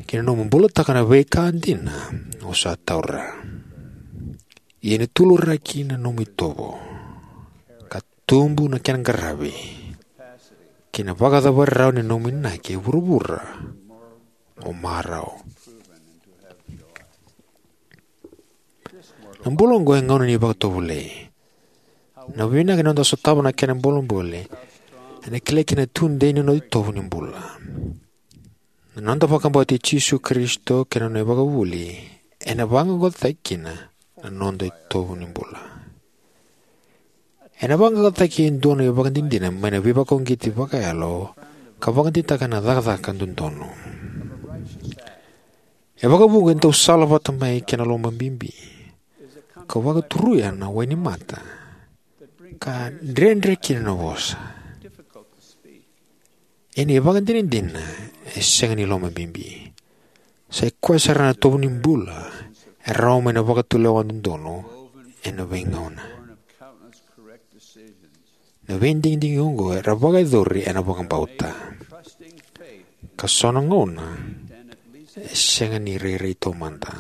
kei na nomu bulataka na veika dina o sa taura. Ia ni tuluraki na nomu itovo ka tubu na kena qaravi kei na vakacavara rawa ni nomu inaki e vuravura o marau. Na bula oqo e gauna ni vakatovolei. Na vinaka ni noda sotava na kena bolebole ena kilai kina na tudei ni noda itovo ni bula. Na noda vakabauti Jisu Karisito kei na nona ivakavuvuli ena vaqaqacotaki kina na noda itovo ni bula. Ena vaqaqacotaki e dua na ivakadinadina mai na veivakauqeti vakayalo ka vakadeitaka na cakacaka dodonu. E vakavuqa e dau salavata mai kei na lomabibi, ka vakaturuya na wainimata, ka dredre kina na vosa. Ia na ivakadinadina e sega ni lomabibi. Sa i koya sara na itovo ni bula e rawa mai na vakatulewa dodonu ena veigauna. Na veidigidigi oqo era vakayacori ena vakabauta, ka so na gauna e sega ni rairai taumada.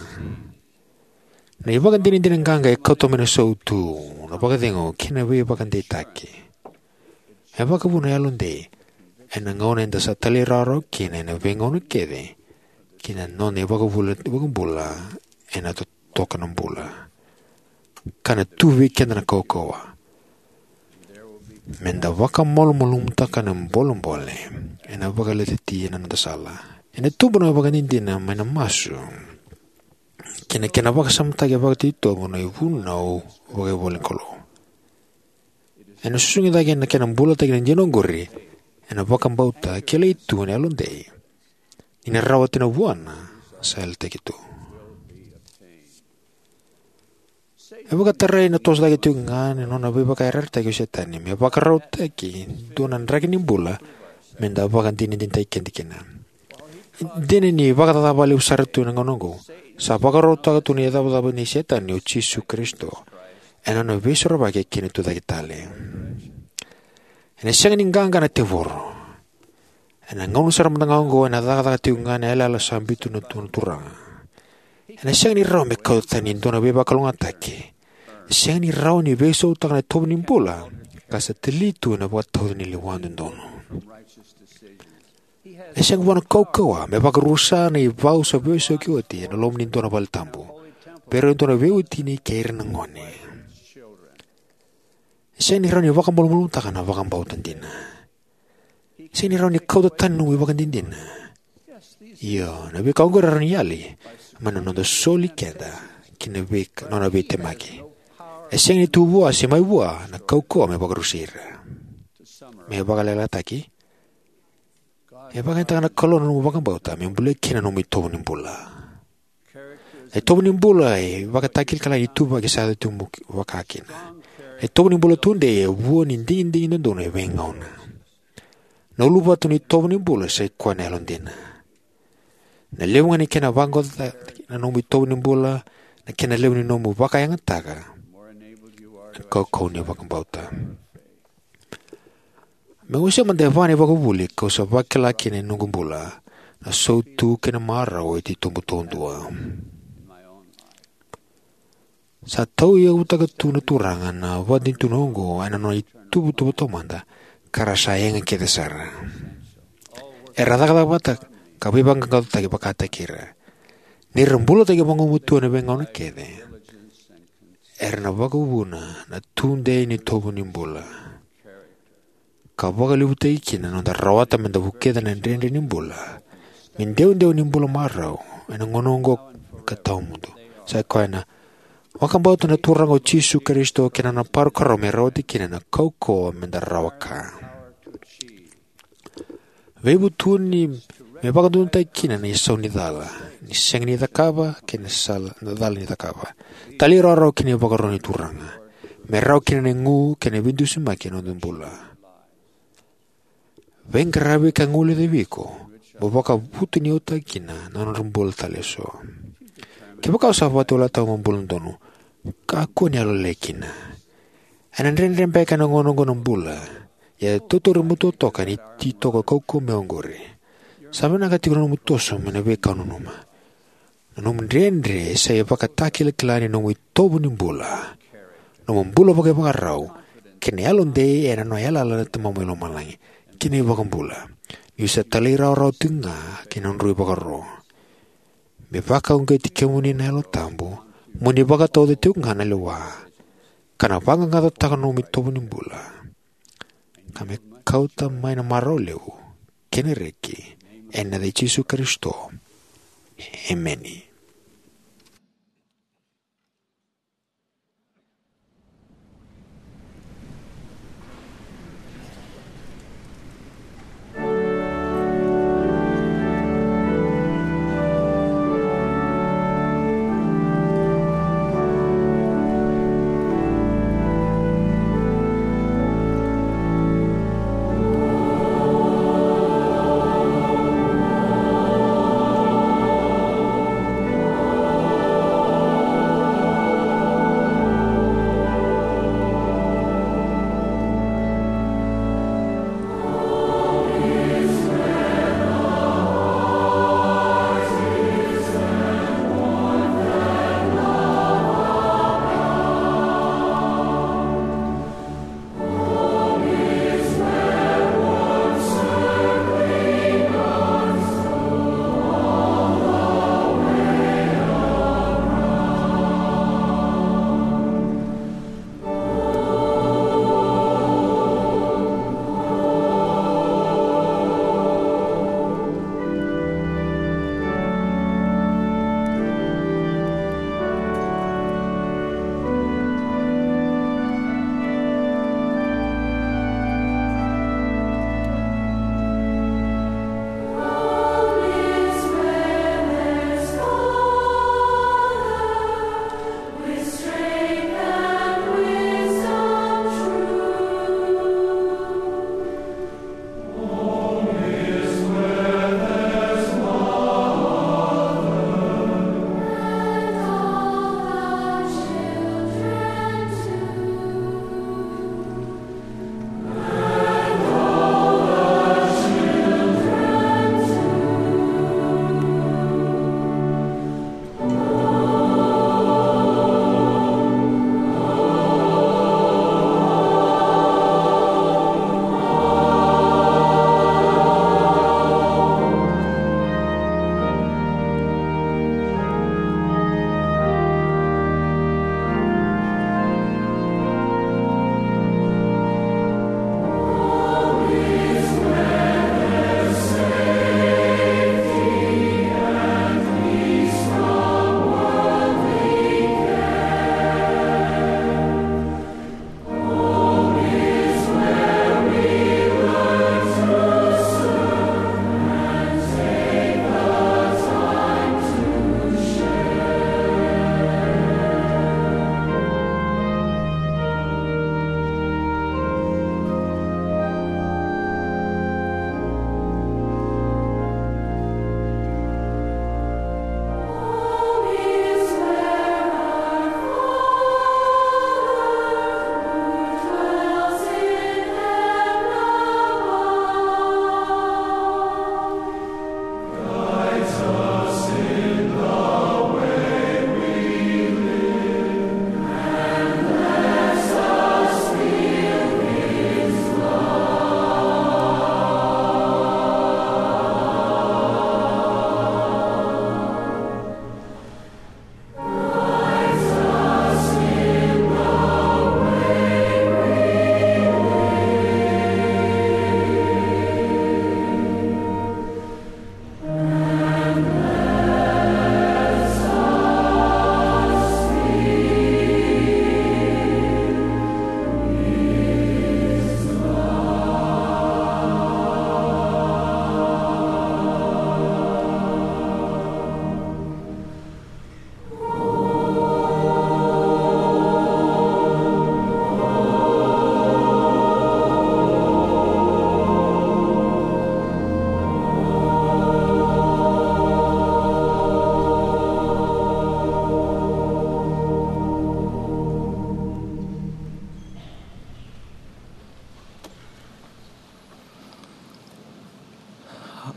Na ivakadinadina qaqa e kauta mai na sautu, na vakacegu kei na veivakadeitaki. E vakavuna na yalodei ena gauna eda sa talairawarawa kina ena veigauna kece ki na nona ivakavuvuli, vakabula ena totoka na bula. Ka na tu vei keda na kaukauwa. Meda vakamalumalumutaka na bolebole ena vakaletetaki na noda sala. Ena tubu na ivakadinadina mai na masu kei na kena vakasamataki vakatitobu na ivunau vakaivolanikalou. Ena susugi cake na kena bulataki na dina oqori ena vakabauta kilai tu ena yalodei ni na rawati na vuana sa yalataki tu. E vakatarai na toso cake tiko ga na nona veivakayarayarataki o Setani me vakarautaki dua na draki ni bula meda vakadinadinataki keda kina. Dina ni vakacaca vakalevu sara tu ena gauna oqo, sa vakarautaka tu na icavacava nei Setani o Jisu Karisito ena nona veisorovaki kei na tucake tale. Ena sega ni qaqa na tevoro. Ena gauna sara mada ga oqo ena cakacaka tiko ga na yalayala sa biuta tu na Turaga. Ena sega ni rawa me kauta tani e dua na veivakalougatataki. E sega ni rawa ni veisautaka na itovo ni bula ka sa tali tu ena vakatauca ni lewa dodonu. E sega vua na kaukauwa me vakarusa na ivau sa veisauki oti ena loma ni dua na valetabu, vei ira e dua na veiwatini kei ira na gone. E sega ni rawa ni vakamalumalumutaka na vakabauta dina. E sega ni rawa ni kauta tani na nomu ivakadinadina. Io, na veika oqori e rawa ni yali mai na noda soli keda ki na veika, nona veitemaki. E sega ni tu vua se mai vua na kaukauwa me vakarusai ira. Me vakalelataki, e vakayagataka na Kalou na nomu vakabauta me bulia kina na nomu itovo ni bula. Na itovo ni bula e ivakatakilakila ni ituvaki sa yaco tiko vaka kina. Na itovo ni bula tudei e vua ni digidigi dodonu e veigauna. Na uluvatu ni itovo ni bula sa i koya na yalodina. Na levu ga ni kena vaqaqacotaki na nomu itovo ni bula, na kena levu ni nomu vakayagataka na kaukauwa ni vakabauta. Meu wasea mada e va na ivakavuvuli kau sa vakila kina ena noqu bula, na sautu kei na marau e titobu taudua. Sa tauyavutaka tu na Turaga na vakadinadina oqo ena nona ituvatuva taumada, ka ra sa yaga kece sara. Era cakacaka vata ka veivaqaqacotaki vakataki ira. Ni ra bulataki vagumatua ena veigauna kece, era na vakavuna na tudei ni itovo ni bula, ka vakalevutaki kina na noda rawata meda vukica na dredre ni bula me dewadewa ni bula marau ena gauna oqo ka tawamudu. Sa i koya na vakabauta na Turaga o Jisu Karisito kei na nona parokaramu me rawati kina na kaukauwa meda rawa ka. Veivutuni me vakadodonutaki kina na isau ni cala, ni sega ni cakava, kei na sala, na cala ni cakava. Talairawarawa ki na ivakaro ni Turaga me rawa kina na igu kei na veidusimaki ena noda bula. Veiqaravi ka guilecavi iko mo vakavutuniyautaka kina na nodra bula tale eso. Kevaka o sa vakatovolea mo bula donu, kakua ni yalolailai kina. Ena dredre beka ena gauna oqo na bula, ia tautauri matua toka ena ititoko kaukauwa mai oqori. Sa vinaka tiko na nomu toso mai na veika o nanuma. Na nomu dredre sa ivakatakilakila ni nomu itovo ni bula, nomu bula vakaivakarau, kei na yalodei ena nona yalayala na Tamamu e lomalagi kei na iVakabula, niu sa talairawarawa tiko ga ki na nodrau ivakaro. Me vakauqeti kemuni na Yalo Tabu mo ni vakatauca tiko ga na lewa. ka na vaqaqacotaka na nomu itovo ni bula, ka me kauta mai na marau levu kei na reki, ena yaca i Jisu Karisito. Emeni.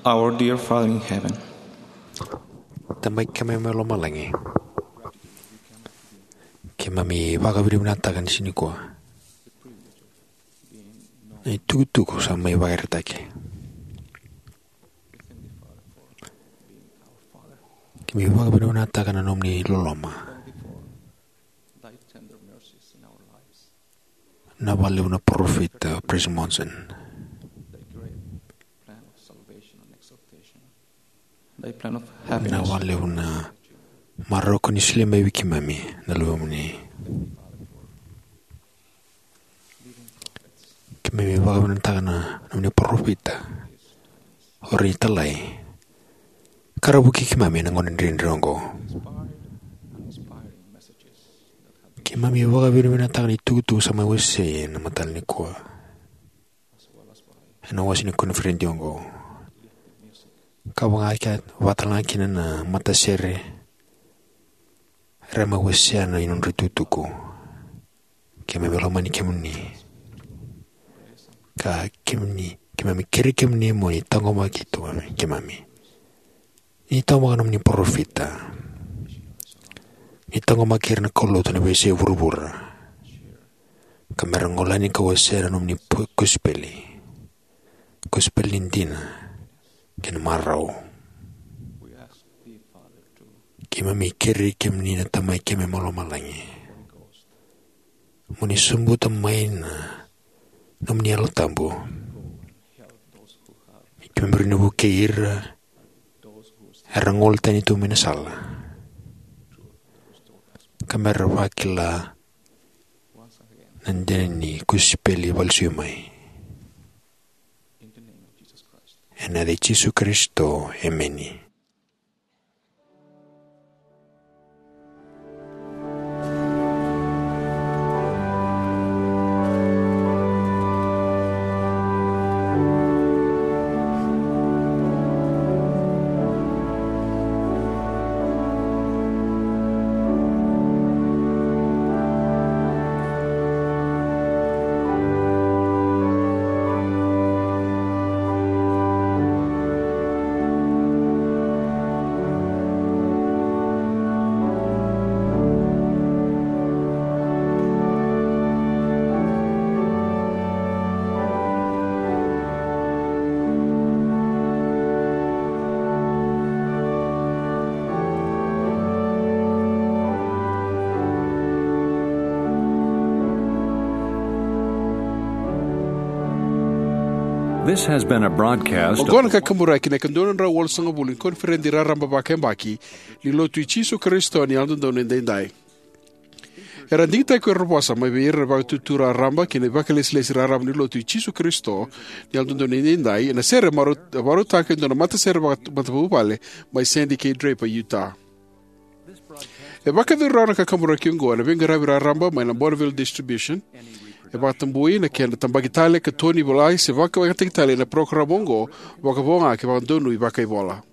Our dear Father in heaven, Tamai keimami mai lomalagi, keimami vakavinavinakataka ni siga nikua na itukutuku sa mai vakaraitaki. Keimami vakavinavinakataka na nomuni loloma. Thy tender mercies in our lives. Na vakalevu na parofita, President Monson. Na vakalevu na marau ko ni solia mai vei keimami na luvemuni. Keimami vakavinavinakataka na nomuni parofita, o ira na italai ka ra vukei keimami ena gauna dredre oqo. Keimami vakavinavinakataka na itukutuku sa mai wasei ena mataka nikua ena wase ni koniferedi oqo, ka vaka kina, vaka talega kina na matasere era mai wasea na nodra itukutuku. Keimami lomani kemuni, ka kemuni, keimami kerei kemuni mo ni taqomaki tu keimami. Ni taqomaka nomuni parofita, ni taqomaki ira na kaulotu ena veiyasai vuravura, ka mera gole yani ka wasea na nomuni po-, kosipeli, kosipeli ni dina kei na marau. Keimami kerei kemuni na Tamai keimami mai lomalagi mo ni sobuta mai na nomuni Yalo Tabu. Keimami rawa ni vukei ira era gole tani tu mai na sala, ka mera vakila na dina ni kosipeli vakalesui mai. Ena yaca i Jisu Karisito, emeni. This has been a broadcast. Oqo na kakaburaki na ika dua na drau walusagavulu ni koniferedi raraba vakayabaki ni Lotu i Jisu Karisito ni Yalododonu Edaidai. Era digitaki ko ira na vosa mai vei ira na Vakaitutu Raraba kei na Vakailesilesi Raraba ni Lotu i Jisu Karisito ni Yalododonu Edaidai ena sere marau-, vakarautaka e dua na matasere vaka-, matavuvale mai Sandy kei Draper, Utah. E vakayacori rawa na kakaburaki oqo ena veiqaravi raraba mai na Bonneville Distribution. E vakatabui na kena tabaki tale, katoni, volai se vakayagataki tale na parokaramu oqo vakavo ga ke vakadonui vakaivola.